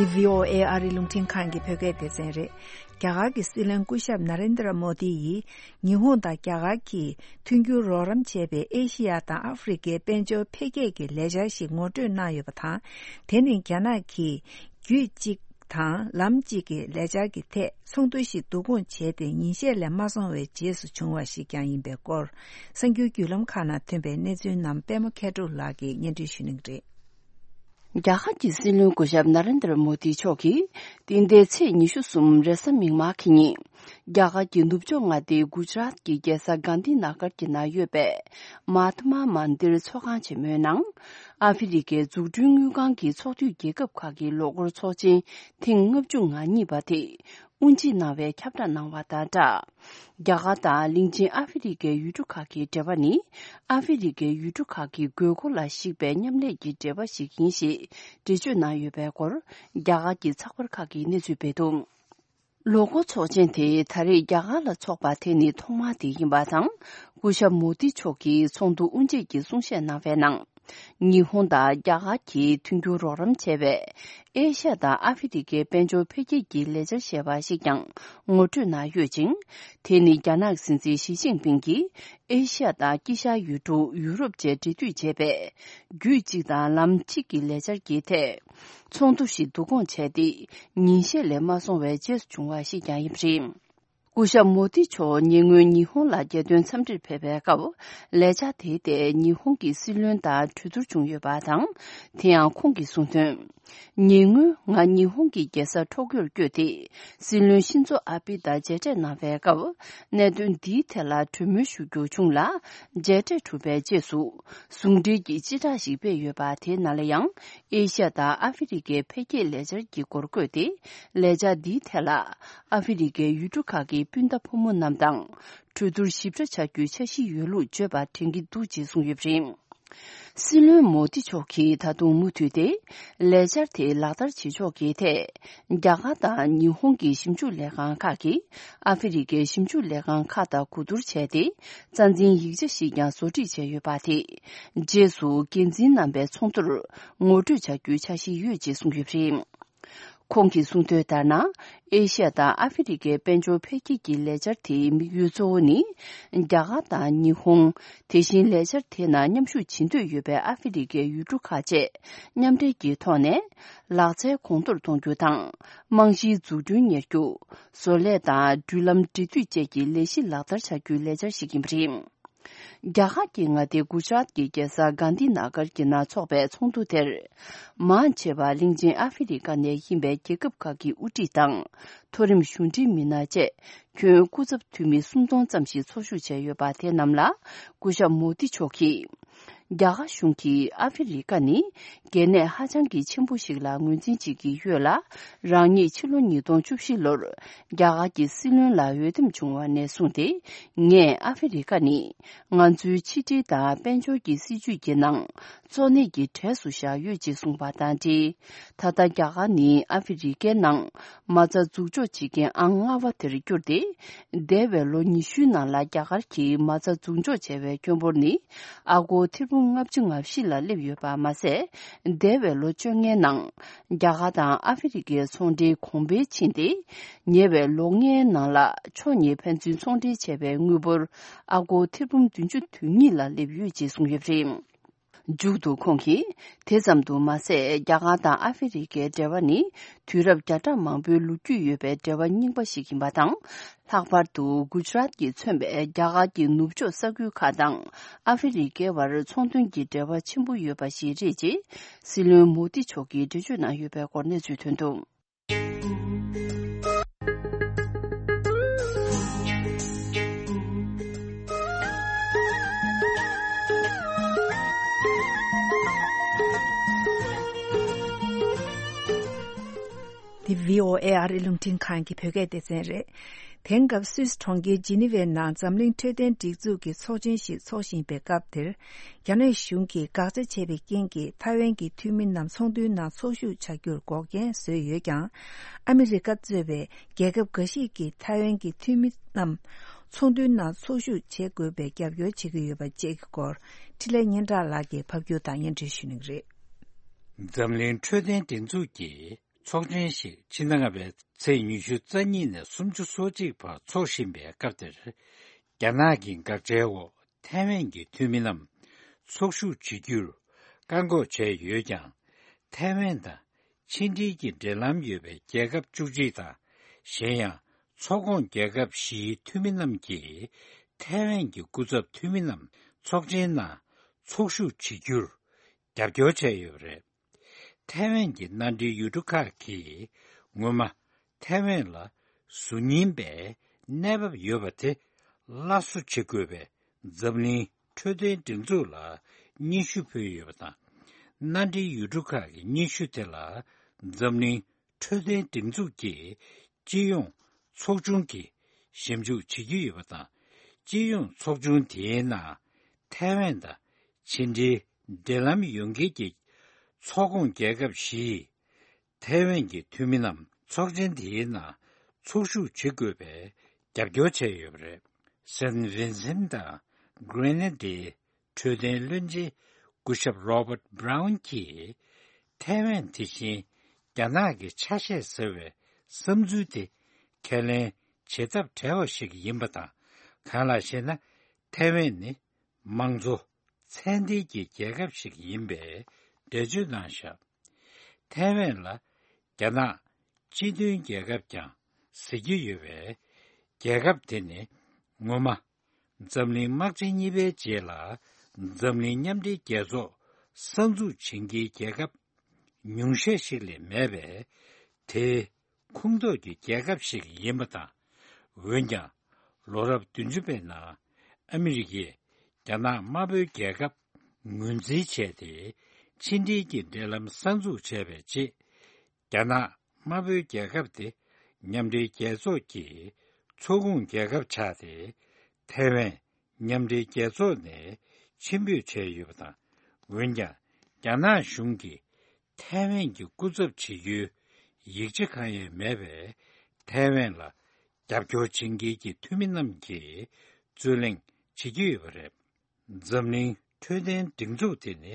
འདི་བྷི་ཨོ་ཨེ་ཨ་རིའི་རླུང་འཕྲིན་ཁང་གི་བོད་སྐད་སྡེ་ཚན་རེད། རྒྱ་གར་གྱི་སྲིད་བློན་སྐུ་ཞབས་ན་རེན་དྲ་མོ་དི་ཡིས་ཉི་ཧོང་དང་རྒྱ་གར་གྱིས་མཐུན་འགྱུར་རོགས་རམ་བྱས་པའི་ཨེ་ཤི་ཡ་དང་ཨ་ཧྥེ་རི་ཁའི་དཔལ་འབྱོར་འཕེལ་རྒྱས་ཀྱི་ལས་འཆར་ཞིག་ངོ་སྤྲོད་གནང་ཡོད་པ་དང་། དེ་ནི་རྒྱ་ནག་གིས་རྒྱུད་གཅིག་དང་ལམ་གཅིག་གི་ལས་འཆར་གྱི་ཐད་ཚོགས་འདུ་ཞིག་བསྡུ་སྐོང་བྱས་ཏེ་ཉིན་ཤས་ལས་མ་སོང་བའི་རྗེས་སུ་བྱུང་བ་ཞིག་ཀྱང་ཡིན་པའི་སྐོར། གསར་འགྱུར་བརྒྱུད་ལམ་ཁག་ནང་ཐོན་པའི་གནས་ཚུལ་རྣམས་པད་མ་མཁས་གྲུབ་ལགས་ཀྱིས་སྙན་སྒྲོན་ཞུ་གནང་གི་རེད། རྒྱ་གར་གྱི་སྲིད་བློན་སྐུ་ཞབས་ན་རེན་དྲ་མོ་དི་མཆོག་གིས་འདི་ཟླའི་ཚེས་ཉི་ཤུ་གསུམ་རེས་གཟའ་མིག་དམར་གྱི་ཉིན། རྒྱ་གར་གྱི་ནུབ་ཕྱོགས་མངའ་སྡེ་གུ་ཇ་རཱཏ་ཀྱི་རྒྱལ་ས་གྷན་དྷི་ན་གར་གྱི་ནང་ཡོད་པའི་མ་ཧཏ་མ་མན་དིར་ཚོགས་ཁང་ཆེན་མོའི་ནང་། ཨ་ཧྥེ་རི་ཁའི་འཛུགས་སྐྲུན་དངུལ་ཁང་གི་ཚོགས་འཐུས་རྒྱལ་ཁབ་ཁག་གི་ལོ་འཁོར་ཚོགས་ཆེན་ཐེངས་ལྔ་བཅུ་ང་གཉིས་པ་དེ། དབུ་འབྱེད་གནང་བའི་ཁྱབ་བསྒྲགས་གནང་བ་དང་སྦྲགས། རྒྱ་གར་དང་གླིང་ཆེན་ཨ་ཧྥེ་རི་ཁའི་ཡུལ་གྲུ་ཁག་གི་འབྲེལ་བ་ནི། ཨ་ཧྥེ་རི་ཁའི་ཡུལ་གྲུ་ཁག་གི་དགོས་མཁོ་ལ་གཞིགས་པའི་མཉམ་ལས་ཀྱི་འབྲེལ་བ་ཞིག་ཡིན་ཞེས་འགྲེལ་བརྗོད་གནང་ཡོད་པའི་སྐོར། རྒྱ་གར་གྱི་ཚགས་པར་ཁག་གིས་གནས་ཚུལ་སྤེལ་འདུག། ལོ་འཁོར་ཚོགས་ཆེན་དེ་ད་རེས་རྒྱ་གར་ལ་འཚོགས་པ་དེ་ནི་ཐོག་མ་དེ་ཡིན་པ་དང་། སྐུ་ཞབས་མོ་དི་མཆོག་གིས་ཚོགས་འདུ་དབུ་འབྱེད་ཀྱི་གསུང་བཤད་གནང་བའི་ནང་། ཉི་ཧོང་དང་རྒྱ་གར་གྱིས་མཐུན་འགྱུར་རོགས་རམ་བྱས་པའི་ཨེ་ཤ་ཡ་དང་ཨ་ཧྥེ་རི་ཁའི་དཔལ་འབྱོར་འཕེལ་རྒྱས་ཀྱི་ལས་འཆར་ཞེས་པ་ཞིག་ཀྱང་ངོ་སྤྲོད་གནང་ཡོད་ཅིང་། དེ་ནི་རྒྱ་ནག་སྲིད་འཛིན་ཞི་ཅིན་ཕིང་གིས་ཨེ་ཤ་ཡ་དང་དཀྱིལ་ཤར་ཡུལ་གྲུ་ཡུ་རོབ་བཅས་འབྲེལ་མཐུད་བྱས་པའི་རྒྱུད་གཅིག་དང་ལམ་གཅིག་གི་ལས་འཆར་གྱི་ཐད། ཚོགས་འདུ་ཞིག་བསྡུ་སྐོང་བྱས་ཏེ། ཉིན་ཤས་ལས་མ་སོང་བའི་རྗེས་སུ་བྱུང་བ་ཞིག་ཀྱང་ཡིན་པ་རེད། སྐུ་ཞབས་མོ་དི་མཆོག་ཉེ་སྔོན་ཉི་ཧོང་ལ་རྒྱལ་དོན་འཚམས་འདྲིར་ཕེབས་པའི་སྐབས། ལས་འཆར་དེའི་ཐད་ཉི་ཧོང་གི་སྲིད་བློན་དང་གྲོས་བསྡུར་བྱུང་ཡོད་པ་དང་། དེ་ཡང་ཁོང་གིས་གསུངས་དོན། ཉེ་སྔོན་ང་ཉི་ཧོང་གི་རྒྱལ་ས་ཊོ་ཀྱོར་བསྐྱོད་དེ། སྲིད་བློན་ཤིན་ཛོ་ཨ་བྷི་དང་མཇལ་འཕྲད་གནང་བའི་སྐབས། གནད་དོན་འདིའི་ཐད་ལ་གྲོས་མོལ་ཞུ་རྒྱུ་བྱུང་ལ། མཇལ་འཕྲད་གྲུབ་པའི་རྗེས་སུ། ཟུང་འབྲེལ་གྱི་སྤྱི་བསྒྲགས་ཤིག་སྤེལ་ཡོད་པ་དེའི་ནང་ལ་ཡང་། ཨེ་ཤ་ཡ་དང་ཨ་ཧྥེ་རི་ཁའི་འཕེལ་རྒྱས་ལས་འཆར་གྱི་སྐོར་བཀོད་དེ། ལས་འཆར་འདིའི་ཐད་ལ། ཨ་ཧྥེ་རི་ཁའི་ཡུལ་གྲུ་ཁག་གི་སྤུན་ཟླ་ཕོ་མོ་རྣམས་དང་། གྲོས་བསྡུར་ཞིབ་ཕྲ་བྱ་རྒྱུའི་འཆར་གཞི་ཡོད་ལུགས་བརྗོད་པ་དྲན་གྱི་འདུག་ཅེས་གསུངས་ཡོད་པ་རེད། སྲིད་བློན་མོ་དི་མཆོག་གིས་ད་དུང་མུ་མཐུད་དེ། ལས་འཆར་དེ་ལག་བསྟར་བྱེད་ཕྱོགས་ཀྱི་ཐད། རྒྱ་གར་དང་ཉི་ཧོང་གི་ཞིབ་འཇུག་ལས་ཁང་ཁག་གིས། ཨ་ཧྥེ་རི་ཁའི་ཞིབ་འཇུག་ལས་ཁང་ཁག་དང་གོ་བསྡུར་བྱས་ཏེ། རྩ་འཛིན་ཡིག་ཆ་ཞིག་ཀྱང་བཟོ་སྒྲིག་བྱས་ཡོད་པ་དེ། རྗེས་སུ་འགན་འཛིན་རྣམ་པའི་ཚོགས་འདུར་ངོ་སྤྲོད་བྱ་རྒྱུའི་འཆར་གཞི་ཡོད་ཅེས་གསུངས་ཡོད་པ་རེད། ཁོང་གིས་གསུངས་དོན་ལྟར་ན། ཨེ་ཤ་ཡ་དང་ཨ་ཧྥེ་རི་ཁའི་དཔལ་འབྱོར་འཕེལ་རྒྱས་ཀྱི་ལས་འཆར་དེའི་དམིགས་ཡུལ་གཙོ་བོ་ནི། རྒྱ་གར་དང་ཉི་ཧོང་། དེ་བཞིན་ལས་འཆར་དེ་ནང་མཉམ་ཞུགས་བྱེད་འདོད་ཡོད་པའི་ཨ་ཧྥེ་རི་ཁའི་ཡུལ་གྲུ་ཁག་བཅས་མཉམ་འབྲེལ་གྱི་ཐོག་ནས། ལག་རྩལ་གོང་མཐོར་གཏོང་རྒྱུ་དང་། རྨང་གཞིའི་འཛུགས་སྐྲུན་གཉེར་རྒྱུ། བཟོ་ལས་དང་འགྲུལ་ལམ་འབྲེལ་མཐུད་བཅས་ཀྱི་ལས་གཞི་ལག་བསྟར་བྱ་རྒྱུའི་ལས་འཆར་ཞིག་ཡིན་པ་རེད། རྒྱ་གར་གྱི་མངའ་སྡེ་གུ་ཇ་རཱཏ་ཀྱི་རྒྱལ་ས་གྷན་དྷི་ན་གར་གྱི་ནང་འཚོགས་པའི་ཚོགས་འདུ་དེར། མང་ཆེ་བ་གླིང་ཆེན་ཨ་ཧྥེ་རི་ཁ་ནས་ཡིན་པའི་རྒྱལ་ཁབ་ཁག་གི་དབུ་ཁྲིད་དང་། མཐོ་རིམ་གཞུང་འབྲེལ་མི་སྣ་བཅས་ཁྱོན་སྐུ་ཚབ་འཐུས་མི་སུམ་སྟོང་ཙམ་ཞིག་ཚོགས་ཞུགས་བྱས་ཡོད་པ་དེ་རྣམས་ལ་སྐུ་ཞབས་མོ་དི་མཆོག་གིས། རྒྱ་གར་གཞུང་གིས་ཨ་ཧྥེ་རི་ཁ་ནི་གལ་གནད་ཧ་ཅང་གི་ཆེན་པོ་ཞིག་ལ་ངོས་འཛིན་བྱེད་ཀྱི་ཡོད་ལ། རང་ཉིད་ཕྱི་ལོ་ཉིས་སྟོང་བཅུ་བཞི་ལོར་རྒྱ་གར་གྱི་སྲིད་བློན་ལ་འོས་འདེམས་བྱུང་བ་ནས་བཟུང་སྟེ། ངས་ཨ་ཧྥེ་རི་ཁ་ནི་ང་ཚོའི་ཕྱི་འབྲེལ་དང་དཔལ་འབྱོར་གྱི་སྲིད་ཇུས་ཀྱི་ནང་གཙོ་གནད་ཀྱི་གྲས་སུ་བཞག་ཡོད་ཅེས་གསུངས་པ་དང་འབྲེལ། ད་ལྟ་རྒྱ་གར་ནི་ཨ་ཧྥེ་རི་ཁའི་ནང་མ་རྩ་འཛུགས་འཇོག་བྱེད་མཁན་ཨང་ལྔ་པ་དེར་གྱུར་ཏེ། འདས་པའི་ལོ་ཉི་ཤུའི་ནང་ལ་རྒྱ་གར་གྱིས་མ་རྩ་འཛུགས་འཇོག་བྱས་པའི་ཁྱོན་འབོར་ནི་ཨ་སྒོར་ཐེར་འབུམ་ལྔ་བཅུ་ང་བཞི་ལ་སླེབས་ཡོད་པ་མ་ཟད། འདས་པའི་ལོ་བཅོ་ལྔའི་ནང་རྒྱ་གར་དང་ཨ་ཧྥེ་རི་ཁའི་ཚོང་འབྲེལ་གོང་འཕེལ་ཕྱིན་ཏེ། ཉེ་བའི་ལོ་ལྔའི་ནང་ལ་ཕྱོགས་གཉིས་ཕན་ཚུན་ཚོང་འབྲེལ་བྱས་པའི་དངུལ་འབོར་ཨ་སྒོར་ཐེར་འབུམ་བདུན་ཅུ་དོན་གཉིས་ལ་སླེབས་ཡོད་ཅེས་གསུངས་ཡོད་པ་རེད། མཇུག་ཏུ་ཁོང་གིས། དེ་ཙམ་དུ་མ་ཟད། རྒྱ་གར་དང་ཨ་ཧྥེ་རི་ཁའི་འབྲེལ་བ་ནི། དུས་རབས་བརྒྱ་ཕྲག་མང་པོའི་ལོ་རྒྱུས་ཡོད་པའི་འབྲེལ་བ་རྙིང་པ་ཞིག་ཡིན་པ་དང་། ལྷག་པར་དུ་གུ་ཇ་རཱཏ་ཀྱིས་མཚོན་པའི་རྒྱ་གར་གྱི་ནུབ་ཕྱོགས་ས་ཁུལ་ཁག་དང་ཨ་ཧྥེ་རི་ཁའི་བར་ཚོང་དོན་གྱི་འབྲེལ་བ་ཆེན་པོ་ཡོད་པ་ཞིག་རེད་ཅེས་སྲིད་བློན་མོ་དི་མཆོག་གིས་འགྲེལ་བརྗོད་གནང་ཡོད་པའི་སྐོར་གནས་ཚུལ་ཐོན་འདུག། འདི་བྷི་ཨོ་ཨེ་ཨ་རིའི་རླུང་འཕྲིན་ཁང་གི་བོད་སྐད་སྡེ་ཚན་རེད། དེང་སྐབས་སུད་སི་གྲོང་ཁྱེར་ཇི་ནི་ཝའི་ནང་འཛམ་གླིང་འཕྲོད་བསྟེན་སྒྲིག་འཛུགས་ཀྱི་ཚོགས་ཆེན་ཞིག་འཚོགས་བཞིན་པའི་སྐབས་དེར། རྒྱ་ནག་གཞུང་གིས་དགག་བྱ་བྱས་པའི་རྐྱེན་གྱིས་ཐའེ་ཝན་གྱི་འཐུས་མི་རྣམས་ཚོགས་འདུའི་ནང་ཚོགས་ཞུགས་བྱ་རྒྱུར་འགོག་རྐྱེན་བཟོས་ཡོད་ཀྱང་། ཨ་མི་རི་ཀ་གཙོས་པའི་རྒྱལ་ཁབ་འགའ་ཞིག་གིས་ཐའེ་ཝན་གྱི་འཐུས་མི་རྣམས་ཚོགས་འདུའི་ནང་ཚོགས་ཞུགས་བྱེད་དགོས་པའི་རྒྱབ་སྐྱོར་བྱེད་ཀྱི་ཡོད་པ་བཅས་ཀྱི་སྐོར། འཕྲིན་ལས་སྙན་གྲགས་ལགས་ཀྱིས་ཕབ་སྒྱུར་དང་སྙན་སྒྲོན་ཞུ་གནང་གི་རེད། འཛམ་གླིང་འཕྲོད་བསྟེན་སྒྲིག་འཛུགས་ཀྱི་ཚོགས་ཆེན་ཞིག་ཕྱི་ཟླ་ལྔ་པའི་ཚེས་ཉི་ཤུ་རྩ་གཉིས་ནས་སུམ་ཅུ་སོ་གཅིག་བར་འཚོགས་བཞིན་པའི་སྐབས་དེར། རྒྱ་ནག་གི་དགག་བྱའི་འོག་ཐའེ་ཝན་གྱི་འཐུས་མི་རྣམས་ཚོགས་ཞུགས་བྱེད་རྒྱུར་བཀག་འགོག་བྱས་ཡོད་ཀྱང་། ཐའེ་ཝན་དང་ཕྱི་འབྲེལ་གྱི་འབྲེལ་ལམ་ཡོད་པའི་རྒྱལ་ཁབ་བཅུ་གཅིག་དང་། གཞན་ཡང་ཚོགས་ཁོངས་རྒྱལ་ཁབ་བཞིའི་འཐུས་མི་རྣམས་ཀྱིས་ཐའེ་ཝན་གྱི་སྐུ་ཚབ་འཐུས་མི་རྣམས་ཚོགས་ཆེན་ནང་ཚོགས་ཞུགས་བྱེད་རྒྱུར་རྒྱབ་སྐྱོར་བྱས་ཡོད་པ་རེད། ཐའེ་ཝན་གྱི་མནའ་འབྲེལ་ཡུལ་གྲུ་ཁག་གིས་སྔོན་མ་ཐའེ་ཝན་ལ་གཟུགས་བརྙན་པའི་གནས་བབ་ཡོད་པ་དེ་སླར་གསོ་བྱེད་དགོས་པའི་འཛམ་གླིང་འཕྲོད་བསྟེན་སྒྲིག་འཛུགས་ལ་སྙན་ཞུ་ཕུལ་ཡོད་པ་དང་། མནའ་འབྲེལ་ཡུལ་གྲུ་ཁག་གི་སྙན་ཞུ་དེ་ལ་འཛམ་གླིང་འཕྲོད་བསྟེན་སྒྲིག་འཛུགས་ཀྱིས་སྤྱི་ཡོངས་ ཚོགས་ཆུང་གིས་ཞིབ་འཇུག་བྱེད་ཀྱི་ཡོད་པ་དང་། སྤྱི་ཡོངས་ཚོགས་ཆུང་དེའི་ནང་ཐའེ་ཝན་དང་ཕྱི་འབྲེལ་འབྲེལ་ལམ་ཡོད་མཁན་གྱི་ཚོགས་ཁོངས་རྒྱལ་ཁབ་བཞི་ཡིས་ཐའེ་ཝན་གྱི་འཐུས་མི་རྣམས་ཚོགས་ཆེན་དེའི་ནང་ཚོགས་ཞུགས་བྱེད་དགོས་པའི་རྒྱབ་སྐྱོར་བྱས་ཡོད་པ་རེད། སན་ཝིན་སན་དང་གྷི་རེ་ན་ཌའི་འཕྲོད་བསྟེན་བློན་ཆེན་སྐུ་ཞབས་རོ་བརྟ་བྷ་རའུན་གྱིས། ཐའེ་ཝན་དེ་བཞིན་རྒྱ་ནག་གི་ཆ་ཤས་ཟེར་བའི་བསམ་ཚུལ་དེ་ཁས་ལེན་བྱེད་ཐབས་བྲལ་བ་ཞིག་ཡིན་པ་དང་། གང་ལགས་ཤེ་ན། ཐའེ་ཝན་ནི་དམངས་གཙོ་ཚད་ལྡན་གྱི་རྒྱལ་ཁབ་ཞིག་ཡིན་པའི་འགྲེལ་བརྗོད་གནང་བཞག་ཐའེ་ཝན་ལ་རྒྱ་ནག་སྤྱི་མཐུན་རྒྱལ་ཁབ་ཀྱང་ཟེར་གྱི་ཡོད་པས། རྒྱལ་ཁབ་དེ་ནི་ངོ་མ་འཛམ་གླིང་དམག་ཆེན་གཉིས་པའི་རྗེས་ལ་འཛམ་གླིང་མཉམ་འབྲེལ་རྒྱལ་ཚོགས་གསར་འཛུགས་བྱེད་མཁན་རྒྱལ་ཁབ་ཉུང་ཤས་ཤིག་ལས་མེད་པས། དེའི་ཁོངས་གཏོགས་ཀྱི་རྒྱལ་ཁབ་ཞིག་ཡིན་པ་དང་། འོན་ཀྱང་། ལོ་རབས་བདུན་ཅུ་པའི་ནང་ཨ་མི་རི་ཀས་རྒྱ་ནག་དམར་པོའི་རྒྱལ་ཁབ་ངོས་འཛིན་བྱས་ཏེ། ཕྱི་འབྲེལ་གྱི་འབྲེལ་ལམ་གསར་འཛུགས་བྱས་པའི་རྗེས། རྒྱ་ནག་དམར་པོའི་རྒྱལ་ཁབ་དེ་མཉམ་འབྲེལ་རྒྱལ་ཚོགས་ཀྱི་ཚོགས་ཁོངས་རྒྱལ་ཁབ་ཆགས་ཏེ། ཐའེ་ཝན་མཉམ་འབྲེལ་རྒྱལ་ཚོགས་ནས་ཕྱིར་འབུད་བྱས་ཡོད་པ་དང་། འོན་ཀྱང་རྒྱ་ནག་གཞུང་གིས་ཐའེ་ཝན་གྱི་སྐུ་ཚབ་བྱེད་རྒྱུའི་ཡིག་ཆ་གང་ཡང་མེད་པས། ཐའེ་ཝན་ལ་རྒྱབ་སྐྱོར་བྱེད་མཁན་གྱི་འཐུས་མི་རྣམས་ཀྱིས་རྩོད་གླེང་བྱེད་ཀྱི་ཡོད་པ་རེད། འཛམ་གླིང་འཕྲོད་བསྟེན་སྒྲིག་འཛུགས་དེ་ནི་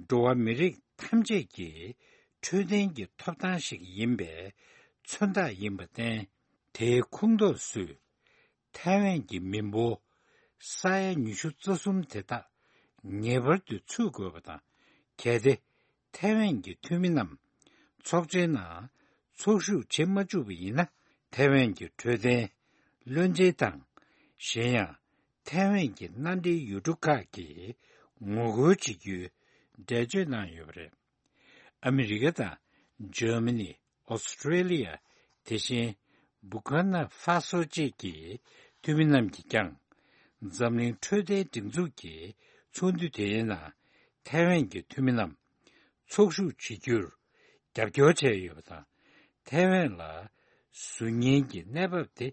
འགྲོ་བ་མི་རིགས་ཐམས་ཅད་ཀྱི་འཕྲོད་བསྟེན་གྱི་ཐོབ་ཐང་ཞིག་ཡིན་པའི་མཚོན་རྟགས་ཡིན་པར་བརྟེན། དེའི་ཁོངས་གཏོགས་སུ་ཐའེ་ཝན་གྱི་མི་འབོར་ས་ཡ་ཉི་ཤུ་རྩ་གསུམ་དེ་དག་ངེས་པར་དུ་ཚུད་དགོས་པ་དང་། གལ་ཏེ་ཐའེ་ཝན་གྱི་འཐུས་མི་རྣམས་ཚོགས་ཆེན་ནང་ཚོགས་ཞུགས་བྱེད་མ་བཅུག་པ་ཡིན་ན། ཐའེ་ཝན་གྱི་འཕྲོད་བསྟེན་བློན་ཆེན་དང་། གཞན་ཡང་ཐའེ་ཝན་གྱི་མནའ་འབྲེལ་ཡུལ་གྲུ་ཁག་གིས་ངོ་རྒོལ་བྱེད་རྒྱུའི་འགྲེལ་བརྗོད་གནང་ཡོད་པ་རེད། ཨ་མི་རི་ཀ་དང་འཇར་མ་ནི། ཨོ་སི་ཀྲེ་ལི་ཡ། དེ་བཞིན་བྷུར་ཀི་ན་ཧྥ་སོ་བཅས་ཀྱི་འཐུས་མི་རྣམས་ཀྱིས་ཀྱང་། འཛམ་གླིང་འཕྲོད་བསྟེན་སྒྲིག་འཛུགས་ཀྱི་ཚོགས་འདུ་དེའི་ནང་ཐའེ་ཝན་གྱི་འཐུས་མི་རྣམས་ཚོགས་ཞུགས་བྱེད་རྒྱུར་རྒྱབ་སྐྱོར་བྱས་ཡོད་པ་དང་། ཐའེ་ཝན་ལ་ཟུར་ཉན་གྱི་གནས་བབ་དེ་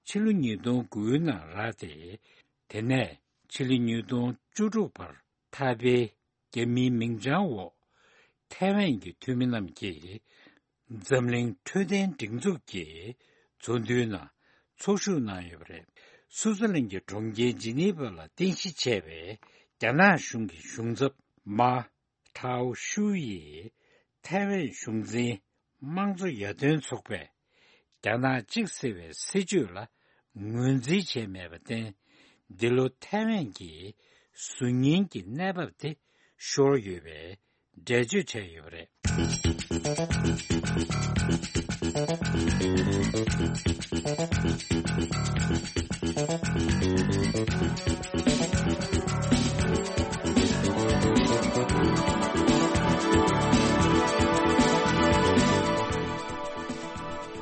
ཕྱི་ལོ་ཉིས་སྟོང་དགུའི་ནང་རག་སྟེ། དེ་ནས་ཕྱི་ལོ་ཉིས་སྟོང་བཅུ་དྲུག་བར་ཐའེ་པེའི་རྒྱ་མིའི་མིང་བྱང་འོག་ཐའེ་ཝན་གྱི་འཐུས་མི་རྣམས་ཀྱིས་འཛམ་གླིང་འཕྲོད་བསྟེན་སྒྲིག་འཛུགས་ཀྱི་ཚོགས་འདུའི་ནང་ཚོགས་ཞུགས་གནང་ཡོད་པ་རེད། སུའུ་ཙེར་ལན་གྱི་གྲོང་ཁྱེར་ཇི་ནི་ཝ་ལ་རྟེན་གཞི་བྱས་པའི་རྒྱ་ནག་གཞུང་གི་གཞུང་ཚབ་མ་ཁྲའོ་ཤུའུ་ཡིས་ཐའེ་ཝན་གཞུང་འཛིན་དམངས་གཙོ་ཡར་ཐོན་ཚོགས་པས། རྒྱ་ནག་གཅིག་ཟེར་བའི་སྲིད་བྱུས་ལ་ངོས་འཛིན་བྱས་མེད་པར་བརྟེན། འདི་ལོ་ཐའེ་ཝན་གྱི་ཟུར་ཉན་གྱི་གནས་བབ་དེ་ཤོར་ཡོད་པའི་འགྲེལ་བརྗོད་བྱས་ཡོད་པ་རེད།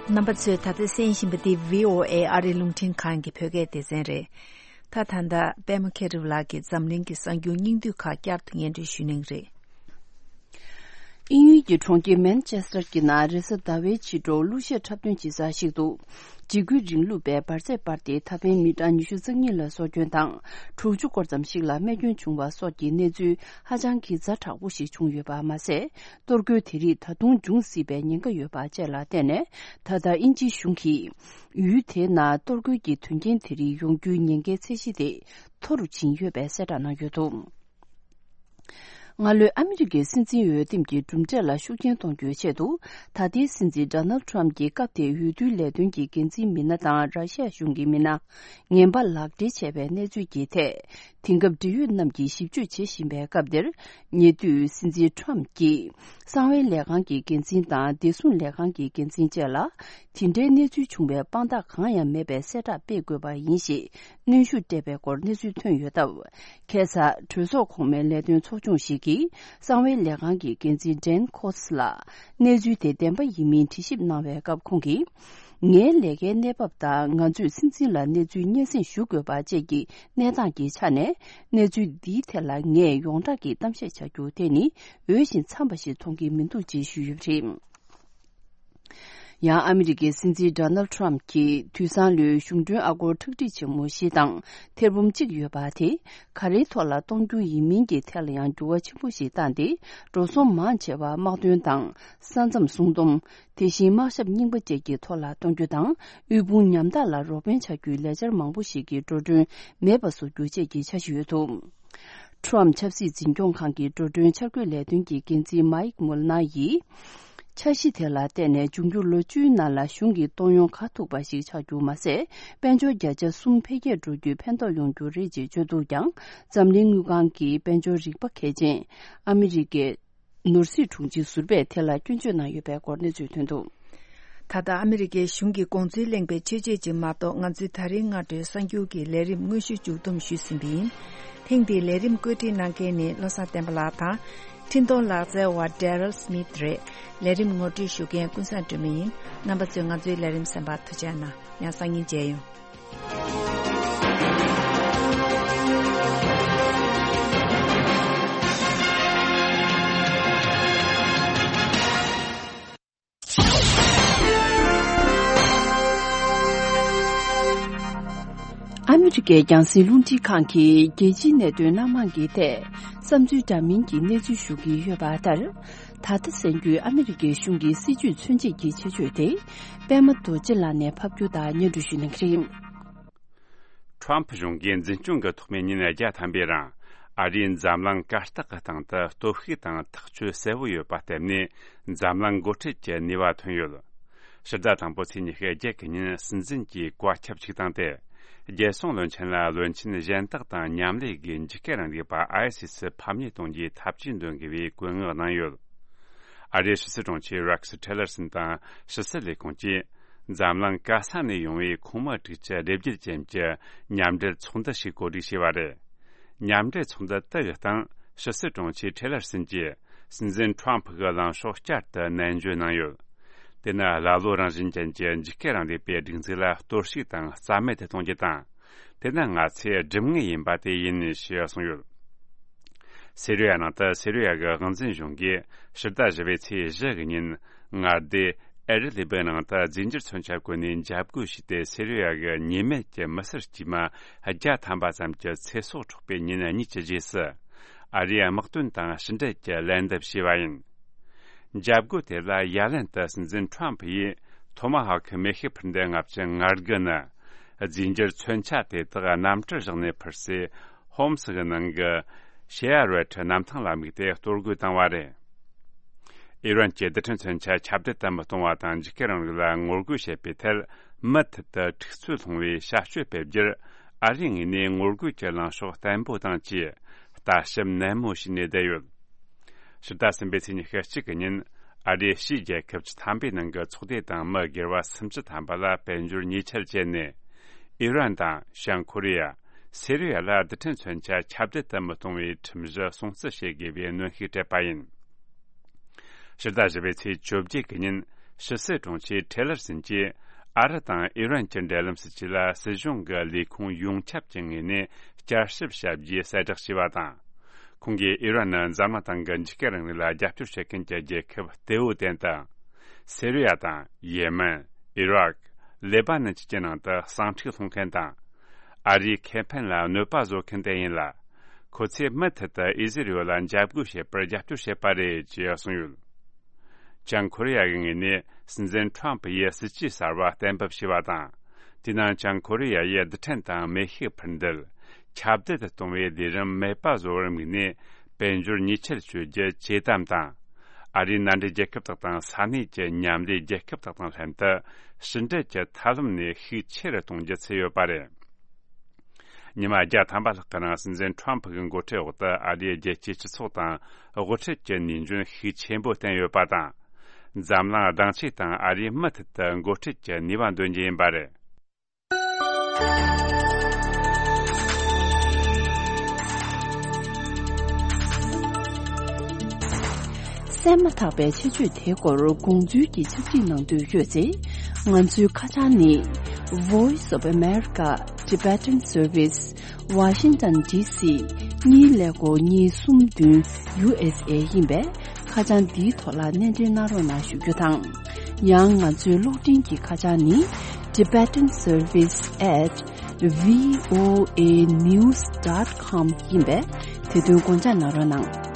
རྣམ་པ་ཚོས་ད་ལྟ་གསན་བཞིན་པ་འདི་བྷི་ཨོ་ཨེ་ཨ་རིའི་རླུང་འཕྲིན་ཁང་གི་བོད་སྐད་སྡེ་ཚན་རེད། ད་ད་ལྟ་པད་མ་མཁྱེན་རབ་ལགས་ཀྱིས་འཛམ་གླིང་གི་གསར་འགྱུར་སྙིང་བསྡུས་ཁག་བསྐྱར་དུ་སྙན་སྒྲོན་ཞུ་གནང་གི་རེད། དབྱིན་ཡུལ་གྱི་གྲོང་ཁྱེར་མན་ཆེ་སི་ཊར་གྱི་ནང་རེས་གཟའ་ཟླ་བའི་ཕྱི་དྲོ་གླུ་གཞས་འཁྲབ་སྟོན་བྱེད་ས་ཞིག་ཏུ། འཇིགས་སྐུལ་རིང་ལུགས་པས་འབར་རྫས་སྤར་ཏེ་ད་ཕན་མི་གྲངས་ཉི་ཤུ་རྩ་གཉིས་ལ་སྲོག་སྐྱོན་དང་དྲུག་ཅུ་སྐོར་ཙམ་ཞིག་ལ་རྨས་སྐྱོན་བྱུང་བ་སོགས་ཀྱི་གནས་ཚུལ་ཧ་ཅང་གི་ཛ་དྲག་པོ་ཞིག་བྱུང་ཡོད་པ་མ་ཟད། གཏོར་རྒོལ་དེ་རིགས་ད་དུང་འབྱུང་སྲིད་པའི་ཉེན་ཁ་ཡོད་པ་བཅས་ལ་བརྟེན་ནས། ད་ལྟ་དབྱིན་ཇིའི་གཞུང་གིས་ཡུལ་དེའི་ནང་གཏོར་རྒོལ་གྱི་དོན་རྐྱེན་དེ་རིགས་ཡོང་རྒྱུའི་ཉེན་ཁའི་ཚད་གཞི་དེ་མཐོ་རུ་ཕྱིན་ཡོད་པའི་གསལ་བསྒྲགས་གནང་ཡོད་འདུག་སྔ་ལོའི་ཨ་མི་རི་ཀའི་སྲིད་འཛིན་འོས་འདེམས་ཀྱི་གྲུབ་འབྲས་ལ་ཤུགས་རྐྱེན་གཏོང་རྒྱུའི་ཆེད་དུ། ད་ལྟའི་སྲིད་འཛིན་ཌོ་ནལ་ཌི་ཊརམ་གྱི་སྐབས་དེའི་འོས་བསྡུའི་ལས་དོན་གྱི་འགན་འཛིན་མི་སྣ་དང་ར་ཤི་ཡ་གཞུང་གི་མི་སྣ། ངན་པ་ལག་སྦྲེལ་བྱས་པའི་གནས་ཚུལ་གྱི་ཐད། དེང་སྐབས་འབྲེལ་ཡོད་རྣམས་ཀྱིས་ཞིབ་དཔྱོད་བྱེད་བཞིན་པའི་སྐབས་འདིར། ཉེ་དུས་སྲིད་འཛིན་ཊརམ་གྱིས་གསང་བའི་ལས་ཁང་གི་འགན་འཛིན་དང་བདེ་སྲུང་ལས་ཁང་གི་འགན་འཛིན་བཅས་ལ། དེ་འདྲའི་གནས་ཚུལ་བྱུང་བའི་དཔང་རྟགས་གང་ཡང་མེད་པའི་གསལ་བསྒྲགས་སྤེལ་དགོས་པ་ཡིན་ཞེས་གནོན་ཤུགས་སྤྲད་པའི་སྐོར་གནས་ཚུལ་ཐོན་ཡོད་སྟབས། ཁ་སང་གྲོས་ཚོགས་གོང་མའི་ལས་དོན་ཚོགས་ཆུང་ཞིག་གིས་གསང་བའི་ལས་ཁང་གི་འགན་འཛིན་ཌེན་ཁོ་སི་ལ་གནས་ཚུལ་དེ་བདེན་པ་ཡིན་མིན་དྲི་ཞིབ་གནང་བའི་སྐབས་ཁོང་གིས། ངའི་ལས་ཀའི་གནས་བབ་དང་ང་ཚོས་སྲིད་འཛིན་ལ་གནས་ཚུལ་སྙན་སེང་ཞུ་དགོས་པ་བཅས་ཀྱི་གནས་སྟངས་ཀྱི་ཆ་ནས། གནས་ཚུལ་འདིའི་ཐད་ལ་ངས་ཡོངས་གྲགས་ཀྱི་གཏམ་བཤད་བྱ་རྒྱུ་དེ་ནི་འོས་ཤིང་འཚམས་པ་ཞིག་མཐོང་གི་མི་འདུག་ཅེས་ཞུས་ཡོད་པ་རེད། ཡང་ཨ་མི་རི་ཀའི་སྲིད་འཛིན་ཌོ་ནལ་ཊམ་གྱིས་དུས་སང་ལོའི་གཞུང་གྲོན་ཨ་སྒོར་ཁྲག་ཁྲིག་ཆེན་མོ་བཞི་དང་ཐེར་འབུམ་གཅིག་ཡོད་པ་དེ་ག་རེའི་ཐོག་ལ་གཏོང་རྒྱུ་ཡིན་མིན་གྱི་ཐད་ལ་ཡང་འགྱུར་བ་ཆེན་པོ་ཞིག་བཏང་སྟེ། འགྲོ་སོང་མང་ཆེ་བ་དམག་དོན་དང་ས་མཚམས་སྲུང་སྡོམ། དེ་བཞིན་དམག་ཞབས་རྙིང་པ་བཅས་ཀྱི་ཐོག་ལ་གཏོང་རྒྱུ་དང་། དབུལ་ཕོངས་ཉམ་ཐག་ལ་རོགས་ཕན་བྱ་རྒྱུའི་ལས་འཆར་མང་པོ་ཞིག་གི་འགྲོ་གྲོན་མེད་པ་བཟོ་རྒྱུ་བཅས་ཀྱི་འཆར་གཞི་ཡོད་འདུག་ཊམ་ཆབ་སྲིད་འཛིན་སྐྱོང་ཁང་གི་འགྲོ་གྲོན་འཆར་འགོད་ལས་དོན་གྱི་འགན་འཛིན་མཱིག་མུལ་ནར་ཡིས། འཆར་གཞི་དེ་ལ་བརྟེན་ནས་འབྱུང་འགྱུར་ལོ་བཅུའི་ནང་ལ་གཞུང་གི་གཏོང་ཡོང་ག་ཐུག་པ་ཞིག་ཆགས་རྒྱུ་མ་ཟད། དཔལ་འབྱོར་བརྒྱ་ཆ་གསུམ་འཕེལ་རྒྱས་འགྲོ་རྒྱུའི་ཕན་ཐོགས་ཡོང་རྒྱུ་རེད་ཅེས་བརྗོད་འདུག་ཀྱང་། འཛམ་གླིང་དངུལ་ཁང་གི་དཔལ་འབྱོར་རིག་པ་མཁས་ཅན་ཨ་མི་རི་ཀའི་ནོར་སྲིད་དྲུང་ཆེ་ཟུར་པས་དེ་ལ་སྐྱོན་བརྗོད་གནང་ཡོད་པའི་སྐོར་གནས་ཚུལ་ཐོན་འདུག་ད་ལྟ་ཨ་མི་རི་ཀའི་གཞུང་གི་དགོངས་ཚུལ་གླེང་བའི་ཆོས་བརྒྱུད་ཅིག་མ་གཏོགས། ང་ཚོའི་ད་རེས་སྔ་དྲོའི་གསར་འགྱུར་གྱི་ལས་རིམ་དངོས་གཞི་མཇུག་བསྡོམས་ཞུས་ཟིན་པ་ཡིན། ཐེངས་འདིའི་ལས་རིམ་བཀོད་སྒྲིག་གནང་མཁན་ནི་བློ་བཟང་བསྟན་པ་ལགས་དང་། འཕྲིན་གཏོང་ལག་རྩལ་བ་Daryl Smith་རེད། ལས་རིམ་ངོ་སྤྲོད་ཞུ་མཁན་ཀུན་བཟང་སྒྲོལ་མ་ཡིན། རྣམ་པ་ཚོས་ང་ཚོའི་ལས་རིམ་གསན་པར་ཐུགས་རྗེ་གནང་། ཡང་སང་ཉིན་མཇལ་ཡོང་། ཨ་མི་རི་ཀའི་རྒྱང་སྲིང་རླུང་འཕྲིན་ཁང་གིས་རྒྱལ་སྤྱིའི་གནད་དོན་སྣ་མང་གི་ཐད་བསམ་ཚུལ་འདྲ་མིན་གྱི་གནས་ཚུལ་ཞུ་གི་ཡོད་པ་ལྟར། ད་ལྟ་གསན་རྒྱུའི་ཨ་མི་རི་ཀའི་གཞུང་གི་སྲིད་ཇུས་མཚོན་བྱེད་ཀྱི་ཆེད་བརྗོད་དེ། པད་མ་རྡོ་རྗེ་ལགས་ནས་ཕབ་སྒྱུར་དང་སྙན་སྒྲོན་ཞུ་གནང་གི་རེད། ཊམ་ཕ་གཞུང་གིས་འཛིན་སྐྱོང་གི་ཐོག་མའི་ཉིན་བརྒྱ་ཐམ་པའི་རིང་། ཨ་རིའི་འཛམ་གླིང་གར་སྟེགས་ཀྱི་སྟེང་དུ་སྟོབས་ཤུགས་དང་ཐག་གཅོད་གསལ་བོ་ཡོད་པ་བརྟེན་ནས། འཛམ་གླིང་འགོ་ཁྲིད་ཀྱི་ནུས་པ་ཐོན་ཡོད། ཕྱི་ཟླ་དང་པོ་ཚེས་ཉི་ཤུ་རྒྱ་གི་ཉིན་སྲིད་འཛིན་གྱིས་བཀའ་ཁྱབ་ཅིག་བཏང་སྟེ། རྒྱལ་སྲུང་བློན་ཆེན་ལ་བློན་ཆེན་གཞན་དག་དང་མཉམ་ལས་ཀྱིས་འཇིགས་སྐུལ་རིང་ལུགས་པ་ཨའི་སི་སི་ཕམ་ཉེས་གཏོང་རྒྱུའི་ཐབས་ཇུས་འདོན་དགོས་པའི་བཀོད་མངགས་གནང་ཡོད། ཨ་རིའི་ཕྱི་སྲིད་དྲུང་ཆེ་རེག་སི་ཊི་ལར་སན་དང་ཕྱི་སྲིད་ལས་ཁུངས་ཀྱིས། འཛམ་གླིང་ག་ས་ནས་ཡོང་བའི་ཁོངས་མི་དྲུག་ཅུ་རེ་བརྒྱད་ཅན་གྱི་མཉམ་འབྲེལ་ཚོགས་འདུ་ཞིག་གོ་སྒྲིག་བྱས་པ་རེད། མཉམ་འབྲེལ་ཚོགས་འདུ་དེ་གི་སྟེང་ཕྱི་སྲིད་དྲུང་ཆེ་ཊེ་ལར་སན་གྱིས་སྲིད་འཛིན་ཁྲོམ་ཕུ་གི་ལངས་ཕྱོགས་བསྐྱར་དུ་ནན་བརྗོད་གནང་ཡོད། དེ་ནི་ཀླ་ཀློ་རང་བཞིན་ཅན་གྱི་འཇིགས་སྐུལ་རིང་ལུགས་པའི་སྒྲིག་འཛུགས་ལ་གཏོར་བཤིག་དང་རྩ་མེད་དུ་གཏོང་རྒྱུ་དང་། དེ་ནི་ང་ཚོའི་སྒྲུབ་ངེས་ཡིན་པ་དེ་ཡིན་ཞེས་གསུངས་ཡོད། སི་རི་ཡ་ནང་དུ་སི་རི་ཡ་གི་དབང་འཛིན་གཞུང་གིས་ཕྱི་ཟླ་བཞི་པའི་ཚེས་བཞི་གི་ཉིན་མངའ་སྡེ་ཨེ་རི་ལི་བི་ནང་དུ་རྫས་འགྱུར་མཚོན་ཆ་བཀོལ་ནས་འཇབ་རྒོལ་བྱས་ཏེ། སི་རི་ཡ་གི་ཉེས་མེད་ཀྱི་མི་སེར་དཀྱུས་མ་བརྒྱ་ཐམ་པ་ཙམ་གྱི་ཚེ་སྲོག་འཕྲོག་པའི་ཉེན་གཉིས་ཀྱི་རྗེས་སུ། ཨ་རིའི་དམག་དོན་དང་ཕྱི་འབྲེལ་གྱི་ལན་འདེབས་བྱས་པ་ཡིན། འཇབ་རྒོལ་དེ་ལ་ཡ་ལན་དུ་སྲིད་འཛིན་ཁྲོམ་ཕུ་ཡིས་ཐོ་མ་ཧོ་ཁི་མེ་ཤུགས་འཕུར་མདེལ་ལྔ་བཅུ་ང་དགུ་ནི། རྫས་འགྱུར་མཚོན་ཆ་དེ་དག་གནམ་གྲུར་བཞག་ནས་འཕུར་སའི་ཧོམ་སི་གི་ནང་གི་ཤེ་ཡ་རོལ་ཊི་གནམ་ཐང་ལ་དམིགས་ཏེ་གཏོར་རྒོལ་བཏང་བ་རེད། ཨི་རན་གྱི་རྡུལ་ཕྲན་མཚོན་ཆ་ཁྱབ་གདལ་དུ་མི་གཏོང་བ་དང་། འཇིགས་སྐུལ་རིང་ལུགས་ལ་ངོ་རྒོལ་བྱེད་པའི་ཐད་མུ་མཐུད་དུ་འཁྲུག་རྩོད་སློང་བའི་བྱ་སྤྱོད་སྤེལ་རྒྱུར། ཨ་རིའི་ངོས་ནས་ངོ་རྒོལ་གྱི་ལངས་ཕྱོགས་བརྟན་པོ་དང་བཅས་ལྟ་ཞིབ་ནན་མོ་བྱས་ནས་བསྡད་ཡོད། ཕྱི་ཟླ་གསུམ་པའི་ཚེས་ཉི་ཤུ་གཅིག་གི་ཉིན། ཨ་རིའི་ཕྱིའི་རྒྱལ་ཁབ་བཅུ་ཐམ་པའི་ནང་གི་ཚོགས་སྡེ་དང་མི་སྒེར་བ་སུམ་ཅུ་ཐམ་པ་ལ་དཔལ་འབྱོར་ཉེས་ཆད་བཅད་ནས། ཨི་རན་དང་བྱང་ཁོ་རི་ཡ། སི་རི་ཡ་ལ་རྡུལ་ཕྲན་མཚོན་ཆ་ཁྱབ་གདལ་དུ་མི་གཏོང་བའི་ཁྲིམས་གཞི་སྲུང་བརྩི་བྱེད་དགོས་པའི་གནོན་ཤུགས་སྤྲད་པ་ཡིན། ཕྱི་ཟླ་བཞི་པའི་ཚེས་བཅོ་བརྒྱད་ཀྱི་ཉིན། ཕྱི་སྲིད་དྲུང་ཆེ་ཊེ་ལར་སན་གྱིས། ཨ་རི་དང་ཨི་རན་གྱི་འབྲེལ་ལམ་སྲིད་ཇུས་ལ་སྲིད་གཞུང་གི་ལས་ཁུངས་ཡོངས་ཁྱབ་ཀྱི་ངོས་ནས་བསྐྱར་ཞིབ་བྱ་རྒྱུའི་གསལ་བསྒྲགས་བྱས་པ་དང་། ཁོང་གིས་ཨི་རན་ནི་འཛམ་གླིང་སྟེང་གི་འཇིགས་སྐུལ་རིང་ལུགས་ལ་རྒྱབ་སྐྱོར་བྱེད་མཁན་གྱི་རྒྱལ་ཁབ་གཏེ་བོ་ལྡན་དང་། སི་རི་ཡ་དང་། ཡེ་མེན། ཨི་རག། ལེ་པ་ནན་བཅས་ཀྱི་ནང་དུ་ཟིང་འཁྲུག་སློང་མཁན་དང་། ཨ་རིའི་ཁེ་ཕན་ལ་གནོད་པ་བཟོ་མཁན་དེ་ཡིན་ལ། ཁོ་ཚོས་མུ་མཐུད་དུ་ཨི་ཟི་རི་ཡོལ་ལ་འཇབ་རྒོལ་བྱེད་པར་རྒྱབ་སྐྱོར་བྱེད་པ་རེད་ཅེས་གསུངས་ཡོད། བྱང་ཁོ་རི་ཡ་གི་ངོས་ནས་སྲིད་འཛིན་ཁྲོམ་ཕུ་ཡིས་སྲིད་ཇུས་གསར་བ་གཏན་འབེབས་བྱས་པ་དང་། དེའི་ནང་བྱང་ཁོ་རི་ཡ་ཡིས་རྡུལ་ཕྲན་དང་མེ་ཤུགས་འཕུར་མདེལ་ཁྱབ་གདལ་དུ་གཏོང་བའི་ལས་རིམ་མེད་པ་བཟོ་བར་དམིགས་ནས། དཔལ་འབྱོར་ཉེས་ཆད་གཅོད་རྒྱུ་ཇེ་དམ་དང་། ཨ་རིའི་མནའ་འབྲེལ་རྒྱལ་ཁབ་དག་དང་ས་གནས་ཀྱི་མཉམ་ལས་རྒྱལ་ཁབ་དག་དང་ལྷན་དུ་ཕྱི་འབྲེལ་གྱི་ཐབས་ལམ་ནས་ཤུགས་ཆེ་རུ་གཏོང་རྒྱུ་འཚོལ་ཡོད་པ་རེད། ཉི་མ་བརྒྱ་ཐམ་པ་ལྷག་གི་རིང་སྲིད་འཛིན་ཁྲོམ་ཕུ་གི་འགོ་ཁྲིད་འོག་ཏུ་ཨ་རིའི་རྒྱལ་སྤྱིའི་སྤྱི་ཚོགས་དང་དབུ་ཁྲིད་ཀྱི་ནུས་འཇོན་ཤུགས་ཆེན་པོ་བསྟན་ཡོད་པ་དང་། འཛམ་གླིང་གདེང་འཇོག་དང་ཨ་རིས་མུ་མཐུད་དུ་འགོ་ཁྲིད་ཀྱི་ནུས་པ་འདོན་རྒྱུ་ཡིན་པ་རེད། གསན་མ་ཐག་པའི་ཆེད་བརྗོད་དེའི་སྐོར་དགོངས་ཚུལ་གྱི་ཕྱག་བྲིས་གནང་འདོད་ཡོད་ཚེ། ང་ཚོའི་ཁ་བྱང་ནི། Voice of America Tibetan Service, Washington D C གཉིས་ཀླད་ཀོར་གཉིས་གསུམ་བདུན། U S A ཡིན་པས། ཁ་བྱང་འདིའི་ཐོག་ལ་གནས་འབྲེལ་གནང་རོགས་གནང་ཞུ་རྒྱུ་དང་། ཡང་ང་ཚོའི་གློག་འཕྲིན་གྱི་ཁ་བྱང་ནི། Tibetan Service at V O A news dot com ཡིན་པས། དེ་དོན་དགོངས་འཇགས་གནང་རོགས་གནང་།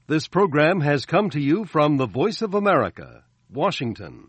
This program has come to you from the Voice of America, Washington.